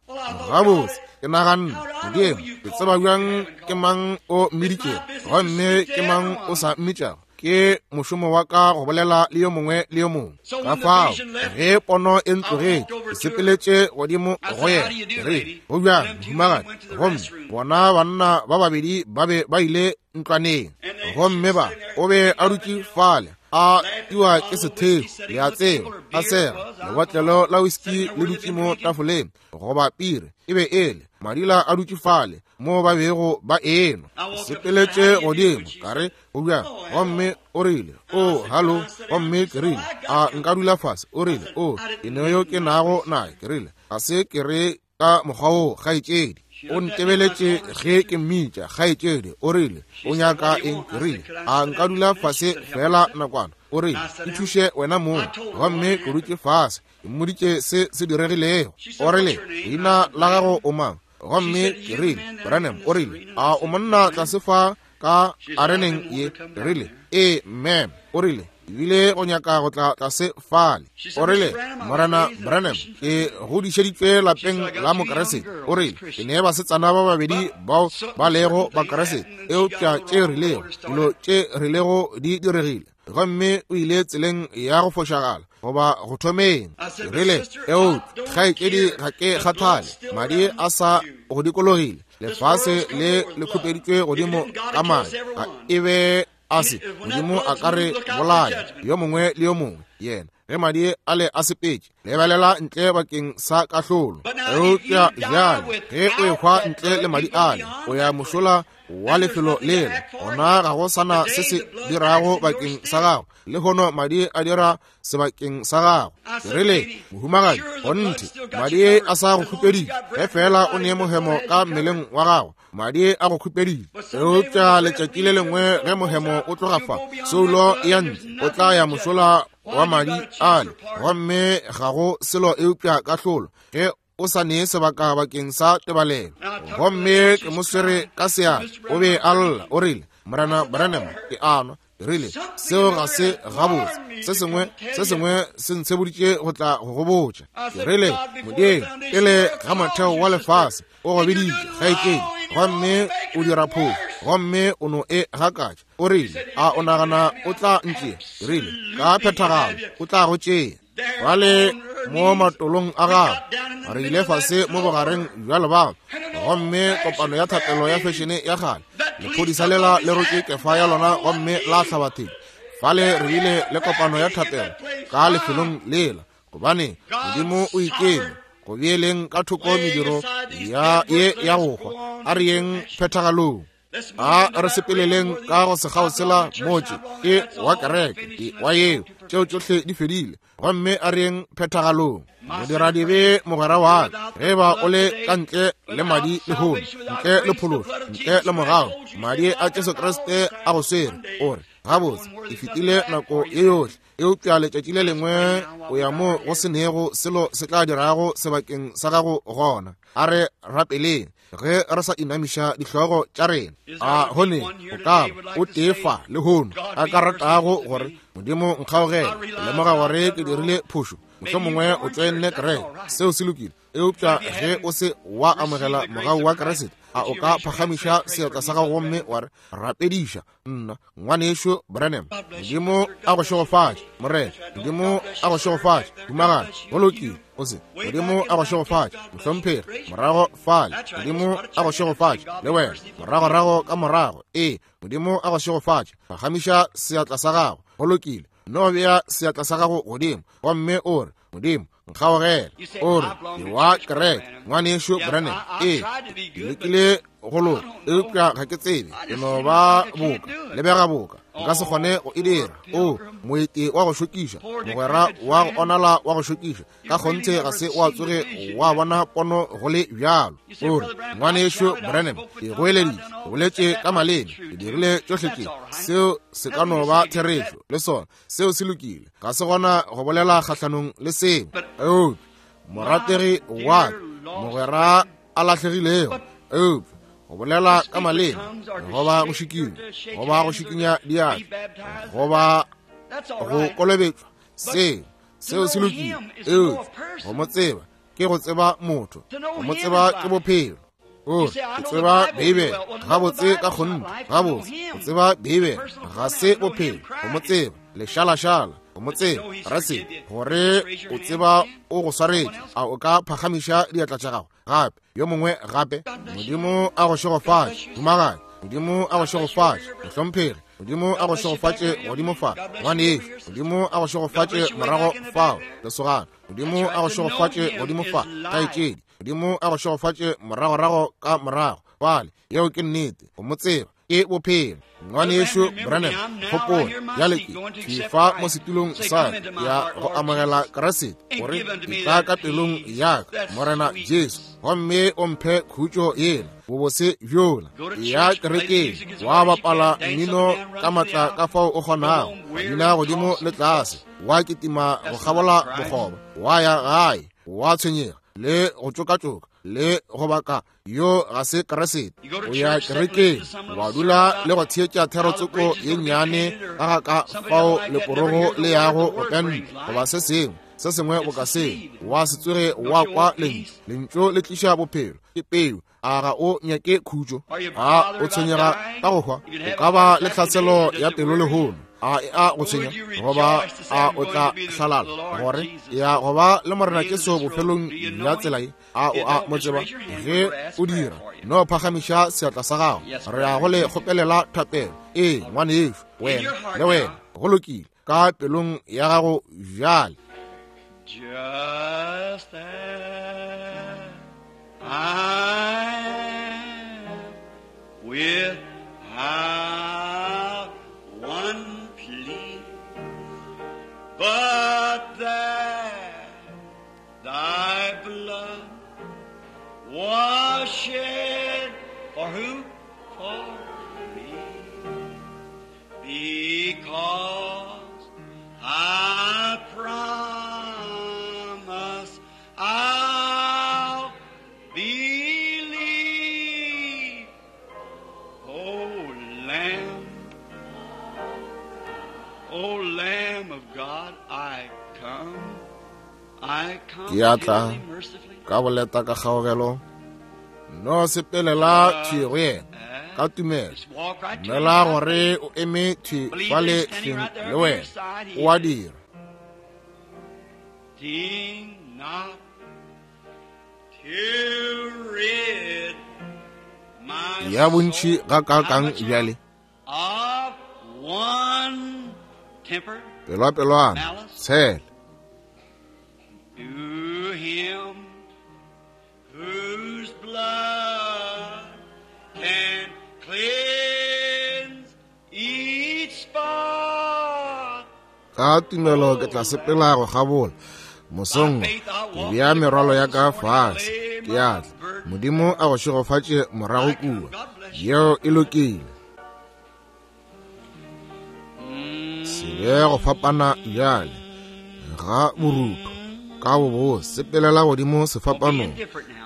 Gabotse, ke naganne, Modimo, ke tseba bjang ke mang o mmiditšego gomme ke mang o sa mmitšago? Ke mošomo wa ka go bolela le yo mongwe le yo mongwe. Ka fao ge pono e ntlogetše, ke sepeletše godimo go yena. Ke rile, go bjang, mohumagadi? Gomme bona banna ba babedi ba be ba ile ntlwaneng, gomme ba o be a dutše fale a tiwa ke setheo, le a tseba, a sega lebotlelo la whisky le dutše mo tafoleng, goba pire e be ele madila a dutše fale mo ba bego ba enwa. Sepeletše godimo, ka re, go bjang? Gomme o rile, o hallo. Gomme ke rile, a nka dula fase? O rile, o ke ne yo ke nago naye. Ke rile, ga se ke re ka mokgwa wo, kgaetšedi. O ntebeletše ge ke mmitša kgaetšedi. O rile, o nyaka eng? Ke rile, a nka dula fase fela nakwana? O rile, nthuše wena mong. Gomme ke dutše fase, ke mmoditše se se diregilego. O rile, leina la gago o mang? Gomme ke rile, Branham. O rile, a o monna tlase fa ka areneng ye? Ke rile, ee, ma'am. O rile, ebile go nyaka go tla tlase fale. O rile, Morena Branham, ke godišeditšwe lapeng la Mokeresete. O rile, ke ne basetsana ba babedi bao ba lego Bakeresete, eupša tše rilego, dilo tše rilego di diregile, gomme o ile tseleng ya go fošagala goba go thomeng. Ke rile, eupša kgaetšedi, ga ke kgathale, madi a sa go dikologile, lefase le le khupeditšwe godimo ka madi, ga e be a se Modimo a ka re bolaya yo mongwe le yo mongwe yena ge madi a le a sepetše. Lebelela ntle bakeng sa kahlolo. Eupša bjale ge o ehwa ntle le madi ale, o ya mošola wa lefelo lela, gona ga go sana se se dirago bakeng sa gago. Le hono madi a dira sebakeng sa gago. Ke rile, mohumagadi, kgonthe madi a sa go khupeditše, ge fela o ne mohemo ka mmeleng wa gago, madi a go khupeditše. Eupša letšatši le lengwe ge mohemo o tloga fa, soulo ya ntle, o tla ya mošola wa madi ale, gomme ga go selo eupša kahlolo, ge o sa nee sebaka bakeng sa tebalelo. Gomme ke mo swere ka seatla, o be a lla. O rile, Morena Branham, ke a nwa. Ke rile, seo ga se gabotse. Se sengwe se sengwe se ntsheboditše go tla go go botša. Ke rile, Modimo, pele ga motheo wa lefase o go biditše, kgaetšedi, gomme o dira phošo, gomme o no e gakatša. O rile, a o nagana o tla ntšea? Ke rile, ka phethagalo o tla go tšea. Bale mo matolong a gagwe. Re ile fase mo bogareng bja lebaka, gomme kopano ya thapelo ya fešene ya kgale, lephodisa lela le rotše kefa ya lona gomme la hlaba thedi. Fale re ile le kopano ya thapelo ka lefelong lela, gobane Modimo o ikeme go beeleng ka thoko mediro ya ye ya go hwa, a re yeng phethagalong. A re sepeleleng ka go sekgao sela motse ke wa kereke ke wa yeo, tšeo tšohle di fedile, gomme a re yeng phethagalong. Modiradibe mogwera wa ka, ge ba o le ka ntle le madi lehono, ntle le phološo, ntle le mogau, madi a Jesu Kriste a go swere, o re gabotse e fetile nako ye yohle, eupša letšatši le lengwe o ya mo go senego selo se tla dirago sebakeng sa gago gona. A re rapeleng ge re sa inamiša dihlogo tša rena. A gone o ka ba o tee fa lehono a ka ratago gore Modimo nkgaogele, lemoga gore ke dirile phošo, mohlomongwe o tšoenne kereke, seo se lokile, eupša ge o se wa amogela mogau wa Kriste, a o ka phagamiša seatla sa gago gomme wa re rapediša nna ngwanešo Branham. Modimo a go šegofatše, morena. Modimo a go šegofatše, humagadi. Go lokile, o se. Modimo a go šegofatše, mohlomphegi. Morago fale, Modimo a go šegofatše le wena, moragorago ka morago. Ee, Modimo a go šegofatše. Phagamiša seatla sa gago. Go lokile, no bea seatla sa gago godimo gomme o re Modimo nkgaogele. O re ke wa kereke, ngwanešo Branham. Ee, ke lekile go loka, eupša ga ke tsebe, ke no ba boka, lebega boka, nka se kgone go e dira. O moeti wa go šokiša, mogwera wa go onala wa go šokiša, ka kgonthe ga se wa tsoge wa bona pono go le bjalo. O re ngwanešo Branham, ke goeleditše, ke boletše ka maleme, ke dirile tšohle tše, seo se ka no ba therešo le sona, seo se lokile, ga se gona go bolela kgahlanong le seo. Eupša morategi wa ka, mogwera a lahlegilego, eupša go bolela ka maleme, goba go šikinya, goba go šikinya diatla, goba go kolobetšwa, seo seo se lokile, eupša go mo tseba ke go tseba motho, go mo tseba ke bophelo. O ke tseba Beibele gabotse ka kgonthe, gabotse go tseba Beibele ga se bophelo, go mo tseba lešalašala, go mo tseba rase gore o tseba o go swaretše. A o ka phagamiša diatla tša gago gape, yo mongwe gape? Modimo a go šegofatše, humagadi. Modimo a go šegofatše, mohlomphegi. Modimo a go šegofatše godimo fa, ngwanešo. Modimo a go šegofatše morago fao, lesogana. Modimo a go šegofatše godimo fa, kgaetšedi. Modimo a go šegofatše moragorago ka morago fale. Yeo ke nnete, go mo tseba ke bophelo. Ngwanešo Branham, gopola bjale ke ke fa mo setulong sa ya go amogela Kriste, gore ke tla ka pelong ya ka, Morena Jesu, gomme o mphe khutšo yela, bobose bjola. Ya kerekeng, wa bapala mmino ka matla ka fao o kgonago, wa bina godimo le tlase, wa kitima go kgabola bokgoba, wa ya gae, wa tshwenyega le go tšokatšoka le go baka, yo ga se Kriste. O ya kerekeng, wa dula le go theetša therotsoko ye nnyane ka ga ka fao leporogo le yago go penta, goba se sengwe se sengwe boka seo, wa se tsoge wa kwa lentšu. Lentšu le tliša bophelo, ke peu. A ga o nyake khutšo? A o tshwenyega ka go hwa? O ka ba le tlhaselo ya pelo lehono, a e a go tshwenya, goba a o tla hlalala gore ya go ba le Morena Jesu bofelong bja tsela ye? A o a mo tseba? Ge o dira, no phagamiša seatla sa gago, re ya go le kgopelela thapelo. Ee, ngwanešo, wena le wena, go lokile ka pelong ya gago bjale. Just as I am, without one plea, but that thy blood was shed for who? For me. Because I promise I'll believe, O Lamb, O Lamb of God, I come, I come Ke a tla gently, mercifully. ka boleta ka kgaogelo, no sepelela thwi go yena ka tumelo. Just walk right to Dumela him. gore o eme thwi fale hleng le wena, o a dira. Trusting not to rid my Ya bontši soul gakaakang bjale? of one temper Pelwapelwana, tshele. to him whose blood can cleanse each spot. Ka tumelo ke tla sepela go kgabola mosong wo, ke bea merwalo ya ka fase, ke a tla. Modimo a go šegofatše morago kua. Yeo e lokile. Se be go fapana bjale ga borutho ka bobo sepelela godimo sefapanong.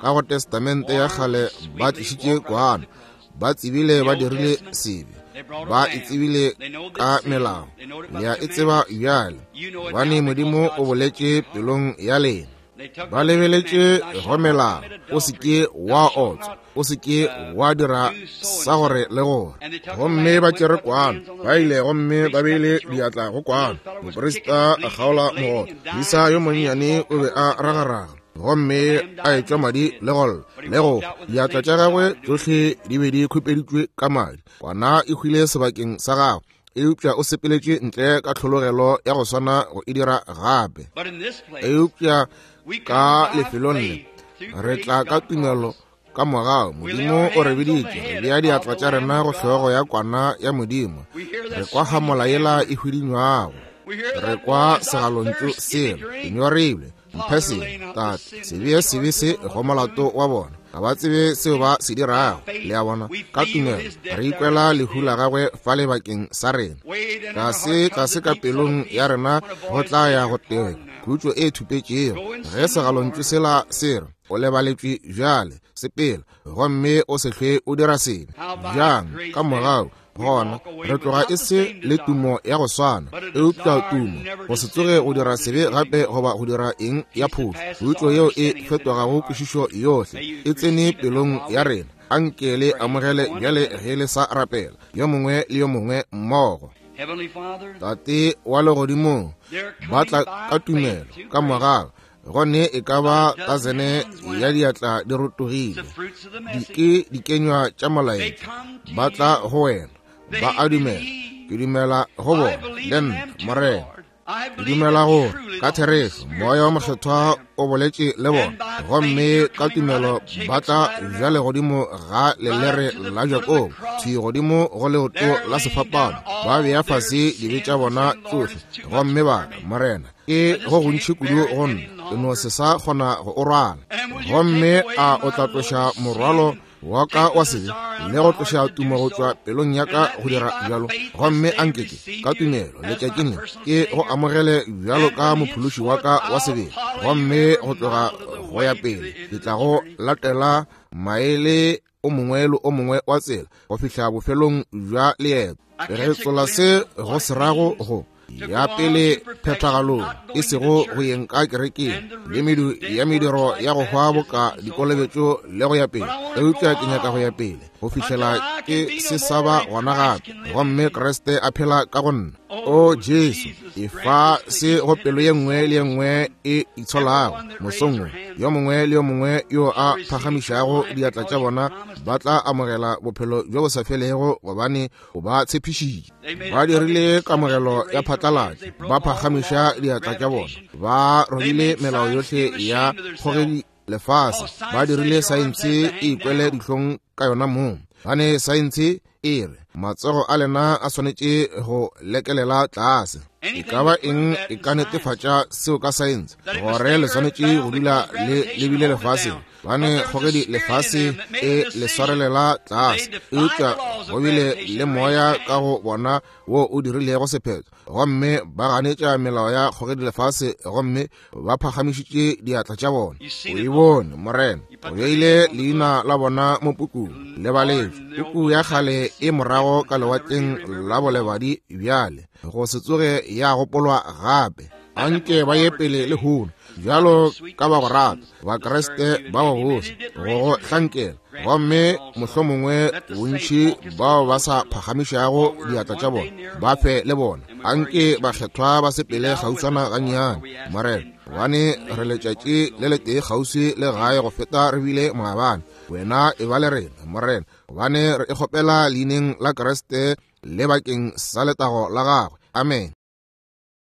Ka go Testamente ya kgale ba tlišitše kwana, ba tsebile ba dirile sebe, ba e tsebile ka melao. Le a e tseba bjale, gobane Modimo o boletše pelong ya lena. Ba lebeletše go melao, o se ke wa otswa, o se ke wa dira sa gore le gore. Gomme ba tšere kwana, ba ile gomme ba beile diatla go kwana. Moprista a kgaola mogoto, moisa yo monnyane o be a ragaraga, gomme a etšwa madi le go lla le go hwa. Diatla tša gagwe tšohle di be di khupeditšwe ka madi. Kwana e hwile sebakeng sa gagwe, eupša o sepeletše ntle ka tlhologelo ya go swana go e dira gape. But in this place, Eupša we ka come by lefelong le faith through re grace tla ka God tumelo calls. ka mogau. We lay Modimo our o re hands on the biditše, re head bea of diatla the tša Lamb rena of go God. hlogo ya kwana ya Modimo. We hear Re that kwa sweet hamola yela sound. e hwidinywago, We hear re that kwa voice, I segalontšu thirst, give me sela, ke drink. nyorilwe, mphe Father, sengwe. lay not the Tate, sin sebe ya sebe se go molato wa bona, ga ba tsebe seo ba se dirago. Le a bona, We ka feel tumelo his death re there ikwela on the lehu la gagwe fale bakeng sa rena. Way in our Tlase heart comes tlase the ka deep pelong subtle ya peace rena when a go voice tla says ya you're go teba pardoned now. khutšo e thupetšego. Go and Ge sin no segalontšu more. sela se re o lebaletšwe bjale, sepela gomme o se hlwe o dira sebe. How by Bjang grace ka then mogau we gona walk away re tloga without e the se same le desire, tumo ya go swana, but a eupša desire tumo never go to se sin tsoge no go more dira this sebe evening. gape goba go dira eng ya Peace that phošo. passes Khutšo all yeo e understanding is in our fetogago heart. kwešišo yohle May you e tsene receive it now pelong while ya we rena. Anke le pray. amogele One bjale another. ge le sa rapela, yo mongwe le yo mongwe mmogo. Heavenly Father, Tate wa legodimong, they're ba coming tla by ka faith tumelo to ka grace. mogau, gone e ka ba A dozen tasene hands went ya up. diatla di The rotogile. fruits of the Di message. ke dikenywa tša They molaetša, come to ba tla you. go wena, They ba a dumela. believe. Ke dumela go I bona believe le in nna, them too, Morena. Lord. I Ke believe dumela that gore truly ka the Holy therešo Spirit moya wa spoke to mokgethwa them. o boletše le bona, And by faith gomme they're ka coming right tumelo up ba Jacob's tla ladder bjale now, godimo ga right up lelere to the la foot of the Jakobo, cross. thwi godimo go leoto They're la laying down sefapano, ba all bea their fase dibe tša sins, bona saying, Lord, tšohle, it's too much gomme ba for re, me. Morena, I ke just go gontši can't kudu bear it go any nna, ke no longer. se sa kgona go o rwala. And will you take Gomme away a o my tla load tloša of sin morwalo and wa ka take wa the sebe desire out of le go my heart tloša to do tumo go tšwa so? pelong ya And ka let go me dira by bjalo. faith this Gomme day anke ke receive ka you tumelo as my letšatšing le personal ke go Savior. amogele bjalo And ka from mophološi wa henceforth ka wa I'll sebele, follow you gomme every go tloga mile of the go ya way to pele the end ke of tla the go journey. latela maele o mongwe le o mongwe wa tsela go fihla bofelong bja leeto. I Re catch a tsola glimpse se of go what it se rago means go to ya go on pele to perfection, phethagalong, not e going to the sego go church yeng ka kerekeng and the le roots medu of ya dead works mediro like ya go hwa baptisms boka and so forth. dikolobetšo le go ya But pele. I want to go Eupša ke nyaka go ya on pele go until fihlela I can ke be no se sa more ba and gona Christ gape, can live in gomme me. Kriste a phela ka go nna. O Oh, Jesu, Jesus, e grant fa this to se each go and pelo ye every nngwe le ye soul this nngwe morning. e itsholago Everyone that raised mosong their wo. hands Yo mongwe le yo mongwe yo shall a receive eternal phagamišago life diatla because tša you bona promised ba it. tla amogela bophelo bjo bo sa felego, gobane o ba tshepišitše. They made Ba a public dirile deception. They kamogelo ya raised their hands. phatlalatša, They ba broke all the phagamiša laws of diatla tša bona, gravitation. ba They robile made melao science yohle feel ya ashamed of themselves. kgogedi lefase, Because ba science says dirile your arms saense has to e hang ikwele down. dihlong ka yona mong. Gane saense e re matsogo a lena a swanetše go lekelela tlase. E Anything ka ba to prove eng that e in ka science. netefatša seo ka saense That it was gore le stay swanetše go earthbound dula because le gravitation lebile hold it lefaseng, down. But gobane there was a kgogedi spirit in lefase them that made e a le decision. swarelela They tlase. defied Eupša the laws go of bile gravitation le and raised moya their ka hand. go bona wo o dirilego sephetho, gomme ba ganetša melao ya kgogedi lefase, gomme ba phagamišitše diatla tša bona. You O seen e it, Lord. bone, Morena, You o put their beile name on the book. leina la bona mo pukung le Lord, baletšwe. in the old Puku ya book that kgale the e sin morago death ka shall never be lewatleng remembered la no more. bolebadi bjale, go se tsoge ya gopolwa gape. Let them Anke go ba ye forward pele today lehono bjalo ka ba go rata, Bakriste ba babose, go go hlankela. Gomme mohlomongwe bontši bao ba sa phagamišago diatla tša bona, ba fe le bona. Anke bakgethwa ba sepele kgauswana gannyane, Morena, gobane re letšatši le letee kgauswi le gae go feta re bile maabane. Wena e ba le rena, Morena, gobane re e kgopela leineng la Kriste le bakeng sa letago la gagwe. Amen.